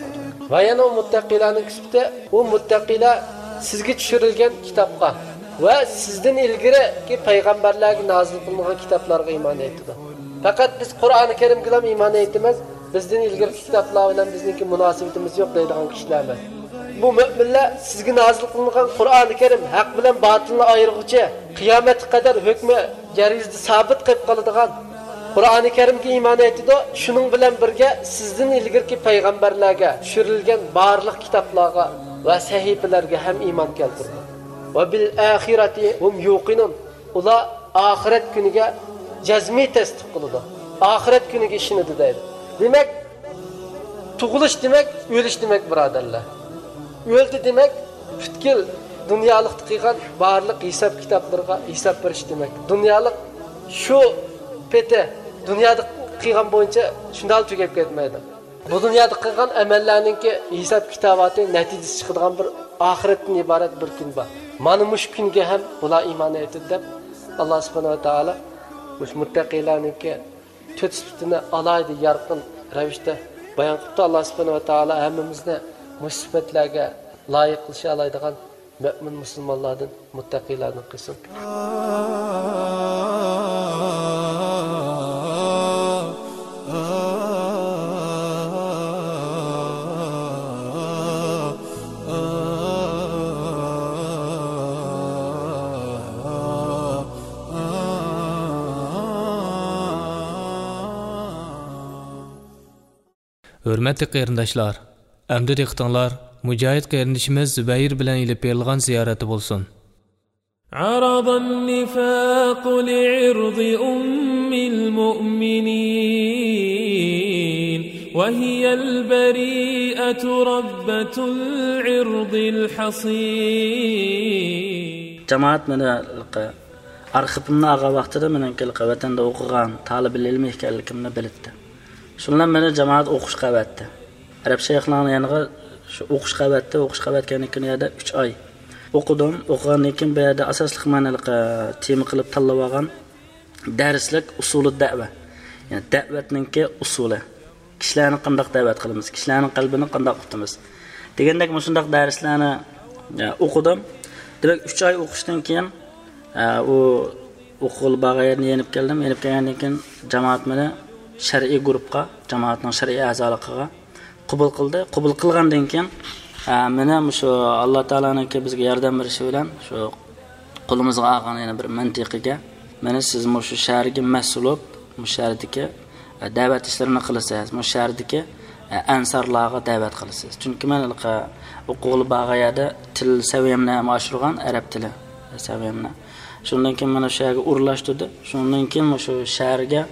ۋە يەنە ئۇ مۇتتەقىلەرنىڭ سۈپىتى، ئۇ مۇتتەقىلەر سىزگە چۈشۈرۈلگەن كىتابقا ۋە سىزدىن ئىلگىرىكى پەيغەمبەرلەرگە نازىل قىلىنغان كىتابلارغا ئىمان ئېيتىدۇ. پەقەت بىز قۇرئانى كەرىمگىلا ئىمان ئېيتىمىز، بىزدىن ئىلگىرىكى كىتابلار بىلەن بىزنىڭكى مۇناسىۋىتىمىز يوق دەيدىغان كىشىلەر ئەمەس. بۇ مۆمىنلەر سىزگە نازىل قىلىنغان قۇرئانى كەرىم ھەق بىلەن باتىلنى ئايرىغۇچى، قىيامەتكە قەدەر ھۆكمى يەر يۈزىدە سابىت قېلىپ قالىدىغان قۇرئانى كەرىمگە ئىمان ئېيتىدۇ، شۇنىڭ بىلەن بىرگە سىزدىن ئىلگىرىكى پەيغەمبەرلەرگە چۈشۈرۈلگەن بارلىق كىتابلارغا ۋە سەھىپىلەرگە ھەم ئىمان كەلتۈرىدۇ. ۋە بىل ئاخىرەتى ھۇم يۇقىنۇن. ئۇلار ئاخىرەت كۈنىگە جەزمىي تەستىق قىلىدۇ. ئاخىرەت كۈنىگە ئىشىنىدۇ دەيدۇ. دېمەك، تۇغۇلۇش دېمەك، ئۆلۈش دېمەك، بۇرادەرلەر. ئۆلدى دېمەك، پۈتكۈل دۇنيالىقتا قىلغان بارلىق ھېساب كىتابلىرىغا ھېساب بېرىش دېمەك. دۇنيالىق شۇ پېتى دۇنيادا قىلغان بويىچە شۇنداق تۈگەپ كەتمەيدۇ. بۇ دۇنيادا قىلغان ئەمەللەرنىڭكى ھېساب كىتاباتى، نەتىجىسى چىقىدىغان بىر ئاخىرەتتىن ئىبارەت بىر كۈن بار. مانا مۇشۇ كۈنگە ھەم بۇلار ئىمان ئېيتىدۇ دەپ، ئاللا سۇبھانەھۇ ۋە تائالا مۇشۇ مۇتتەقىيلارنىڭكى تۆت سۈپىتىنى ئالاھىدە يارقىن رەۋىشتە بايان قىپتۇ. ئاللا سۇبھانەھۇ ۋە تائالا ھەممىمىزنى مۇشۇ سۈپەتلەرگە لايىق قىلىشالايدىغان مۆمىن مۇسۇلمانلاردىن، مۇتتەقىيلاردىن قىلسۇن. ھۆرمەتلىك قېرىنداشلار، ئەمدى دىققىتىڭلار مۇجاھىد قېرىندىشىمىز زۇبەيىر بىلەن ئېلىپ بېرىلغان زىيارەتتە بولسۇن. عرض النفاق لعرض أم المؤمنين وهي البريئة ربة العرض الحصين. جامائەت مېنى ئارقا ئارخىپىمنى ئالغان ۋاقتىدا مېنىڭكى ۋەتەندە ئوقۇغان تالىبىل ئىلمى ئىكەنلىكىمنى بىلىپتۇ. شۇنىڭ بىلەن مېنى جامائەت ئوقۇشقا ئەۋەتتى. ئەرەب شەيخلارنىڭ يېنىغا شۇ ئوقۇشقا ئەۋەتتى. ئوقۇشقا ئەۋەتكەندىن كېيىن ئۇ يەردە ئۈچ ئاي ئوقۇدۇم. ئوقۇغاندىن كېيىن بۇ يەردە ئاساسلىق مەن ھېلىقى تېما قىلىپ تاللاپ ئالغان دەرسلىك ئۇسۇلى دەۋە. يەنى دەۋەتنىڭكى ئۇسۇلى. كىشىلەرنى قانداق دەۋەت قىلىمىز؟ كىشىلەرنىڭ قەلبىنى قانداق ئۇتىمىز؟ دېگەندەك مۇشۇنداق دەرسلەرنى، ئە، ئوقۇدۇم. دېمەك، ئۈچ ئاي ئوقۇشتىن كېيىن، ئە، ئۇ ئوقۇغىلى بارغان يەردىن يېنىپ كەلدىم. يېنىپ كەلگەندىن كېيىن جامائەت مېنى شەرئىي گۇرۇپپا، جامائەتنىڭ شەرئىي ئەزالىقىغا قوبۇل قىلدى. قوبۇل قىلغاندىن كېيىن، ئە، مېنى مۇشۇ ئاللا تائالانىڭكى بىزگە ياردەم بېرىشى بىلەن شۇ قولىمىزغا ئالغان يەنە بىر مەنتىقىگە، مېنى سىز مۇشۇ شەھەرگە مەسئۇل بولۇپ، مۇشۇ شەھەردىكى، ئە، دەۋەت ئىشلىرىنى قىلىسىز، مۇشۇ شەھەردىكى، ئە، ئەنسارلارغا دەۋەت قىلىسىز. چۈنكى مەن ھېلىقى ئوقۇغىلى بارغان يەردە تىل سەۋىيەمنى ھەم ئاشۇرغان، ئەرەب تىلى سەۋىيەمنى. شۇندىن كېيىن مېنى شۇ يەرگە ئورۇنلاشتۇردى. شۇندىن كېيىن مۇشۇ شەھەرگە،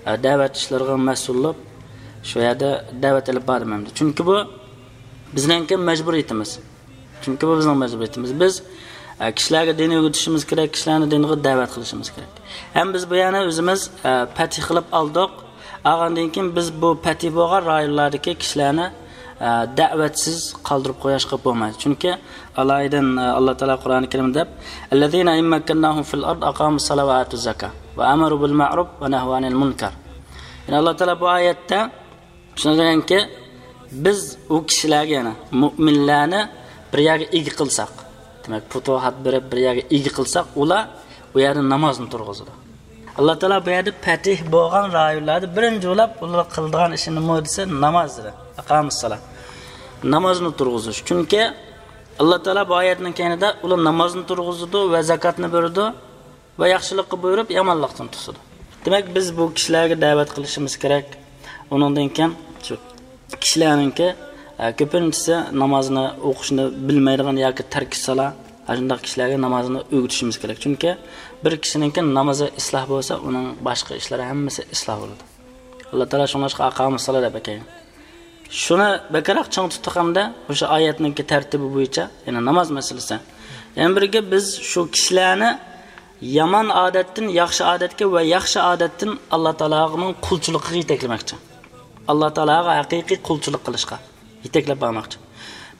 ئە، دەۋەت ئىشلىرىغا مەسئۇل بولۇپ، شۇ يەردە دەۋەت ئېلىپ باردىم ئەمدى. چۈنكى بۇ بىزنىڭكى مەجبۇرىيىتىمىز. چۈنكى بۇ بىزنىڭ مەجبۇرىيىتىمىز. بىز، ئە، كىشىلەرگە دىن ئۆگىتىشىمىز كېرەك، كىشىلەرنى دىنغا دەۋەت قىلىشىمىز كېرەك. ھەم بىز بۇ يەرنى ئۆزىمىز، ئە، پەتھى قىلىپ ئالدۇق. ئالغاندىن كېيىن بىز بۇ پەتھى بولغان رايونلاردىكى كىشىلەرنى، ئە، دەۋەتسىز قالدۇرۇپ قويۇشقا بولمايدۇ. چۈنكى ئالايىدىن، ئە، ئاللا تائالا قۇرئانى كەرىمدە دەپ، الذين إن مكناهم في الأرض أقاموا الصلاة وآتوا الزكاة وأمروا بالمعروف ونهوا عن المنكر. يەنى ئاللا تائالا بۇ ئايەتتە شۇنى دېگەنكى، بىز ئۇ كىشىلەرگە، يەنى مۇئمىنلەرنى بىر يەرگە ئىگە قىلساق، دېمەك، پۇتۇھات بېرىپ بىر يەرگە ئىگە قىلساق، ئۇلار ئۇ يەردە نامازنى تۇرغۇزىدۇ. ئاللا تائالا بۇ يەردە پەتھ بولغان رايونلاردا بىرىنچى بولۇپ ئۇلار قىلىدىغان ئىشى نېمە دېسە، ناماز دېدى. ئەقامۇسسالا. نامازنى تۇرغۇزۇش. چۈنكى ئاللا تائالا بۇ ئايەتنىڭ كەينىدە ئۇلار نامازنى تۇرغۇزىدۇ ۋە زاكاتنى بېرىدۇ ۋە ياخشىلىققا بۇيرۇپ، يامانلىقتىن توسىدۇ. دېمەك، بىز بۇ كىشىلەرگە دەۋەت قىلىشىمىز كېرەك. ئۇنىڭدىن كېيىن شۇ كىشىلەرنىڭكى، ئە، كۆپىنچىسى نامازنى ئوقۇشنى بىلمەيدىغان ياكى تەركە سالا، ئاشۇنداق كىشىلەرگە نامازنى ئۆگىتىشىمىز كېرەك. چۈنكى بىر كىشىنىڭكى نامىزى ئىسلاھ بولسا، ئۇنىڭ باشقا ئىشلىرى ھەممىسى ئىسلاھ بولىدۇ. ئاللا تائالا شۇڭلاشقا ئاقامۇسسالا دەپ ئەكەلگەن. شۇنى بەكرەك چىڭ تۇتۇق ھەمدە مۇشۇ ئايەتنىڭكى تەرتىپى بويىچە، يەنى ناماز مەسىلىسى. يەنە بىرگە بىز شۇ كىشىلەرنى يامان ئادەتتىن ياخشى ئادەتكە ۋە ياخشى ئادەتتىن ئاللا تائالانىڭ قۇلچىلىقىغا يېتەكلىمەكچى. ئاللا تائالاغا ھەقىقىي قۇلچىلىق قىلىشقا يېتەكلەپ بارماقچى.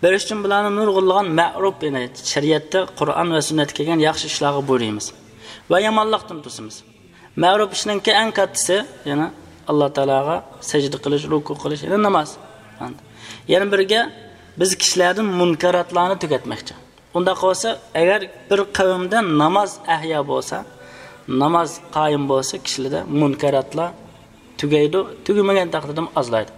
بىر ئۈچتىن بۇلارنى نۇرغۇنلىغان مەرۇپ، يەنى شەرىئەتتە، قۇرئان ۋە سۈننەتتە كەلگەن ياخشى ئىشلارغا بۇيرۇيمىز ۋە يامانلىقتىن توسىمىز. مەرۇپ ئىشنىڭكى ئەڭ كاتتىسى، يەنى ئاللا تائالاغا سەجدە قىلىش، رۇكۇ قىلىش، يەنى ناماز. يەنە بىرگە، بىز كىشىلەردىن مۇنكاراتلارنى تۈگەتمەكچى. ئۇنداق بولسا، ئەگەر بىر قەۋمدە ناماز ئەھيا بولسا، ناماز قايىم بولسا، كىشىلەردە مۇنكاراتلار تۈگەيدۇ، تۈگىمىگەن تەقدىردىمۇ ئازلايدۇ.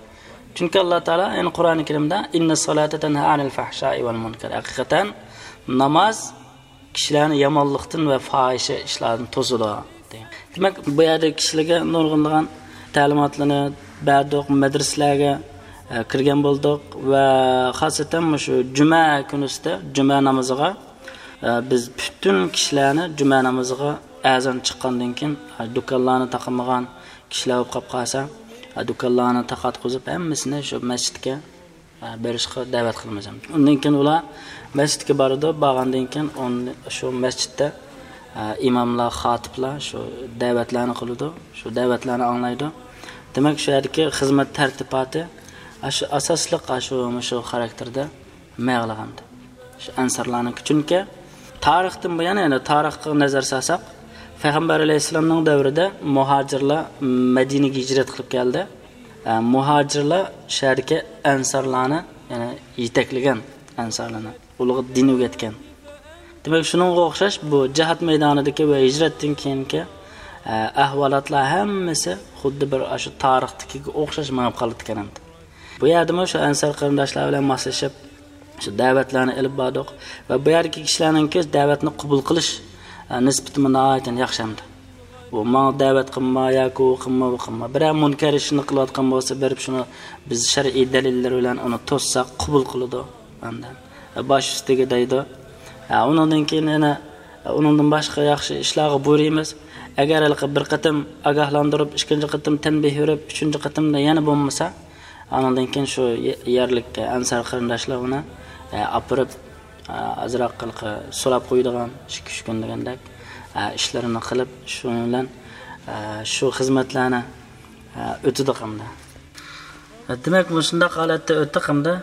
چۈنكى ئاللا تائالا يەنە قۇرئانى كەرىمدە، «إن الصلاة تنهى عن الفحشاء والمنكر». ھەقىقەتەن ناماز كىشىلەرنى يامانلىقتىن ۋە پاھىشە ئىشلاردىن توسىدۇ، دېگەن. دېمەك، بۇ يەردە كىشىلەرگە نۇرغۇنلىغان تەلىماتلىرىنى بەردۇق، مەدرىسىلەرگە، ئە، كىرگەن بولدۇق ۋە خاسەتەن مۇشۇ جۈمە كۈنىسىدە جۈمە نامىزىغا، ئە، بىز پۈتۈن كىشىلەرنى جۈمە نامىزىغا ئەزان چىققاندىن كېيىن، ئە، دۇكانلارنى تاقىمىغان كىشىلەر بولۇپ قاپ قالسا، ئە، دۇكانلارنى تاقاتقۇزۇپ، ھەممىسىنى شۇ مەسچىتكە ئە، بېرىشقا دەۋەت قىلىمىز. ئۇندىن كېيىن ئۇلار مەسچىتكە بارىدۇ، بارغاندىن كېيىن ئۇن-، شۇ مەسچىتتە، ئە، ئىماملار، خاتىپلار شۇ دەۋەتلەرنى قىلىدۇ، شۇ دەۋەتلەرنى ئاڭلايدۇ. دېمەك، شۇ يەردىكى خىزمەت تەرتىپاتى، ئە، شۇ ئاساسلىق، ئە، شۇ، شۇ خاراكتېردا مېغىلغانىدى. شۇ ئەنسارلارنىڭكى. چۈنكى تارىختىن بۇيان، يەنى تارىخقا نەزەر سالساق، پەيغەمبەر ئەلەيھىسسالامنىڭ دەۋرىدە مۇھاجىرلار مەدىنىگە ھىجرەت قىلىپ كەلدى. ئە، مۇھاجىرلار شۇ يەردىكى ئەنسارلارنى، يەنى يېتەكلىگەن ئەنسارلارنى، ئۇلارغا دىن ئۆگەتكەن. دېمەك، شۇنىڭغا ئوخشاش بۇ جىھاد مەيدانىدىكى ۋە ھىجرەتتىن كېيىنكى، ئە، ئەھۋالاتلار ھەممىسى خۇددى بىر ئاشۇ تارىختىكىگە ئوخشاش مېڭىپ قالىدىكەن ئەمدى. بۇ يەردىمۇ شۇ ئەنسار قېرىنداشلار بىلەن ماسلىشىپ، شۇ دەۋەتلەرنى ئېلىپ باردۇق ۋە بۇ يەردىكى كىشىلەرنىڭكى دەۋەتنى قوبۇل قىلىش، ئە، نىسبىتىمۇ ناھايىتى ياخشى ئەمدى. ئۇ ماڭا دەۋەت قىلما ياكى ئۇ قىلما، بۇ قىلما. بىرەر مۇنكەر ئىشنى قىلىۋاتقان بولسا، بېرىپ شۇنى بىز شەرئىي دەلىللەر بىلەن ئۇنى توسساق، قوبۇل قىلىدۇ. ئاندىن، ئە، باش ئۈستىگە دەيدۇ. ئە، ئۇنىڭدىن كېيىن يەنە، ئە، ئۇنىڭدىن باشقا ياخشى ئىشلارغا بۇيرۇيمىز. ئەگەر ھېلىقى بىر قېتىم ئاگاھلاندۇرۇپ، ئىككىنچى قېتىم تەنبىھ بېرىپ، ئۈچىنچى قېتىمدا يەنە بولمىسا، ئانىڭدىن كېيىن شۇ يە-، يەرلىك ئەنسار قېرىنداشلار ئۇنى، ئە، ئاپىرىپ، ئە، ئازراق ھېلىقى سولاپ قويىدىغان، ئىككى، ئۈچ كۈن دېگەندەك، ئە، ئىشلىرىنى قىلىپ، شۇنىڭ بىلەن، ئە، شۇ خىزمەتلەرنى، ئە، ئۆتىدۇق ئەمدى. دېمەك، مۇشۇنداق ھالەتتە ئۆتتۇق ئەمدى.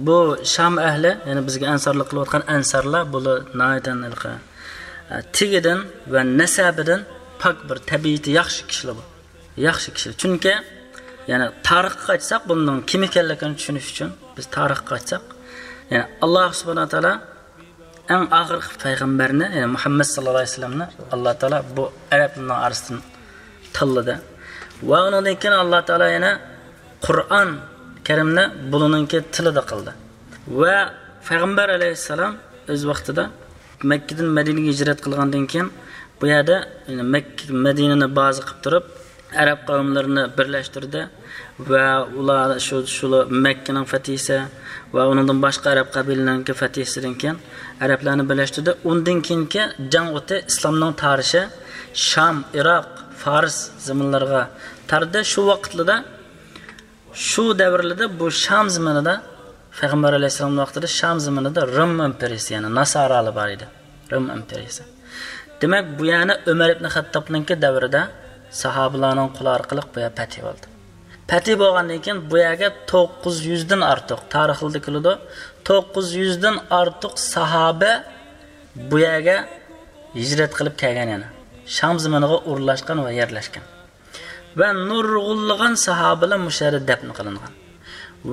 بۇ شام ئەھلى، يەنى بىزگە ئەنسارلىق قىلىۋاتقان ئەنسارلار، بۇلار ناھايىتى ھېلىقى، ئە، تېگىدىن ۋە نەسەبىدىن پاك بىر تەبىئىتى ياخشى كىشىلەر بۇ. ياخشى كىشىلەر. چۈنكى، يەنى تارىخقا قايتساق، بۇنىڭ كىم ئىكەنلىكىنى چۈشىنىش ئۈچۈن بىز تارىخقا قايتساق، يەنى ئاللا سۇبھانەھۇ ۋە تائالا ئەڭ ئاخىرقى پەيغەمبەرنى، يەنى مۇھەممەد ساللاللاھۇ ئەلەيھى ۋەسەللەمنى ئاللا تائالا بۇ ئەرەبلەرنىڭ ئارىسىدىن تاللىدى. ۋە ئۇنىڭدىن كېيىن ئاللا تائالا يەنە قۇرئان كەرىمنى بۇلىنىڭكى تىلىدا قىلدى. ۋە پەيغەمبەر ئەلەيھىسسالام ئۆز ۋاقتىدا مەككىدىن مەدىنىگە ھىجرەت قىلغاندىن كېيىن، بۇ يەردە، يەنى مەككە، مەدىنىنى بازا قىلىپ تۇرۇپ، ئەرەب قەۋملىرىنى بىرلەشتۈردى ۋە ئۇلار شۇ، شۇلار مەككىنىڭ فەتھىسى ۋە ئۇنىڭدىن باشقا ئەرەب قەبىلىلىرىنىڭكى فەتھىسىدىن كېيىن ئەرەبلەرنى بىرلەشتۈردى. ئۇندىن كېيىنكى جەڭ ئوتى ئىسلامنىڭ تارىشى شام، ئىراق، فارس زېمىنلىرىغا تاردى. شۇ ۋاقىتلىدا، شۇ دەۋرلىدە بۇ شام زېمىنىدا، پەيغەمبەر ئەلەيھىسسالام ۋاقتىدا شام زېمىنىدا رىم ئىمپېرىيىسى، يەنى ناسارالار بار ئىدى. رىم ئىمپېرىيىسى. دېمەك، بۇ يەرنى ئۆمەر ئىبن خەتتابنىڭكى دەۋرىدە ساھابىلارنىڭ قولى ئارقىلىق بۇ يەر پەتھى بولدى. پەتھى بولغاندىن كېيىن بۇ يەرگە توققۇز يۈزدىن ئارتۇق، تارىخلىرىدا كېلىدۇ، توققۇز يۈزدىن ئارتۇق ساھابە بۇ يەرگە ھىجرەت قىلىپ كەلگەن، يەنى شام زېمىنىغا ئورۇنلاشقان ۋە يەرلەشكەن. ۋە نۇرغۇنلىغان ساھابىلەر مۇشۇ يەردە دەپنە قىلىنغان.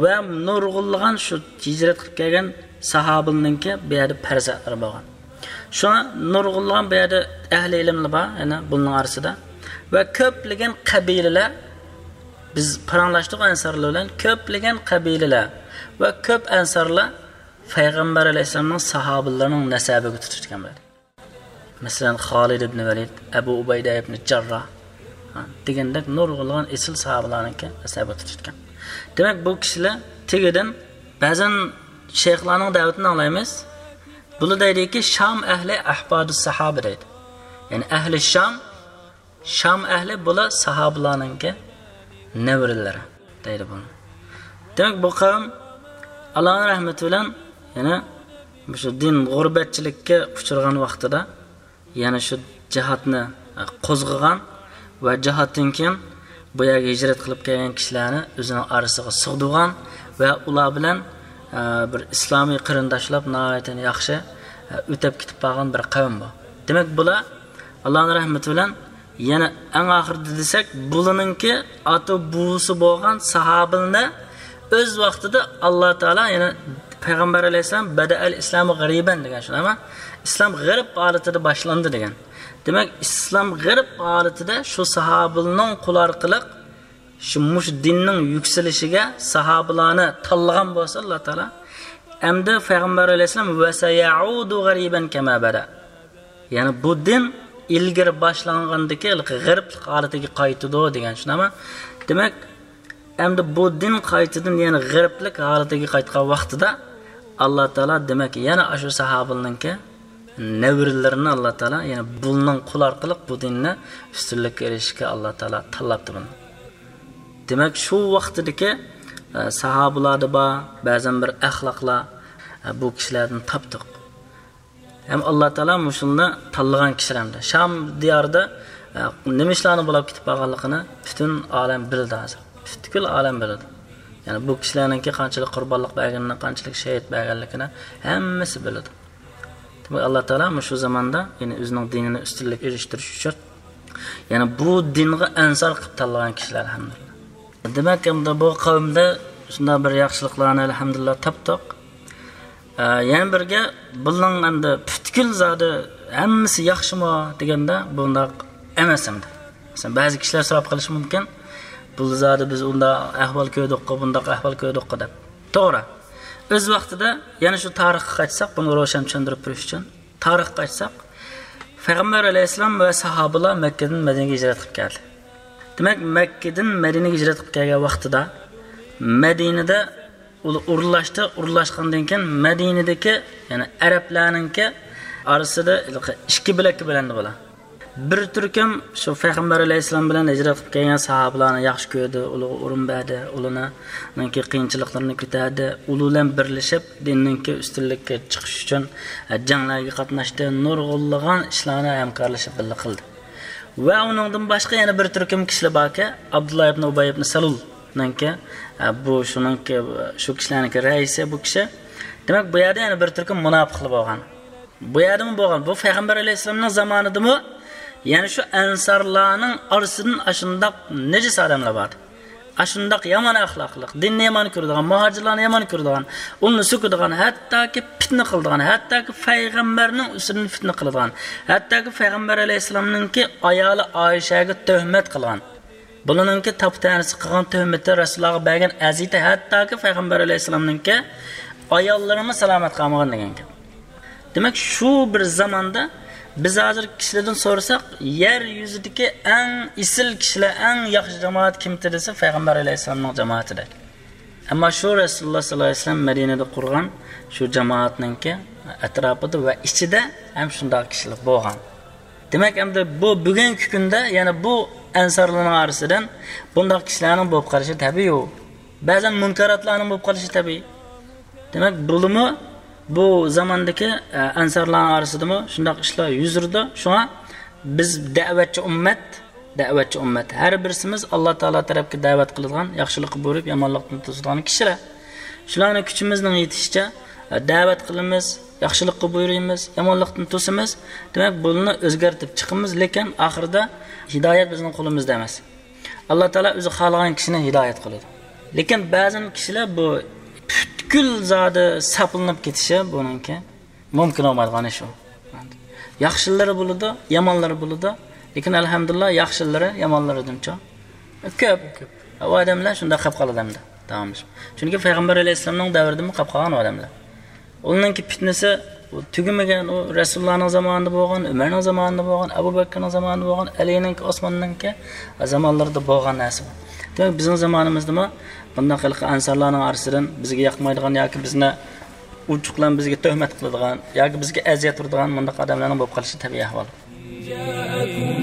ۋە نۇرغۇنلىغان شۇ ھىجرەت قىلىپ كەلگەن ساھابىلەرنىڭكى بۇ يەردە پەرزەنتلىرى بولغان. شۇڭا نۇرغۇنلىغان بۇ يەردە ئەھلى ئىلىملەر بار، يەنە بۇنىڭ ئارىسىدا. ۋە كۆپلىگەن قەبىلىلەر، بىز پاراڭلاشتۇق ئەنسارلار بىلەن، كۆپلىگەن قەبىلىلەر ۋە كۆپ ئەنسارلار پەيغەمبەر ئەلەيھىسسالامنىڭ ساھابىلىرىنىڭ نەسەبىگە تۇتۇشقان بولدى. مەسىلەن، خالىد ئىبنى ۋەلىد، ئەبۇ ئۇبەيدە ئىبنى جەرراھ، ھە، دېگەندەك نۇرغۇنلىغان ئېسىل ساھابىلارنىڭكى نەسەبىگە تۇتۇشقان. دېمەك، بۇ كىشىلەر تېگىدىن بەزەن شەيخلارنىڭ دەۋىتىنى ئاڭلايمىز. بۇلار دەيدىكى، شام ئەھلى ئەھبادۇ ساھابە دەيدۇ. يەنى ئەھلى شام، شام ئەھلى بۇلار ساھابىلارنىڭكى نەۋرىلىرى دەيدۇ بۇنى. دېمەك، بۇ قەۋم ئاللانىڭ رەھمىتى بىلەن يەنە مۇشۇ دىن غۇربەتچىلىككە ئۇچرىغان ۋاقتىدا يەنە شۇ جىھادنى، ئە، قوزغىغان ۋە جىھادتىن كېيىن بۇ يەرگە ھىجرەت قىلىپ كەلگەن كىشىلەرنى ئۆزىنىڭ ئارىسىغا سىغدۇرغان ۋە ئۇلار بىلەن، ئە، بىر ئىسلامىي قېرىنداشلاپ ناھايىتى ياخشى، ئە، ئۆتەپ كېتىپ بارغان بىر قەۋم بۇ. دېمەك، بۇلار ئاللانىڭ رەھمىتى بىلەن يەنە ئەڭ ئاخىرىدا دېسەك، بۇلىنىڭكى ئاتا بوۋىسى بولغان ساھابىلەرنى ئۆز ۋاقتىدا ئاللا تائالا، يەنى پەيغەمبەر ئەلەيھىسسالام، بەدەئەل ئىسلامۇ غەرىبەن دېگەن، شۇنداقمۇ؟ ئىسلام غەرىب ھالىتىدە باشلاندى دېگەن. دېمەك، ئىسلام غەرىب ھالىتىدە شۇ ساھابىلەرنىڭ قولى ئارقىلىق شۇ مۇشۇ دىننىڭ يۈكسىلىشىگە ساھابىلەرنى تاللىغان بولسا ئاللا تائالا، ئەمدى پەيغەمبەر ئەلەيھىسسالام، ۋەسەيەئۇدۇ غەرىبەن كەما بەدە. يەنى بۇ دىن ئىلگىرى باشلانغاندىكى غەرىبلىك ھالىتىگە قايتىدۇ دېگەن، شۇنداقمۇ؟ دېمەك، ئەمدى بۇ دىن قايتىدىن يەنە غەرىبلىك ھالىتىگە قايتقان ۋاقتىدا، ئاللا تائالا، دېمەك، يەنە ئاشۇ ساھابىلەرنىڭكى نەۋرىلىرىنى ئاللا تائالا، يەنى بۇلىنىڭ قولى ئارقىلىق بۇ دىننى ئۈستۈنلۈككە ئېرىشىشكە ئاللا تائالا تاللاپتۇ بۇنى. دېمەك، شۇ ۋاقتىدىكى، ئە، ساھابىلاردا بار بەزەن بىر ئەخلاقلار، ئە، بۇ كىشىلەردىن تاپتۇق. ھەم ئاللا تائالا مۇشۇنى تاللىغان كىشىلەر ئەمدى. شام دىيارىدا، ئە، نېمە ئىشلارنى بولاپ كېتىپ بارغانلىقىنى پۈتۈن ئالەم بىلىدۇ ھازىر. پۈتكۈل ئالەم بىلىدۇ. يەنى بۇ كىشىلەرنىڭكى قانچىلىك قۇربانلىق بەرگىنىنى، قانچىلىك شېھىت بەرگەنلىكىنى ھەممىسى بىلىدۇ. دېمەك، ئاللا تائالا مۇشۇ زاماندا، يەنى ئۆزىنىڭ دىنىنى ئۈستۈنلۈككە ئېرىشتۈرۈش ئۈچۈن، يەنى بۇ دىنغا ئەنسار قىلىپ تاللىغان كىشىلەر، ئەلھەمدۇلىللا. دېمەك، ئەمدى بۇ قەۋمدە شۇنداق بىر ياخشىلىقلارنى، ئەلھەمدۇلىللا، تاپتۇق. ئە، يەنە بىرگە، بۇنىڭ ئەمدى پۈتكۈل زادى ھەممىسى ياخشىمۇ دېگەندە، بۇنداق ئەمەس ئەمدى. مەسىلەن، بەزى كىشىلەر سوراپ قېلىشى مۇمكىن، بۇ زادى بىز ئۇنداق ئەھۋال كۆردۇققۇ، بۇنداق ئەھۋال كۆردۇققۇ دەپ. توغرا. ئۆز ۋاقتىدا يەنە شۇ تارىخقا قايتساق، بۇنى روشەن چۈشەندۈرۈپ بېرىش ئۈچۈن، تارىخقا قايتساق، پەيغەمبەر ئەلەيھىسسالام ۋە ساھابىلار مەككىدىن مەدىنىگە ھىجرەت قىلىپ كەلدى. دېمەك، مەككىدىن مەدىنىگە ھىجرەت قىلىپ كەلگەن ۋاقتىدا مەدىنىدە ئۇلار ئورۇنلاشتى، ئورۇنلاشقاندىن كېيىن مەدىنىدىكى، يەنى ئەرەبلەرنىڭكى ئارىسىدا ھېلىقى ئىككى بۆلەككە بۆلۈندى بۇلار. بىر تۈركۈم شۇ پەيغەمبەر ئەلەيھىسسالام بىلەن ھىجرەت قىلىپ كەلگەن ساھابىلارنى ياخشى كۆردى، ئۇلارغا ئورۇن بەردى، ئۇلارنىڭكى قىيىنچىلىقلىرىنى كۆتەردى، ئۇلار بىلەن بىرلىشىپ دىننىڭكى ئۈستۈنلۈككە چىقىش ئۈچۈن، ئە، جەڭلەرگە قاتناشتى، نۇرغۇنلىغان ئىشلارنى ھەمكارلىشىپ بىللە قىلدى. ۋە ئۇنىڭدىن باشقا يەنە بىر تۈركۈم كىشىلەر باركى، ئابدۇللا ئىبنى ئۇبەي ئىبنى سەلۇلنىڭكى، ئە، بۇ شۇنىڭكى، شۇ كىشىلەرنىڭكى رەئىسى بۇ كىشى. دېمەك، بۇ يەردە يەنە بىر تۈركۈم مۇناپىقلار بولغان. بۇ يەردىمۇ بولغان. بۇ پەيغەمبەر ئەلەيھىسسالامنىڭ زامانىدىمۇ يەنە شۇ ئەنسارلارنىڭ ئارىسىدىن ئاشۇنداق نىجىس ئادەملەر بار ئىدى. ئاشۇنداق يامان ئەخلاقلىق، دىننى يامان كۆرىدىغان، مۇھاجىرلارنى يامان كۆرىدىغان، ئۇلارنى سۆكىدىغان، ھەتتاكى پىتنە قىلىدىغان، ھەتتاكى پەيغەمبەرنىڭ ئۈستىدىن پىتنە قىلىدىغان، ھەتتاكى پەيغەمبەر ئەلەيھىسسالامنىڭكى ئايالى ئائىشەگە تۆھمەت قىلغان. بۇلارنىڭكى تاپا-تەنىسى، قىلغان تۆھمىتى، رەسۇلۇللاغا بەرگەن ئەزىيىتى، ھەتتاكى پەيغەمبەر ئەلەيھىسسالامنىڭكى ئاياللىرىمۇ سالامەت قالمىغان دېگەن گەپ. دېمەك، شۇ بىر زاماندا بىز ھازىر كىشىلەردىن سورىساق، يەر يۈزىدىكى ئەڭ ئېسىل كىشىلەر، ئەڭ ياخشى جامائەت كىمتى دېسە، پەيغەمبەر ئەلەيھىسسالامنىڭ جامائىتى دەيدۇ. ئەمما شۇ رەسۇلۇللا ساللاللاھۇ ئەلەيھى ۋەسەللەم مەدىنىدە قۇرغان شۇ جامائەتنىڭكى ئەتراپىدا ۋە ئىچىدە ھەم شۇنداق كىشىلەر بولغان. دېمەك، ئەمدى بۇ بۈگۈنكى كۈندە يەنە بۇ ئەنسارلارنىڭ ئارىسىدىن بۇنداق كىشىلەرنىڭ بولۇپ قېلىشى تەبىئىي. بەزەن مۇنكاراتلارنىڭ بولۇپ قېلىشى تەبىئىي. دېمەك، بۇلىمۇ بۇ زاماندىكى، ئە، ئەنسارلارنىڭ ئارىسىدىمۇ شۇنداق ئىشلار يۈز بېرىدۇ. شۇڭا بىز دەۋەتچى ئۈممەت، دەۋەتچى ئۈممەت. ھەر بىرسىمىز ئاللا تائالا تەرەپكە دەۋەت قىلىدىغان، ياخشىلىققا بۇيرۇپ، يامانلىقتىن توسىدىغان كىشىلەر. شۇلارنى كۈچىمىزنىڭ يېتىشىچە، ئە، دەۋەت قىلىمىز، ياخشىلىققا بۇيرۇيمىز، يامانلىقتىن توسىمىز. دېمەك، بۇلارنى ئۆزگەرتىپ چىقىمىز، لېكىن ئاخىرىدا ھىدايەت بىزنىڭ قولىمىزدا ئەمەس. ئاللا تائالا ئۆزى خالىغان كىشىنى ھىدايەت قىلىدۇ. لېكىن بەزى كىشىلەر بۇ پۈتكۈل زادى ساپلىنىپ كېتىشى بۇنىڭكى مۇمكىن بولمايدىغان ئىش ئۇ. ياخشىلىرى بولىدۇ، يامانلىرى بولىدۇ. لېكىن ئەلھەمدۇلىللا ياخشىلىرى يامانلىرىدىنچۇ كۆپ. كۆپ. ئۇ ئادەملەر شۇنداق قېلىپ قالىدۇ ئەمدى. داۋاملىشىپ. چۈنكى پەيغەمبەر ئەلەيھىسسالامنىڭ دەۋرىدىمۇ قاپ قالغان ئۇ ئادەملەر. ئۇنىڭكى پىتنىسى تۈگىمىگەن، ئۇ رەسۇلۇللانىڭ زامانىدا بولغان، ئۆمەرنىڭ زامانىدا بولغان، ئەبۇ بەكرىنىڭ زامانىدا بولغان، ئەلىنىڭكى، ئوسماننىڭكى زامانلىرىدا بولغان نەرسە بۇ. دېمەك، بىزنىڭ زامانىمىزدىمۇ بۇنداق ھېلىقى ئەنسارلارنىڭ ئارىسىدىن بىزگە ياقمايدىغان ياكى بىزنى ئوچۇقلان بىزگە تۆھمەت قىلىدىغان ياكى بىزگە ئەزىيەت بېرىدىغان مۇنداق ئادەملەرنىڭ بولۇپ قېلىشى تەبىئىي ئەھۋال. جاءكم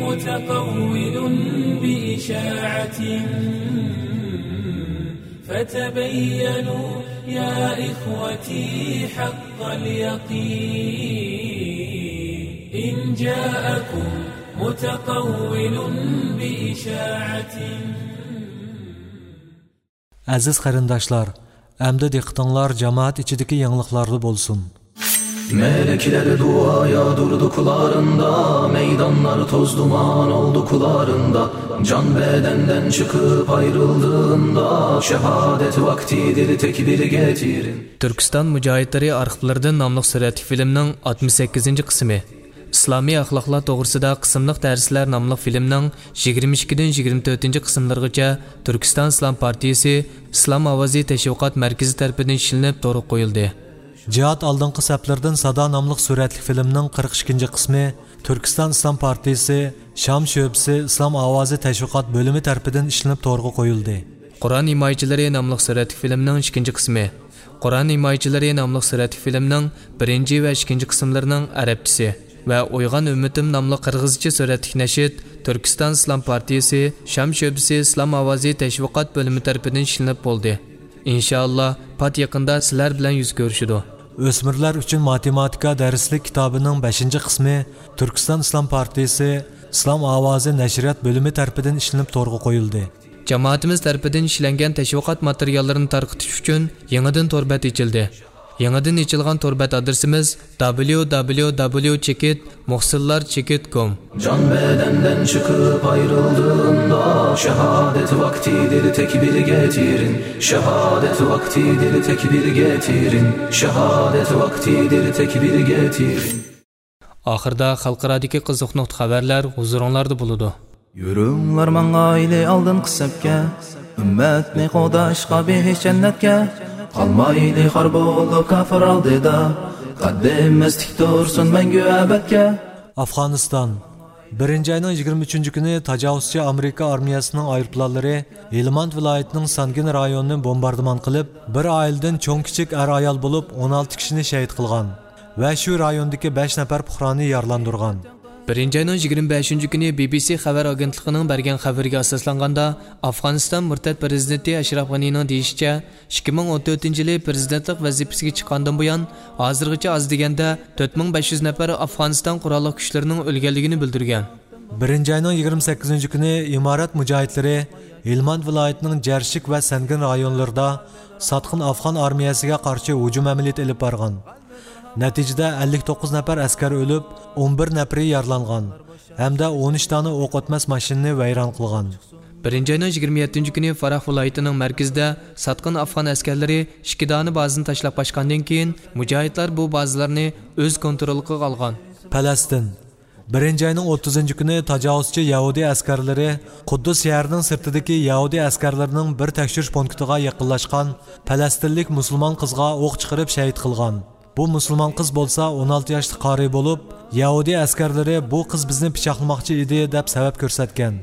متقول بإشاعة فتبينوا يا إخوتي حق اليقين إن جاءكم متقول بإشاعة. ئەزىز قېرىنداشلار، ئەمدى دىققىتىڭلار جامائەت ئىچىدىكى يېڭىلىقلاردا بولسۇن. Melekler dua yağdırdı kulağında, meydanlar toz duman oldu kulağında. Can bedenden çıkıp ayrıldığında, şehadet vaktidir tekbir getirin. تۈركىستان مۇجاھىدلىرى ئارخىپلىرىدىن ناملىق سۈرەتلىك فىلىمنىڭ ئاتمىش سەككىزىنچى قىسمى. ئىسلامىي ئەخلاقلار توغرىسىدا قىسىملىق دەرسلەر ناملىق فىلىمنىڭ يىگىرمە ئىككىدىن يىگىرمە تۆتىنچى قىسىملىرىغىچە تۈركىستان ئىسلام پارتىيىسى ئىسلام ئاۋازى تەشۋىقات مەركىزى تەرىپىدىن ئىشلىنىپ تورغا قويۇلدى. جىھاد ئالدىنقى سەپلىرىدىن سادا ناملىق سۈرەتلىك فىلىمنىڭ قىرىق ئىككىنچى قىسمى تۈركىستان ئىسلام پارتىيىسى شام شۆبىسى ئىسلام ئاۋازى تەشۋىقات بۆلۈمى تەرىپىدىن ئىشلىنىپ تورغا قويۇلدى. قۇرئان ھىمايىچىلىرى ناملىق سۈرەتلىك فىلىمنىڭ ئىككىنچى قىسمى، قۇرئان ھىمايىچىلىرى ناملىق سۈرەتلىك فىلىمنىڭ بىرىنچى ۋە ئىككىنچى قىسىملىرىنىڭ ئەرەبچىسى ۋە ئويغان ئۈممىتىم ناملىق قىرغىزچە سۈرەتلىك نەشىد تۈركىستان ئىسلام پارتىيىسى شام شۆبىسى ئىسلام ئاۋازى تەشۋىقات بۆلۈمى تەرىپىدىن ئىشلىنىپ بولدى. ئىنشائاللا، پات يېقىندا سىلەر بىلەن يۈز كۆرۈشىدۇ. ئۆسمۈرلەر ئۈچۈن ماتېماتىكا دەرسلىك كىتابىنىڭ بەشىنچى قىسمى تۈركىستان ئىسلام پارتىيىسى ئىسلام ئاۋازى نەشرىيات بۆلۈمى تەرىپىدىن ئىشلىنىپ تورغا قويۇلدى. جامائىتىمىز تەرىپىدىن ئىشلەنگەن تەشۋىقات ماتېرىياللىرىنى تارقىتىش ئۈچۈن يېڭىدىن تور بەت ئېچىلدى. يېڭىدىن ئېچىلغان تور بەت ئادرېسىمىز دابليۇ دابليۇ دابليۇ چېكىت مۇھسىنلار چېكىت كوم. Can bedenden çıkıp ayrıldığında şehadet vaktidir tekbir getirin. Şehadet vaktidir tekbir getirin. Şehadet vaktidir tekbir getirin. ئاخىرىدا خەلقئارادىكى قىزىق نۇقتا خەۋەرلەر ھۇزۇرۇڭلاردا بولىدۇ. يۈرۈڭلار ماڭايلى ئالدىنقى سەپكە، ئۈممەتنى قوغداشقا بېھىش جەننەتكە. قالمايلى خار بولۇپ كاپىر ئالدىدا، قەددىمىز تىك تۇرسۇن مەڭگۈ ئەبەدكە. ئافغانىستان. بىرىنچى ئاينىڭ يىگىرمە ئۈچىنچى كۈنى تاجاۋۇزچى ئامېرىكا ئارمىيەسىنىڭ ئايروپىلانلىرى ھىلماند ۋىلايىتىنىڭ سانگىن رايونىنى بومباردىمان قىلىپ، بىر ئائىلىدىن چوڭ-كىچىك ئەر-ئايال بولۇپ ئون ئالتە كىشىنى شېھىت قىلغان ۋە شۇ رايوندىكى بەش نەپەر پۇقرانى يارىلاندۇرغان. بىرىنچى ئاينىڭ يىگىرمە بەشىنچى كۈنى بى بى سى خەۋەر ئاگېنتلىقىنىڭ بەرگەن خەۋىرىگە ئاساسلانغاندا، ئافغانىستان مۇرتەت پىرېزىدېنتى ئەشراف غەنىنىڭ دېيىشىچە، ئىككى مىڭ ئون تۆتىنچى يىلى پىرېزىدېنتلىق ۋەزىپىسىگە چىققاندىن بۇيان، ھازىرغىچە ئاز دېگەندە تۆت مىڭ بەش يۈز نەپەر ئافغانىستان قوراللىق كۈچلىرىنىڭ ئۆلگەنلىكىنى بىلدۈرگەن. بىرىنچى ئاينىڭ يىگىرمە سەككىزىنچى كۈنى ئىمارەت مۇجاھىدلىرى ھىلماند ۋىلايىتىنىڭ جەرشىك ۋە سەنگىن رايونلىرىدا ساتقىن ئافغان ئارمىيەسىگە قارشى ھۇجۇم ئەمەلىيىتى ئېلىپ بارغان. نەتىجىدە ئەللىك توققۇز نەپەر ئەسكەر ئۆلۈپ، ئون بىر نەپىرى يارىلانغان ھەمدە ئون ئۈچ دانە ئوق ئۆتمەس ماشىنىنى ۋەيران قىلغان. بىرىنچى ئاينىڭ يىگىرمە يەتتىنچى كۈنى فاراھ ۋىلايىتىنىڭ مەركىزىدە ساتقىن ئافغان ئەسكەرلىرى ئىككى دانە بازىنى تاشلاپ قاچقاندىن كېيىن، مۇجاھىدلار بۇ بازىلارنى ئۆز كونتروللۇقىغا ئالغان. پەلەستىن. بىرىنچى ئاينىڭ ئوتتۇزىنچى كۈنى تاجاۋۇزچى يەھۇدىي ئەسكەرلىرى قۇددۇس شەھىرىنىڭ سىرتىدىكى يەھۇدىي ئەسكەرلىرىنىڭ بىر تەكشۈرۈش پونكىتىغا يېقىنلاشقان پەلەستىنلىك مۇسۇلمان قىزغا ئوق چىقىرىپ شەھىت قىلغان. بۇ مۇسۇلمان قىز بولسا ئون ئالتە ياشلىق قارى بولۇپ، يەھۇدىي ئەسكەرلىرى «بۇ قىز بىزنى پىچاقلىماقچى ئىدى» دەپ سەۋەب كۆرسەتكەن.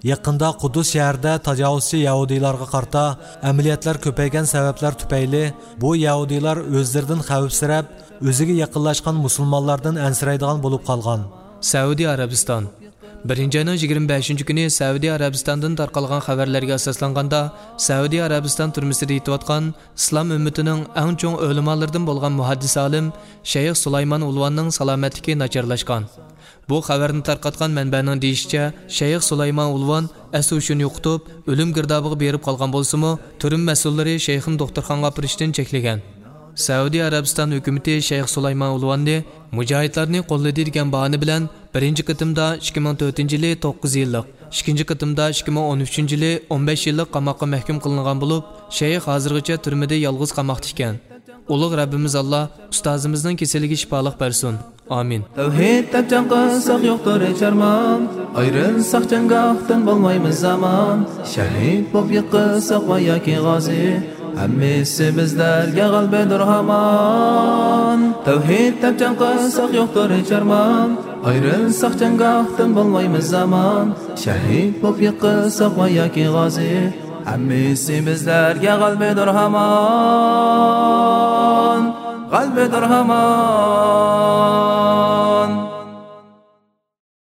يېقىندا قۇددۇس شەھىرىدە تاجاۋۇزچى يەھۇدىيلارغا قارىتا ئەمەلىيەتلەر كۆپەيگەن سەۋەبلەر تۈپەيلى، بۇ يەھۇدىيلار ئۆزلىرىدىن خەۋپسىرەپ، ئۆزىگە يېقىنلاشقان مۇسۇلمانلاردىن ئەنسىرەيدىغان بولۇپ قالغان. سەئۇدى ئەرەبىستان. بىرىنچى ئاينىڭ يىگىرمە بەشىنچى كۈنى سەئۇدى ئەرەبىستاندىن تارقالغان خەۋەرلەرگە ئاساسلانغاندا، سەئۇدى ئەرەبىستان تۈرمىسىدە يېتىۋاتقان ئىسلام ئۈممىتىنىڭ ئەڭ چوڭ ئۆلىمالىرىدىن بولغان مۇھەددىس ئالىم شەيخ سۇلايمان ئۇلۋاننىڭ سالامەتلىكى ناچارلاشقان. بۇ خەۋەرنى تارقاتقان مەنبەنىڭ دېيىشىچە، شەيخ سۇلايمان ئۇلۋان ئەس-ھوشىنى يوقىتىپ، ئۆلۈم گىردابىغا بېرىپ قالغان بولسىمۇ، تۈرمە مەسئۇللىرى شەيخنى دوختۇرخانىغا ئاپىرىشتىن چەكلىگەن. سەئۇدى ئەرەبىستان ھۆكۈمىتى شەيخ سۇلايمان ئۇلۋاننى مۇجاھىدلارنى قوللىدى دېگەن باھانە بىلەن بىرىنچى قېتىمدا ئىككى مىڭ تۆتىنچى يىلى توققۇز يىللىق، ئىككىنچى قېتىمدا ئىككى مىڭ ئون ئۈچىنچى يىلى ئون بەش يىللىق قاماققا مەھكۇم قىلىنغان بولۇپ، شەيخ ھازىرغىچە تۈرمىدە يالغۇز قاماقتا ئىكەن. ئۇلۇغ رەببىمىز ئاللا ئۇستازىمىزنىڭ كېسىلىگە شىپالىق بەرسۇن. ئامىن. تەۋھىد دەپ جەڭ قىلساق يوقتۇر ھېچ ئارمان، ئايرىلساق جەڭگاھتىن بولمايمىز ئامان. شەھىد بولۇپ يىقىلساق ۋە ياكى غازى، ھەممىسى بىزلەرگە غەلىبىدۇر ھامان. تەۋھىد دەپ جەڭ قىلساق يوقتۇر ھېچ ئارمان، ئايرىلساق جەڭگاھتىن بولمايمىز ئامان. شەھىد بولۇپ يىقىلساق ۋە ياكى غازى، ھەممىسى بىزلەرگە غەلىبىدۇر ھامان. غەلىبىدۇر ھامان.